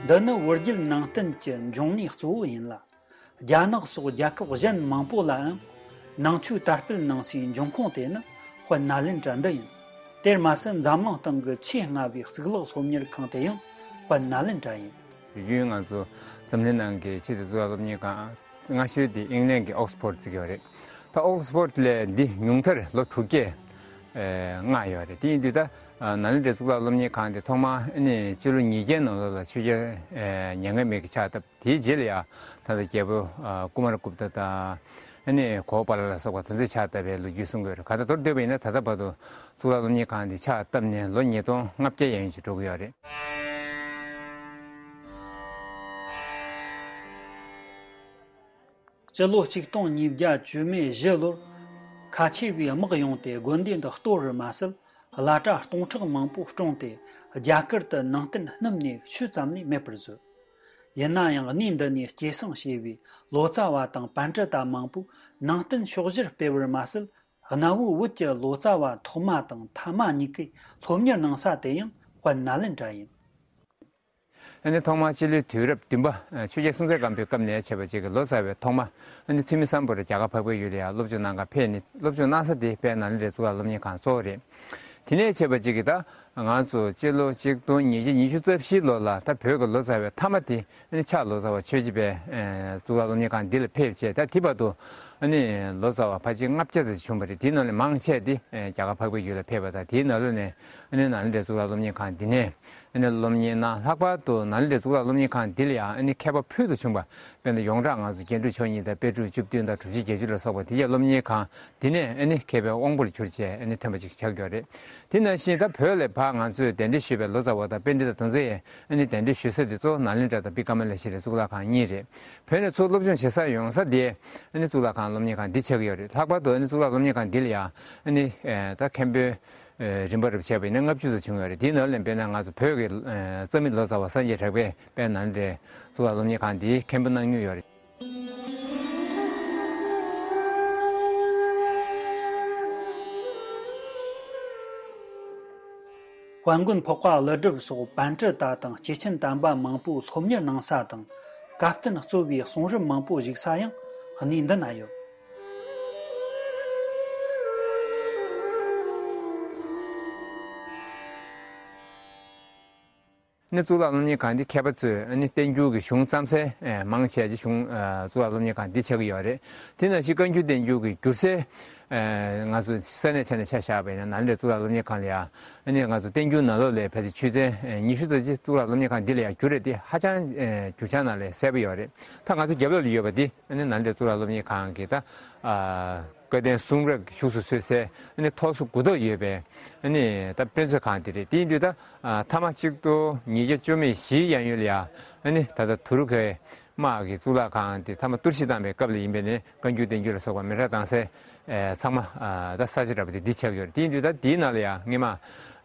འདི་ནི་བོད་བརྒྱུད་ནང་བསྟན་གྱི་འབྱུང་གནས་གཙོ་བོ་ཡིན་ལ། རྒྱ་ནག་སོགས་རྒྱལ་ཁབ་གཞན་མང་པོ་ལའང་ནང་ཆོས་དར་སྤེལ་གནང་སའི་འབྱུང་ཁུངས་དེ་ནི་དཔལ་ནཱ་ལེནྡྲ་འདི་ཡིན། དེར་མ་ཟད་འཛམ་གླིང་སྟེང་གི་ཆེས་སྔ་བའི་གཙུག་ལག་སློབ་གཉེར་ཁང་དེ་ཡང་དཔལ་ནཱ་ལེནྡྲ་ཡིན། དུས་རྒྱུན་ང་ཚོ་འཛམ་གླིང་ནང་གི་ཆེས་མཐོའི་གཙུག་ལག་སློབ་གཉེར་ཁང་སྔ་ཤོས་དེ་ཨིང་ལན་གྱི་ཨོག་སི་ཕོར་ཌི་བརྩི་གི་ཡོད་རེད། ད་ཨོག་སི་ཕོར་ཌི་ལས་འདི་ཉུང་མཐར་ལོ་དྲུག་བརྒྱ་ལྔ་ཡོད་རེད། དེ་ཡིན་དུས་ད་ནཱ་ལེནྡྲའི་གཙུག་ལག་སློབ་གཉེར་ཁང་དེ་ཐོག་མར་ཨ་ནི་སྤྱི་ལོ་ཉིས་བརྒྱའི་ནང་ལོགས་ལ་ཆོས་རྒྱལ་མྱ་ངན་མེད་ཀྱིས་ཕྱག་བཏབ། དེའི་རྗེས་ལ་ཡང་ད་ལྟ་རྒྱལ་པོ་ཀུ་མ་ར་གུབ་ཏ་དང་ཨ་ནི་གོ་པཱ་ལ་ལ་སོགས་པ་དེ་ཚོས་ཕྱག་བཏབ་པའི་ལོ་རྒྱུས་གསུང་གི་ཡོད་རེད། ག་ད་མདོར་བསྡུས་པ་ཡིན་ན་ད་ལྟ་བར་དུ་གཙུག་ལག་སློབ་གཉེར་ཁང་འདི་ཕྱག་བཏབ་ནས་ལོ་ཉིས་སྟོང་ལྔ་བརྒྱ་ཡན་ཞིག་འགྲོ་གི་ཡོད་རེད། སྤྱི་ལོ་གཅིག་སྟོང་ཉིས་བརྒྱ་བཅུ་མེད་བཞི་ལོར་ཁ་ཆེ་བའི་དམག་ཡོང་སྟེ་དགོན་སྡེ་འདི་གཏོར་བར་མ་ཟད། བླ་གྲྭ་སྟོང་ཕྲག་མང་པོ་བཀྲོངས་ཏེ་རྒྱ་གར་དུ་ནང་བསྟན་སྣུམ་ནས་ཆུ་ཙམ་ལས་མེད་པར་བཟོས། ཡིན་ན་ཡང་གནས་འདི་ནས་སྐྱེད་སྲིང་བྱས་པའི་ལོ་ཙཱ་བ་དང་པཎྜི་ཏ་མང་པོས་ནང་བསྟན་ཕྱོགས་བཞིར་སྤེལ་བར་མ་ཟད། གནའ་བོའི་བོད་ཀྱི་ལོ་ཙཱ་བ་ཐོག་མ་དང་ཐ་མ་གཉིས་ཀས་སློབ་གཉེར་གནང་ས་དེ་ཡང་དཔལ་ནཱ་ལེནྡྲ་ཡིན། ཨ་ནི་ཐོག་མར་སྤྱི་ལོའི་དུས་རབས་བདུན་པ་ཆོས་རྒྱལ་སྲོང་བཙན་སྒམ་པོའི་སྐབས་ནས་བྱས་པ་ཅིག་གི་ལོ་ཙཱ་བའི་ཐོག་མ་ཨ་ནི་ཐོན་མི་སམ་བྷོ་ཊ་རྒྱ་གར་འཕགས་པའི་ཡུལ་ལ་ཡང་སློབ་སྦྱོང་གནང་གར་ཕེབས་ནས་སློབ་སྦྱོང་གནང་ས་དེ་དཔལ་ནཱ་ལེནྡྲའི་གཙུག་ལག་སློབ་གཉེར་ཁང་གཙོ་བོ་རེད། དེ་ནས་བྱས་པ་ཅིག་གིས་ད་ང་ཚོ་སྤྱི་ལོ་གཅིག་སྟོང་ཉིས་བརྒྱ་ཉི་ཤུ་རྩ་བཞི་ལོ་ལ་ད་བོད་ཀྱི་ལོ་ཙཱ་བའི་མཐའ་མ་དེ་ཨ་ནི་ཕྱག་ལོ་ཙཱ་བ་ཆོས་རྗེ་པའི་ཨེ་གཙུག་ལག་སློབ་གཉེར་ཁང་འདི་ལ་ཕེབས་བྱས། ད་དེ་བར་དུ་ཨ་ནི་ལོ་ཙཱ་བ་ཕལ་ཆེར་ལྔ་བརྒྱ་ཙམ་བྱུང་བ་རེད། དེའི་ནང་ལས་མང་ཆེ་དེ་ཨེ་རྒྱ་གར་འཕགས་པའི་ཡུལ་ལ་ཕེབས་པ་དང་། དེའི་ནང་ལོགས་ནས་ཨ་ནི་ནཱ་ལེནྡྲའི་གཙུག་ལག་སློབ་གཉེར་ཁང་འདི་ནས་ཨ་ནི་སློབ་གཉེར་གནང་། ལྷག་པར་དུ་ནཱ་ལེནྡྲའི་གཙུག་ལག་སློབ་གཉེར་ཁང་འདི་ལ་ཡང་ཨ་ནི་མཁས་པ་ཕུལ་དུ་བྱུང་བ། དཔེར་ན་ཡོངས་གྲགས་ང་ཚོ་རྒྱན་དྲུག་མཆོག་གཉིས་དང་དཔེ་དྲུག་བཅུ་བདུན་དང་དྲུག་ཅུ་བརྒྱད་ཅུ་ལ་སོགས་པ་དེ་གའི་སློབ་གཉེར་ཁང་འདི་ནས་ཨ་ནི་མཁས་པའི་དབང་པོར་གྱུར་བྱས་ཨ་ནི་ཐོན་པ་ཅིག་ཆགས་ཡོད་རེད། དེ་ནང་བཞིན་ད་བོད་ལ་ཕར་ང་ཚོས་གདན་འདྲེན་ཞུས་པའི་ལོ་ཙཱ་བ་དང་པཎྜི་ཏ་དེ་ཚོ་ཡིས་ཨ་ནི་གདན་འདྲེན་ཞུ་ས་དེ་གཙོ་བོ་ནཱ་ལེནྡྲ་དང་བི་ཀ་མ་ལ་ཤྲཱིའི་གཙུག་ལག་ཁང་གཉིས་རེད། བོད་ནས་ཚུར་སློབ་སྦྱོང་བྱེད་ས་ཡོང་ས་དེ་ཨ་ནི་གཙུག་ལག་ཁང་སློབ་གཉེར་ཁང་འདི་ཆགས་ཀྱི་ཡོད་རེད། ལྷག་པར་དུ་ཨ་ནི་གཙུག་ལག་སློབ་གཉེར་ཁང་འདི་ལ་ཡང་ཨ་ནི་ཨེ་ད་མཁན་པོའི་ཨེ་རིམ་པ་རུ་བྱས་པ་ཡིན་ན་ལྔ་བཅུ་ཙམ་བྱུང་ཡོད་རེད། དེའི་ནང་ལས་དཔེར་ན་ང་ཚོ་བོད་ཀྱི་ཨེ་རྩ་མེད་ལོ་ཙཱ་བ་སངས་རྒྱས་གྲགས་པས་དཔལ་ནཱ་ལེནྡྲའི་གཙུག་ལག་སློབ་གཉེར་ཁང་འདིའི་མཁན་པོ་གནང་མྱོང་ཡོད་རེད། དཔལ་མགོན་འཕགས་པ་ཀླུ་སྒྲུབ་སོགས་པཎྜི་ཏ་དང་སྐྱེས་ཆེན་དམ་པ་མང་པོས་སློབ་གཉེར་གནང་ས་དང་། བཀའ་བསྟན་གཙོ་བའི་གསུང་རབ་མང་པོ་བཞུགས་ས་ཡང་གནས་འདི་ན་ཡོད། ནི་གཙུག་ལག་སློབ་གཉེར་ཁང་འདི་མཁས་པ་ཚོས་ནི་བསྟན་འགྱུར་གྱི་གཞུང་བརྩམས་སའི་མང་ཆེ་བ་གཞུང་གཙུག་ལག་སློབ་གཉེར་ཁང་འདི་ཆགས་ཀྱི་ཡོད་རེད། དེ་ནང་བཞིན་བཀའ་འགྱུར་བསྟན་འགྱུར་གྱི་བསྒྱུར་སའི་ང་ཚོ་ས་གནས་ཆ་ནས་ཆ་བཞག་པ་ཡིན་ན་ནཱ་ལེནྡྲའི་གཙུག་ལག་སློབ་གཉེར་ཁང་ལ་ཡང་ནི་ང་ཚོ་བསྟན་འགྱུར་ནང་ལོགས་ལ་ཕལ་ཆེར་ཆོས་ཚན་ཉི་ཤུ་ཙམ་ཅིག་གཙུག་ལག་སློབ་གཉེར་ཁང་འདི་ལ་ཡང་བསྒྱུར་རེད། དེ་ཧ་ཅང་བསྒྱུར་བྱ་ནང་ལ་གསལ་པོ་ཡོད་རེད། ད་ང་ཚོ་རྒྱབ་ལོགས་ལ་ཡོད་པ་འདི་ནི་ནཱ་ལེནྡྲའི་གཙུག་ལག་སློབ་གཉེར་ཁང་གི་ད། བཀའ་བསྟན་གསུང་རབ་བཞུགས་སུ་གསོལ་སའི་ཐོག་སོ་དགུ་ཐོག་ཡོད་པའི་ད་དཔེ་མཛོད་ཁང་དེ་རེད། དེ་ཡིན་དུས་ད་མཐའ་མ་གཅིག་སྟོང་ཉིས་བརྒྱ་བཅུ་མེད་བཞིའི་གཡས་གཡོན་ལ་ཡང་ད་ལྟ་དུ་རུ་ཁའི་དམག་གི་གཙུག་ལག་ཁང་དེ་མཐའ་མ་གཏོར་བཤིག་བཏང་པའི་སྐབས་ལ་ཡིན་པས་ནས་བཀའ་འགྱུར་བསྟན་འགྱུར་ལ་སོགས་པ་མེ་སྲེག་བཏང་སའི་ཚང་མ་ད་ས་ཆ་འདྲ་པོ་དེ་འདི་ཆགས་ཡོད་རེད། དེ་ཡིན་དུས་ད་དེའི་ནང་ལ་ཡང་སྔས་མ་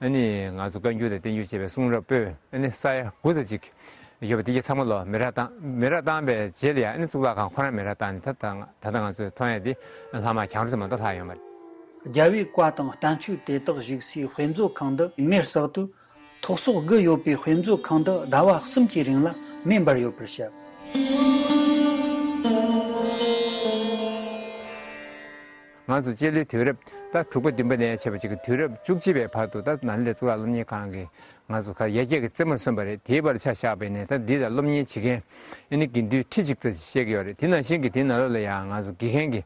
ང་ཚོ་བཀའ་འགྱུར་དང་བསྟན་འགྱུར་བཅས་པའི་གསུང་རབ་པོད་ས་ཡ་དགུ་ཙམ་ཅིག་ཡོད་པ་དེ་གྱད་ཚང་མ་ལོ་མེ་རག་བཏང་མེ་རག་བཏང་པའི་རྗེས་ལ་ཡང་ཨ་ནི་གཙུག་ལག་ཁང་ཁོ་རང་མེ་རག་བཏང་ནས་ད་ད་ད་ལྟ་ང་ཚོས་མཐོང་ཡ་དེ་ལྷག་མ་གྱང་རོ་ཙམ་མ་གཏོགས་ལྷག་ཡོད་མ་རེད། རྒྱལ་བའི་བཀའ་དང་བསྟན་བཅོས་དེ་དག་བཞུགས་སའི་དཔེ་མཛོད་ཁང་འདི་མེར་བསྲེགས་དུས་ཐོག་སོ་དགུ་ཡོད་པའི་དཔེ་མཛོད་ཁང་འདི་ཟླ་བ་གསུམ་གྱི་རིང་ལ་མེ་འབར་ཡོད་པར་བཤད། ང་ཚོ་སྤྱི་ལོའི་དུས་རབས་ད་དྲུག་པ་བདུན་པ་ནས་བྱས་པ་ཅིག་གི་དུས་རབས་བཅུ་གཅིག་པའི་བར་དུ་ད་ནཱ་ལེནྡྲའི་གཙུག་ལག་སློབ་གཉེར་ཁང་གི་ང་ཚོ་ག་ཡར་རྒྱས་ཀྱི་རྩེ་མོར་སོན་པ་རེད། དེའི་བར་ཆ་བཞག་པ་ཡིན་ན་ད་འདི་ལ་སློབ་གཉེར་བྱེད་མཁན་ཨ་ནི་དགེ་འདུན་ཁྲི་གཅིག་ཙམ་ཞིག་བཤད་ཀྱི་ཡོད་རེད། དེ་ནང་བཞིན་གྱི་དེའི་ནང་ལོགས་ལ་ཡང་ང་ཚོ་དགེ་རྒན་གྱི་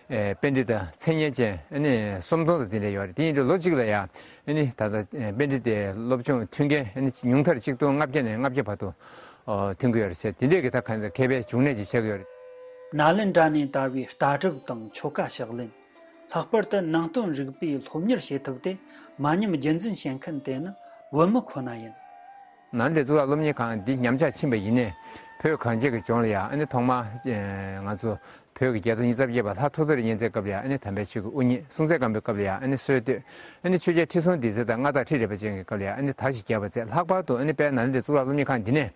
ཨེ་པཎྜི་ཏ་མཚན་སྙན་ཅན་ཨ་ནི་སུམ་སྟོང་དང་དེ་འདྲ་ཡོད་རེད། དེ་ཡིན་དུས་ལོ་གཅིག་ལ་ཡང་ཨ་ནི་ད་ལྟ་ཨེ་པཎྜི་ཏའི་སློབ་སྦྱོང་ཐོན་མཁན་ཨ་ནི་ཉུང་མཐར་གཅིག་སྟོང་ལྔ་བརྒྱ་ནས་ལྔ་བརྒྱ་བར་དུ་ཨོ་ཐོན་གྱི་ཡོད་རེད་ཟེར། དེ་འདྲས་ཀྱི་ད་ག་འདྲ་མཁས་པའི་འབྱུང་གནས་ཅིག་ཆགས་ཀྱི་ཡོད་རེད། ནཱ་ལེནྡྲ་ནས་དར་བའི་ལྟ་གྲུབ་དང་ཆོ་ག་ཕྱག་ལེན། ལྷག་པར་དུ་ནང་བསྟན་རིག་པའི་སློབ་གཉེར་བྱེད་ཐབས་དེ་མ་ཉམས་རྒྱུན་འཛིན་བྱེད་མཁན་དེ་ནི་བོད་མི་ཁོ་ན་ཡིན། ནཱ་ལེནྡྲའི་གཙུག་ལག་སློབ་གཉེར་ཁང་འདི་ཉམས་ཆག་ཕྱིན་པ་ཡིན་ནའི་བོད་གངས་ཅན་གྱི་ལྗོངས་ལ་ཡང་ཨ་ནི་ཐོག་མར་ང་ཚོ་བོད་ཀྱི་རྒྱལ་ཚོགས་ཉི་ཤུ་རྩ་བརྒྱད་པ་ལྷ་ཐོ་ཐོ་རི་གཉན་བཙན་སྐབས་ལ་ཡང་ཨ་ནི་དམ་པའི་ཆོས་ཀྱི་དབུ་བརྙེས། སྲོང་བཙན་སྒམ་པོའི་སྐབས་ལ་ཡང་ཨ་ནི་སྲོལ་གཏོད། ཨ་ནི་ཆོས་རྒྱལ་ཁྲི་སྲོང་ལྡེ་བཙན་དང་མངའ་བདག་ཁྲི་རལ་པ་ཅན་གྱི་སྐབས་ལ་ཡང་ཨ་ནི་དར་ཞིང་རྒྱས་པ་མཛད། ལྷག་པར་དུ་ཨ་ནི་དཔལ་ནཱ་ལེནྡྲའི་གཙུག་ལག་སློབ་གཉེར་ཁང་འདི་ནས་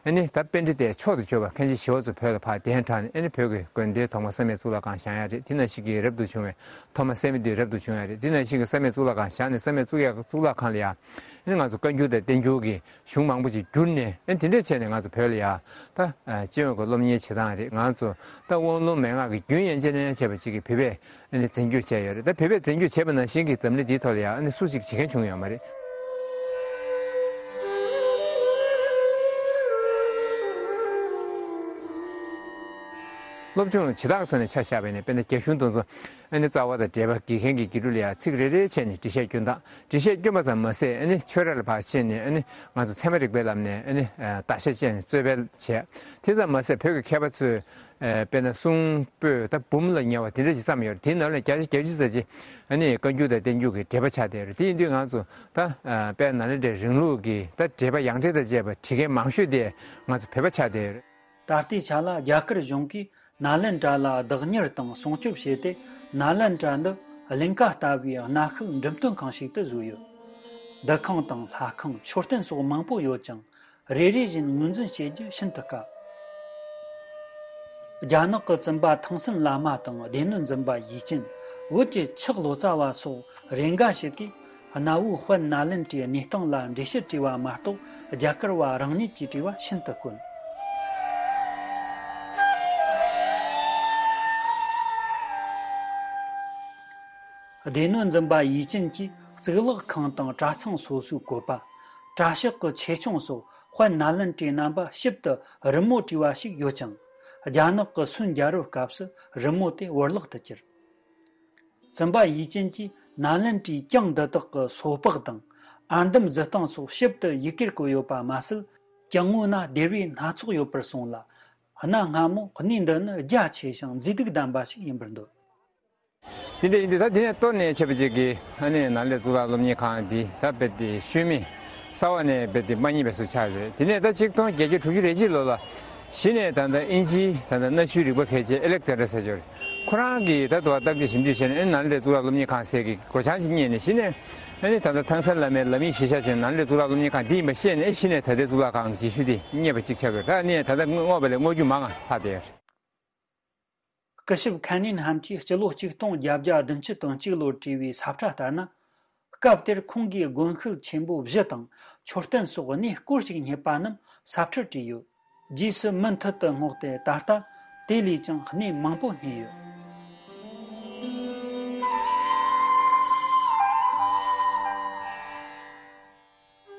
ཨ་ནི་ད་པཎྜི་ཏའི་མཆོག་ཏུ་གྱུར་པ་མཁན་ཆེན་ཞི་བ་འཚོ་བོད་ལ་ཕར་གདན་དྲངས་ནས་ཨ་ནི་བོད་ཀྱི་དགོན་སྡེའི་ཐོག་མ་བསམ་ཡས་གཙུག་ལག་ཁང་བཞེངས་ཡ་རེད། དེ་ནང་བཞིན་གྱི་རབ་ཏུ་བྱུང་བའི་ཐོག་མ་བསམ་ཡས་འདུས་རབ་ཏུ་བྱུང་ཡ་རེད། དེ་ནང་བཞིན་གྱི་བསམ་ཡས་གཙུག་ལག་ཁང་བཞེངས་ནས་བསམ་ཡས་གཙུག་ཡ་གཙུག་ལག་ཁང་ལ་ཡ་ཨ་ནི་ང་ཚོ་བཀའ་འགྱུར་དང་བསྟན་འགྱུར་གྱི་གཞུང་མང་པོ་ཞིག་བསྒྱུར་ནས་ཨ་ནི་དེ་འདྲས་བྱས་ནས་ང་ཚོ་བོད་ལ་ཡ་ད་སྤྱི་ཡོངས་ཀྱི་སློབ་གཉེར་བྱེད་སྟངས་རེད། ང་ཚོ་ད་དབང་ལུང་མན་ངག་གི་རྒྱུན་ཡན་ཆད་ནས་བྱས་པ་ཅིག་གི་བོད་པས་ཨ་ནི་རྩོམ་སྒྱུར་བྱས་ཡོད་རེད། ད་བོད་པས་རྩོམ་སྒྱུར་བྱས་པ་ནང་བཞིན་གྱི་འཛམ་གླིང་འདིའི་ཐོག་ལ་ཡང་ཨ་ནི་སུ་གཅིག་བྱེད་མཁན་བྱུང་ཡོད་མ་རེད། སློབ་སྦྱོང་བྱེ་བྲག་ཐོག་ནས་ཆ་བཞག་པ་ཡིན་ན་དཔེར་ན་རྒྱ་གཞུང་དེ་ཚོ་ཨ་ནི་རྩ་བ་དང་འགྲེལ་པ་དགེ་རྒན་གྱི་དགེ་ཕྲུག་ལ་ཡང་ཚིག་རེ་རེ་བྱས་ནས་འགྲེལ་བཤད་སྐྱོན་སྟངས། འགྲེལ་བཤད་སྐྱོན་པ་ཙམ་མ་ཟད་ཨ་ནི་ཆོས་ར་ལ་ཕར་ཕྱིན་ནས་ཨ་ནི་ང་ཚོ་ཚད་མ་རིག་པའི་ལམ་ནས་ཨ་ནི་བརྟག་དཔྱད་བྱས་ནས་རྩོད་སྤེལ་བྱས། དེ་ཙམ་མ་ཟད་བོད་ཀྱི་མཁས་པ་ཚོས་ཨ་དཔེར་ན་གསུང་པོད་ད་འབུམ་ལ་ཉེ་བ་དེ་འདྲ་ཅིག་བརྩམས་ཡོད་རེད། དེའི་ནང་ལ་བརྒྱ་ཆ་བརྒྱད་ཅུ་ཙམ་ཅིག་ཨ་ནི་བཀའ་འགྱུར་དང་བསྟན་འགྱུར་གྱི་འགྲེལ་པ་ཆགས་བསྡད་ཡོད་རེད། དེ་ཡིན་དུས་ང་ཚོ་ད་ཨ་དཔལ་ནཱ་ལེནྡྲའི་རིང་ལུགས་ཀྱི་ད་འགྲེལ་པ་ཡང་ཁྲིད་དང་བཅས་པ་བྲིས་མཁན་མང་ཤོས་དེ་ང་ཚོ་བོད་པ་ཆགས་བསྡད་ཡོད་རེད། ད་ལྟའི་ཆ་ལ་རྒྱ་གར་གཞུང་གིས་ནཱ་ལེནྡྲ་ལ་བདག་གཉེར་དང་སྲུང་སྐྱོབ་བྱས་ཏེ་ནཱ་ལེནྡྲ་འདི་གླིང་ག་ལྟ་བུའི་གནའ་ཤུལ་འགྲེམས་སྟོན་ཁང་ཞིག་ཏུ་བཟོས་ཡོད། འདུ་ཁང་དང་ལྷ་ཁང་མཆོད་རྟེན་སོགས་མང་པོ་ཡོད་ཅིང་། རེ་རེ་བཞིན་ངོས་འཛིན་བྱེད་རྒྱུ་ཤིན་ཏུ་དཀའ། རྒྱ་ནག་གི་བཙུན་པ་ཐང་སན་བླ་མ་དང་སྡེ་སྣོད་འཛིན་པ་ཡུས་ཅན། བོད་ཀྱི་ཆག་ལོ་ཙཱ་བ་སོགས་རེ་འགའ་ཞིག་གིས་གནའ་བོའི་དཔལ་ནཱ་ལེནྡྲའི་གནས་སྟངས་ལ་འགྲེལ་བཤད་བྲིས་པ་མ་གཏོགས་རྒྱ་གར་བ་རང་ཉིད་ཀྱིས་བྲིས་པ་ཤིན་ཏུ་དཀོན། སྡེ་སྣོད་འཛིན་པ་ཡུས་ཅན་གྱིས་གཙུག་ལག་ཁང་དང་གྲྭ་ཚང་སོ་སོའི་བཀོད་པ། གྲྭ་ཤག་གི་ཆེ་ཆུང་སོགས་དཔལ་ནཱ་ལེནྡྲའི་རྣམ་པ་ཞིབ་ཏུ་རི་མོ་བྲིས་པ་ཞིག་ཡོད་ཅིང་། རྒྱ་ནག་གི་སུན་རྒྱལ་རབས་སྐབས་སུ་རི་མོ་དེ་བོར་བརླག་ཏུ་གྱུར། བཙུན་པ་ཡུས་ཅན་གྱིས་ནཱ་ལེནྡྲའི་གྱང་འདི་དག་གི་སོ་ཕག་དང་ཨར་འདམ་བརྫི་སྟངས་སོགས་ཞིབ་ཏུ་ཡི་གེར་བཀོད་ཡོད་པ་མ་ཟད། གྱང་ངོས་ན་སྡེར་བའི་སྣ་ཚོགས་ཡོད་པར་གསུངས་ལ། གནའ་སྔ་མོ་གནས་འདི་ནི་རྒྱ་ཆེ་ཞིང་མཛེས་སྡུག་ལྡན་པ་ཞིག་ཡིན་པར་འདོད། དེ་འདྲ་ཡིན་དུས་ད་དེ་ནས་གཏོར་ནས་བྱས་པ་ཅིག་གིས་ཨ་ནི་ནཱ་ལེནྡྲ་གཙུག་ལག་སློབ་གཉེར་ཁང་འདི་ད་རྦད་དེ་ཤུལ་མེད་གསར་བ་ནས་རྦད་དེ་མ་རྙེད་པའི་བཟོ་ཆགས་རེད། དེ་ནས་ད་ཆིག་སྟོང་བརྒྱད་བརྒྱ་དྲུག་ཅུ་རེ་གཅིག་ལོ་ལ་གཞི་ནས་ད་ལྟ་དབྱིན་ཇིའི་ད་ལྟ་གནའ་ཤུལ་རིག་པ་མཁས་ཅན་ཨེ་ལེག་ཛན་ཌར་ཟེར་ཅིག་ཡོད་རེད། ཁོ་རང་གིས་ད་དུང་བརྟག་དཔྱད་ཞིབ་འཇུག་བྱས་ནས་ཨ་ནི་ནཱ་ལེནྡྲ་གཙུག་ལག་སློབ་གཉེར་ཁང་ཟེར་གྱི་སྒོ་བྱང་ཅིག་རྙེད་ནས་གཞི་ནས་ཨ་ནི་ད་ལྟ་ཐང་སན་བླ་མའི་ལམ་ཡིག་གཞིར་བཞག་བྱས་ནས་ནཱ་ལེནྡྲ་གཙུག་ལག་སློབ་གཉེར་ཁང་འདི་ཡིན་པ་ཤེས་ནས་ཨེ་གཞི་ནས་ད་ལྟའི་གཙུག་ལག་ཁང་གི་རྗེས་ཤུལ་དེ་རྙེད་པ་ཅིག་ཆགས་ཡོད་རེད། ད་ཨ་ནི་ད་ལྟ་བསྔོགས་པ་ལས་བསྔོག་རྒྱུ་མང་ང་ལྷག་བསྡད་ཡོད་རེད། སྐུ་ཞབས་ཁན་ནིན་ཧམ་གྱིས་སྤྱི་ལོ་གཅིག་སྟོང་བརྒྱད་བརྒྱ་བདུན་ཅུ་དོན་གཅིག་ལོར་བྲིས་པའི་ས་ཁྲ་ལྟར་ན། སྐབས་དེར་ཁོང་གིས་དགོན་ཤུལ་ཆེན་པོ་བཞི་དང་མཆོད་རྟེན་སོགས་གནས་སྐོར་ཞིག་རྙེད་པ་རྣམས་ས་ཁྲར་བྲིས་ཡོད། རྗེས་སུ་མུ་མཐུད་དུ་བསྔོགས་ཏེ་ད་ལྟ་དེ་ལས་ཀྱང་གནས་མང་པོ་རྙེད་ཡོད།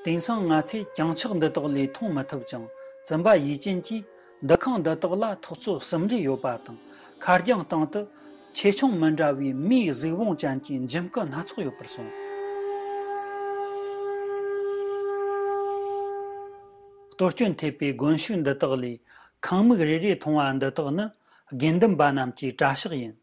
དེང་སང་ང་ཚོས་གྱང་ཆག་འདི་དག་ལས་མཐོང་མི་ཐུབ་ཅིང་། བཙུན་པ་ཡུས་ཅན་གྱིས་འདུ་ཁང་འདི་དག་ལ་ཐོག་ཚད་གསུམ་རེ་ཡོད་པ་དང་། ཁ་རྒྱང་སྟེང་དུ་ཆེ་ཆུང་མི་འདྲ་བའི་མིའི་གཟུགས་བོངས་ཅན་གྱི་འཇིམ་སྐུ་སྣ་ཚོགས་ཡོད་པར་གསུངས། གཏོར་སྐྱོན་ཐེབས་པའི་དགོན་ཤུལ་འདི་དག་ལས་ཁང་མིག་རེ་རེ་མཐོང་བ་འདི་དག་ནི་དགེ་འདུན་པ་རྣམས་ཀྱི་གྲྭ་ཤག་ཡིན།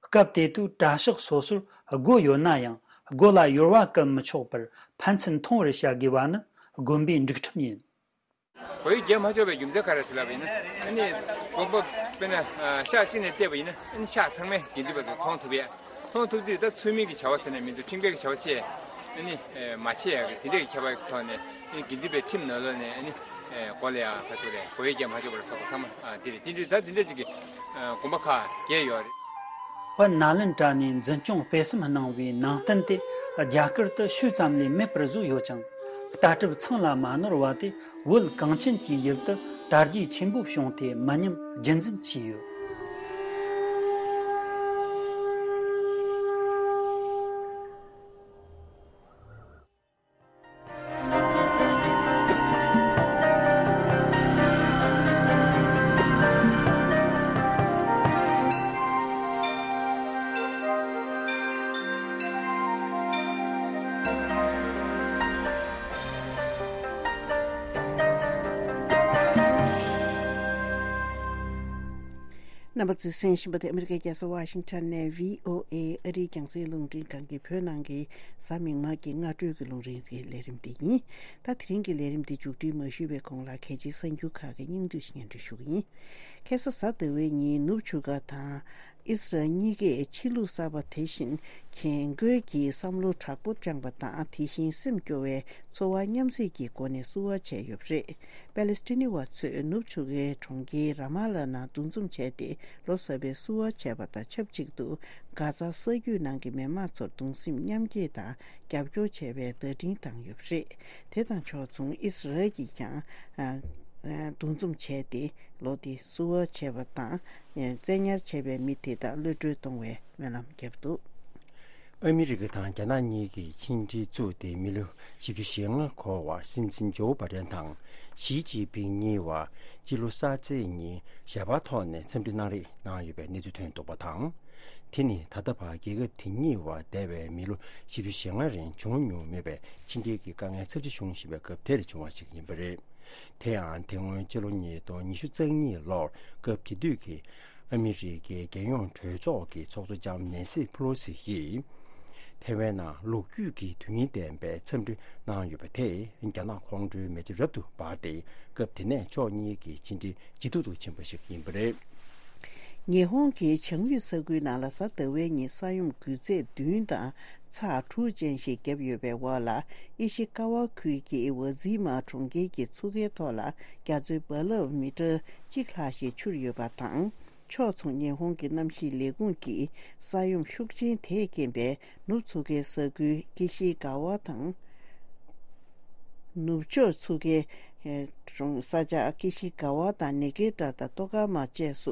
སྐབས་དེ་དུས་གྲྭ་ཤག་སོ་སོར་སྒོ་ཡོད་ན་ཡང་། སྒོ་ལ་ཡོལ་བ་བཀལ་མི་ཆོག་པར་ཕན་ཚུན་མཐོང་བར་བྱ་དགོས་པ་ནི་དགོན་པའི་སྒྲིག་ཁྲིམས་ཡིན། སྒོ་ཡོལ་བརྒྱབ་མ་ཆོག་པའི་རྒྱུ་མཚན་ག་རེ་ཟེར་ལབ་པ་ཡིན་ན། ཨ་ནི་དགོན་པ་དཔེར་ན་ཨ་ཤག་གཅིག་ནས་བལྟས་པ་ཡིན་ན། ཨ་ནི་ཤག་ཚང་མས་དགེ་འདུན་པ་ཚོ་མཐོང་ཐུབ་ཡ། མཐོང་ཐུབ་དུས་ད་ཚུལ་མིན་གྱི་བྱ་བ་ཟེར་ནས་མི་འདུག་ཁྲིམས་འགལ་གྱི་བྱ་བ་བྱས། ཨ་ནི་ཨེ་མ་བྱེད་ཡ་གི་དེ་འདྲས་ཀྱི་ཁྱད་པར་གྱི་ཐོག་ནས། ཨ་ནི་དགེ་འདུན་པའི་ཁྲིམས་ནང་ལོགས་ནས། ཨ་ནི་ཨེ་སྒོ་ལ་ཡ་ག་ཚོད་རེད། སྒོ་ཡོལ་བརྒྱབ་མ་ཆོག་པ་རེད་སོགས་པ་ཚང་མ་ཨ་དེ་རེད། ད་དེ་འདྲས་ཅིག་གི་ཨ་དགོན་པ་ཁག་བརྒྱད་ཡོད་རེད། དཔལ་ནཱ་ལེནྡྲ་ནས་འཛིན་སྐྱོང་སྤེལ་གསུམ་གནང་བའི་ནང་རྟེན་དེ་རྒྱ་གར་དུ་ཤུལ་ཙམ་ལས་མེད་པར་བཟོས་ཡོད་ཅིང་། ལྟ་གྲུབ་ཚང་ལ་མ་ནོར་བ་དེ་བོད་གངས་ཅན་གྱི་ཡུལ་དུ་དར་རྒྱས་ཆེན་པོ་བྱུང་སྟེ་མི་ཉམས་རྒྱུན་འཛིན་བྱས་ཡོད། རྣམ་པ་ཚོས་གསན་བཞིན་པ་དེ་ཨ་མི་རི་ཀའི་རྒྱལ་ས་ཝ་ཤིང་ཊོན་ནས་བྷི་ཨོ་ཨེ་ཨ་རིའི་རྒྱང་སྲིང་རླུང་འཕྲིན་ཁང་གི་བོད་ནང་གི་གཟའ་མིག་དམར་གྱི་སྔ་དྲོའི་གི་རླུང་འཕྲིན་གྱི་ལས་རིམ་དེ་ཡིན། ད་དེ་རིང་གི་ལས་རིམ་དེ་མཇུག་སྒྲིལ་མ་ཞུས་པའི་གོང་ལ་གལ་ཆེའི་གསར་འགྱུར་ཁག་གི་སྙིང་བསྡུས་ཤིག་སྙན་སྒྲོན་ཞུ་གི་ཡིན། ཁ་སང་གཟའ་ཟླ་བའི་ཉིན་ནུབ་ཆུ་སྒར་དང་ཨིས་རལ་གཉིས་ཀས་ཕྱི་ལུགས་གསར་པ་དེ་བཞིན་རྒན་རྒོན་གྱི་བསམ་བློ་དྲག་པོ་བཅངས་པ་དང་། དེ་བཞིན་སེམས་སྐྱོ་བའི་ཚོར་བ་མཉམ་བསྲེས་ཀྱི་སྒོ་ནས་བསུ་བ་བྱས་ཡོད་པ་རེད། པེ་ལེ་སི་ཐི་ནི་བ་ཚོས་ནུབ་ཆུ་སྒར་གྲོང་ཁྱེར་ར་མ་ལ་ནང་འདུ་འཛོམས་བྱས་ཏེ་ལོ་གསར་པའི་བསུ་བ་བྱས་པ་དང་ཆབས་ཅིག་ཏུ། གྷ་ཛ་ས་རྒྱུད་ནང་གི་མི་མང་ཚོར་གདུང་སེམས་མཉམ་སྐྱེད་དང་རྒྱབ་སྐྱོར་བྱས་པའི་བརྡ་འཕྲིན་བཏང་ཡོད་པ་རེད། དེ་དང་ཕྱོགས་མཚུངས་ཨིས་རལ་གྱིས་ཀྱང་ཨ་ཨ་འདུ་འཛོམས་བྱས་ཏེ་ལོ་འདིའི་བསུ་བ་བྱས་པ་དང་། བཙན་ཉར་བྱས་པའི་མི་དེ་དག་གློད་བཀྲོལ་གཏོང་བའི་སྨོན་ལམ་བརྒྱབ་འདུག། ཨ་མི་རི་ཀ་དང་རྒྱ་ནག་གཉིས་ཀྱིས་ཕྱི་འབྲེལ་བཙུགས་ཏེ་མི་ལོ་བཞི་བཅུ་ཞེ་ལྔ་འཁོར་བར། སྲིད་འཛིན་ཇོ་བྷ་ཌེན་དང་ཞི་ཅིན་ཕིང་གཉིས་བར་སྤྱི་ལོ་གསར་ཚེས་ཉིན་ཞལ་པར་ཐོག་ནས་འཚམས་འདྲི་གནང་རེས་གནང་ཡོད་པའི་གནས་ཚུལ་ཐོན་འདུག་པ་དང་། དེ་ནི་ད་ལྟ་བར་རྒྱལ་ཁབ་དེ་གཉིས་བར་འདས་པའི་མི་ལོ་བཞི་བཅུ་ཞེ་ལྔ་རིང་བྱུང་མྱོང་མེད་པའི་ཕྱི་འབྲེལ་གྱི་དཀའ་ངལ་ཚབས་ཆེ་བྱུང་བཞིན་པའི་སྐབས་དེར་བྱུང་བ་ཞིག་ཡིན་པ་རེད། དེ་ཡང་དེ་སྔོན་སྤྱི་ལོ་ཉིས་སྟོང་ཉི་ཤུ་རྩ་གཉིས་ལོར་སྐབས་དེ་དུས་ཀྱི་ཨ་མི་རི་ཀའི་རྒྱལ་ཡོངས་གྲོས་ཚོགས་ཀྱི་ཚོགས་གཙོ་ལྕམ་ནེན་སི་ཕེ་ལོ་སི་ཡིས་ཐའེ་ཝན་ནང་ལོ་རྒྱུས་ཀྱི་དོན་སྙིང་ལྡན་པའི་འཚམས་འདྲི་གནང་ཡོད་པ་དེས་རྒྱ་ནག་ཁོང་ཁྲོའི་མེ་ལྕེ་རབ་ཏུ་འབར་ཏེ། སྐབས་དེ་ནས་ཕྱོགས་གཉིས་ཀྱི་ཕྱི་འབྲེལ་ཇེ་སྡུག་ཏུ་ཕྱིན་པ་ཞིག་ཡིན་པ་རེད། ཉི་ཧོང་གི་བྱང་ཡུལ་ས་ཁུལ་ནང་ལ་གཟའ་ཟླ་བའི་ཉིན་ས་ཡོམ་འགུལ་ཚད་བདུན་དང་ཚེག་དྲུག་ཅན་ཞིག་བརྒྱབ་ཡོད་པའི་འོག་ལ། ཨི་ཤི་ཀ་བ་ཁུལ་གྱི་ཝ་ཛི་མ་གྲོང་ཁྱེར་གྱི་མཚོ་ཁའི་ཐོག་ལ་རྒྱ་མཚོའི་རྦ་རླབས་མི་ཊར་གཅིག་ལྷག་ཞིག་འཕྱུར་ཡོད་པ་དང་། ཕྱོགས་མཚུངས་ཉི་ཧོང་གི་གནམ་གཤིས་ལས་ཁུངས་ཀྱིས་ས་ཡོམ་ཤུགས་ཆེན་དེས་རྐྱེན་པས་ནུབ་མཚོ་ཁའི་ས་ཁུལ་ཀི་ཤི་ག་ཝ་དང་། ནུབ་ཕྱོགས་མཚོ་ཁའི་གྲོང་ས་ཆ་ཀི་ཤི་ག་ཝ་དང་ནེ་གེ་ཏྲ་དང་ཏོ་ཀ་མ་བཅས་སུ་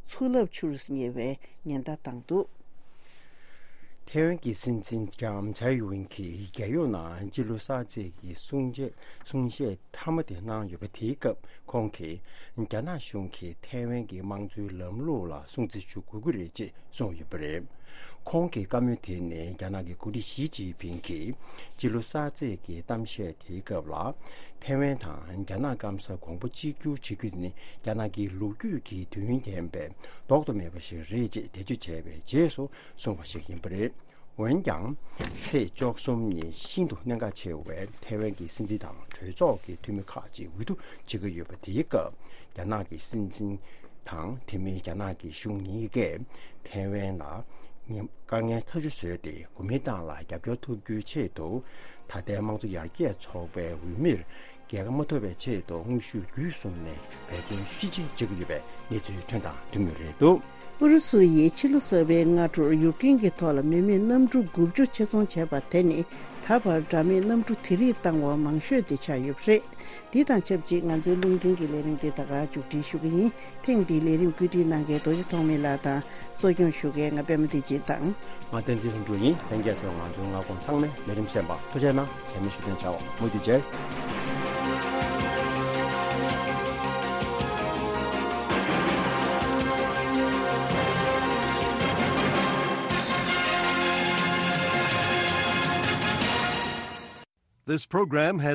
མཚོ་རླབས་འཕྱུར་ཉེ་བའི་ཉེན་བརྡ་བཏང་འདུག། ཐའེ་ཝན་གྱི་སྲིད་འཛིན་ལྕམ་ཚའེ་ཡིན་ཝིན་གྱིས་རྒྱལ་ཡོངས་ནང་སྤྱི་ལོ་གསར་ཚེས་ཀྱི་གསུང་བཤད་གསུང་བཤད་མཐའ་མ་དེ་གནང་ཡོད་པ་དེའི་སྐབས། ཁོང་གིས་རྒྱ་ནག་གཞུང་གིས་ཐའེ་ཝན་གྱི་དམངས་གཙོའི་ལམ་ལུགས་ལ་སྲུང་བརྩི་ཞུ་དགོས་ཀྱི་རེད་ཅེས་གསུངས་ཡོད་པ་རེད། ཁོང་གི་བཀའ་མོལ་དེ་ནི་རྒྱ་ནག་གི་འགོ་ཁྲིད་ཞི་ཅིན་ཕིང་གིས་སྤྱི་ལོ་གསར་ཚེས་ཀྱི་གཏམ་བཤད་དེའི་སྐབས་ལ། ཐའེ་ཝན་དང་རྒྱ་ནག་སྐམ་ས་གོང་བུ་གཅིག་གྱུར་བྱེད་རྒྱུ་ནི་རྒྱ་ནག་གི་ལོ་རྒྱུས་ཀྱི་དུས་ཡུན་རྒྱན་པའི་ལྡོག་ཏུ་མེད་པ་ཞིག་རེད་ཅེས་འགྲེལ་བརྗོད་བྱས་པའི་རྗེས་སུ་གསུངས་པ་ཞིག་ཡིན་པ་རེད། འོན་ཀྱང་། ཚེས་བཅུ་གསུམ་ཉིན་ཤིན་ཏུ་གནད་འགག་ཆེ་བའི་ཐའེ་ཝན་གྱི་སྲིད་འཛིན་དང་གྲོས་ཚོགས་ཀྱི་འཐུས་མི་ཁག་ཅིག་འོས་བསྡུ་བྱེད་ཀྱི་ཡོད་པ་དེའི་སྐབས། རྒྱ་ནག་གི་སྲིད་འཛིན་དང་དེ་མིན་རྒྱ་ནག་གི་གཞུང་གཉིས་ཀས་ཐའེ་ཝན་ལ་ཉེན་དཀའ་ངལ་ཐག་གཅོད་བཟོས་ཏེ། གོ་མིན་ཏང་ལ་རྒྱབ་སྐྱོར་ཐོབ་རྒྱུའི་ཆེད་དུ། ད་ལྟའི་དམངས་གཙོ་ཡར་རྒྱས་ཚོགས་པའི་འོས་མིར་རྒྱལ་ཁ་མ་ཐོབ་པའི་ཆེད་དུ་དངོས་ཤུགས་བརྒྱུད་གསུམ་ནས་འབད་བརྩོན་ཤུགས་ཆེ་བྱེད་ཀྱི་ཡོད་པའི་གནས་ཚུལ་ཐོན་དང་ཐོན་མུས་རེད་འདུག། ཨུ་རུ་སུ་ཡིས་ཕྱི་ལོ་གསར་པའི་སྔ་དྲོར་ཡུཀ་རེན་གྱི་ཐོག་ལ་མི་མེད་གནམ་གྲུ་དགུ་བཅུ་ཆེད་རྫོང་བྱས་པ་དེ་ནི། ད་བར་འདྲ་མིན་གནམ་གྲུ་དེ་རིགས་བཏང་བ་མང་ཤོས་དེ་ཆགས་ཡོད་པ་རེད། འདི་དང་ཆབས་ཅིག་ང་ཚོའི་རླུང་འཕྲིན་གྱི་ལས་རིམ་འདི་ད་ག་མཇུག་སྒྲིལ་ཞུ་གི་ཡིན། ཐེངས་འདིའི་ལས་རིམ་བཀོད་སྒྲིག་གནང་མཁན་རྡོ་རྗེ་ཐོགས་མེད་ལགས་དང་། གཙོ་སྐྱོང་ཞུ་མཁན་ང་པད་མ་བདེ་ཆེན་དང་། ང་བསྟན་འཛིན་ལྷུན་གྲུབ་ཡིན། ལྷན་རྒྱས་ཚོས་ང་ཚོའི་མངའ་ཁོངས་ཚང་མའི་ལས་རིམ་གསན་པར་ཐུགས་རྗེ་གནང་། རྗེས་མའི་ཞུ་སྟོན་བྱ་བར་མུ་མཐུད་མཇལ། This program has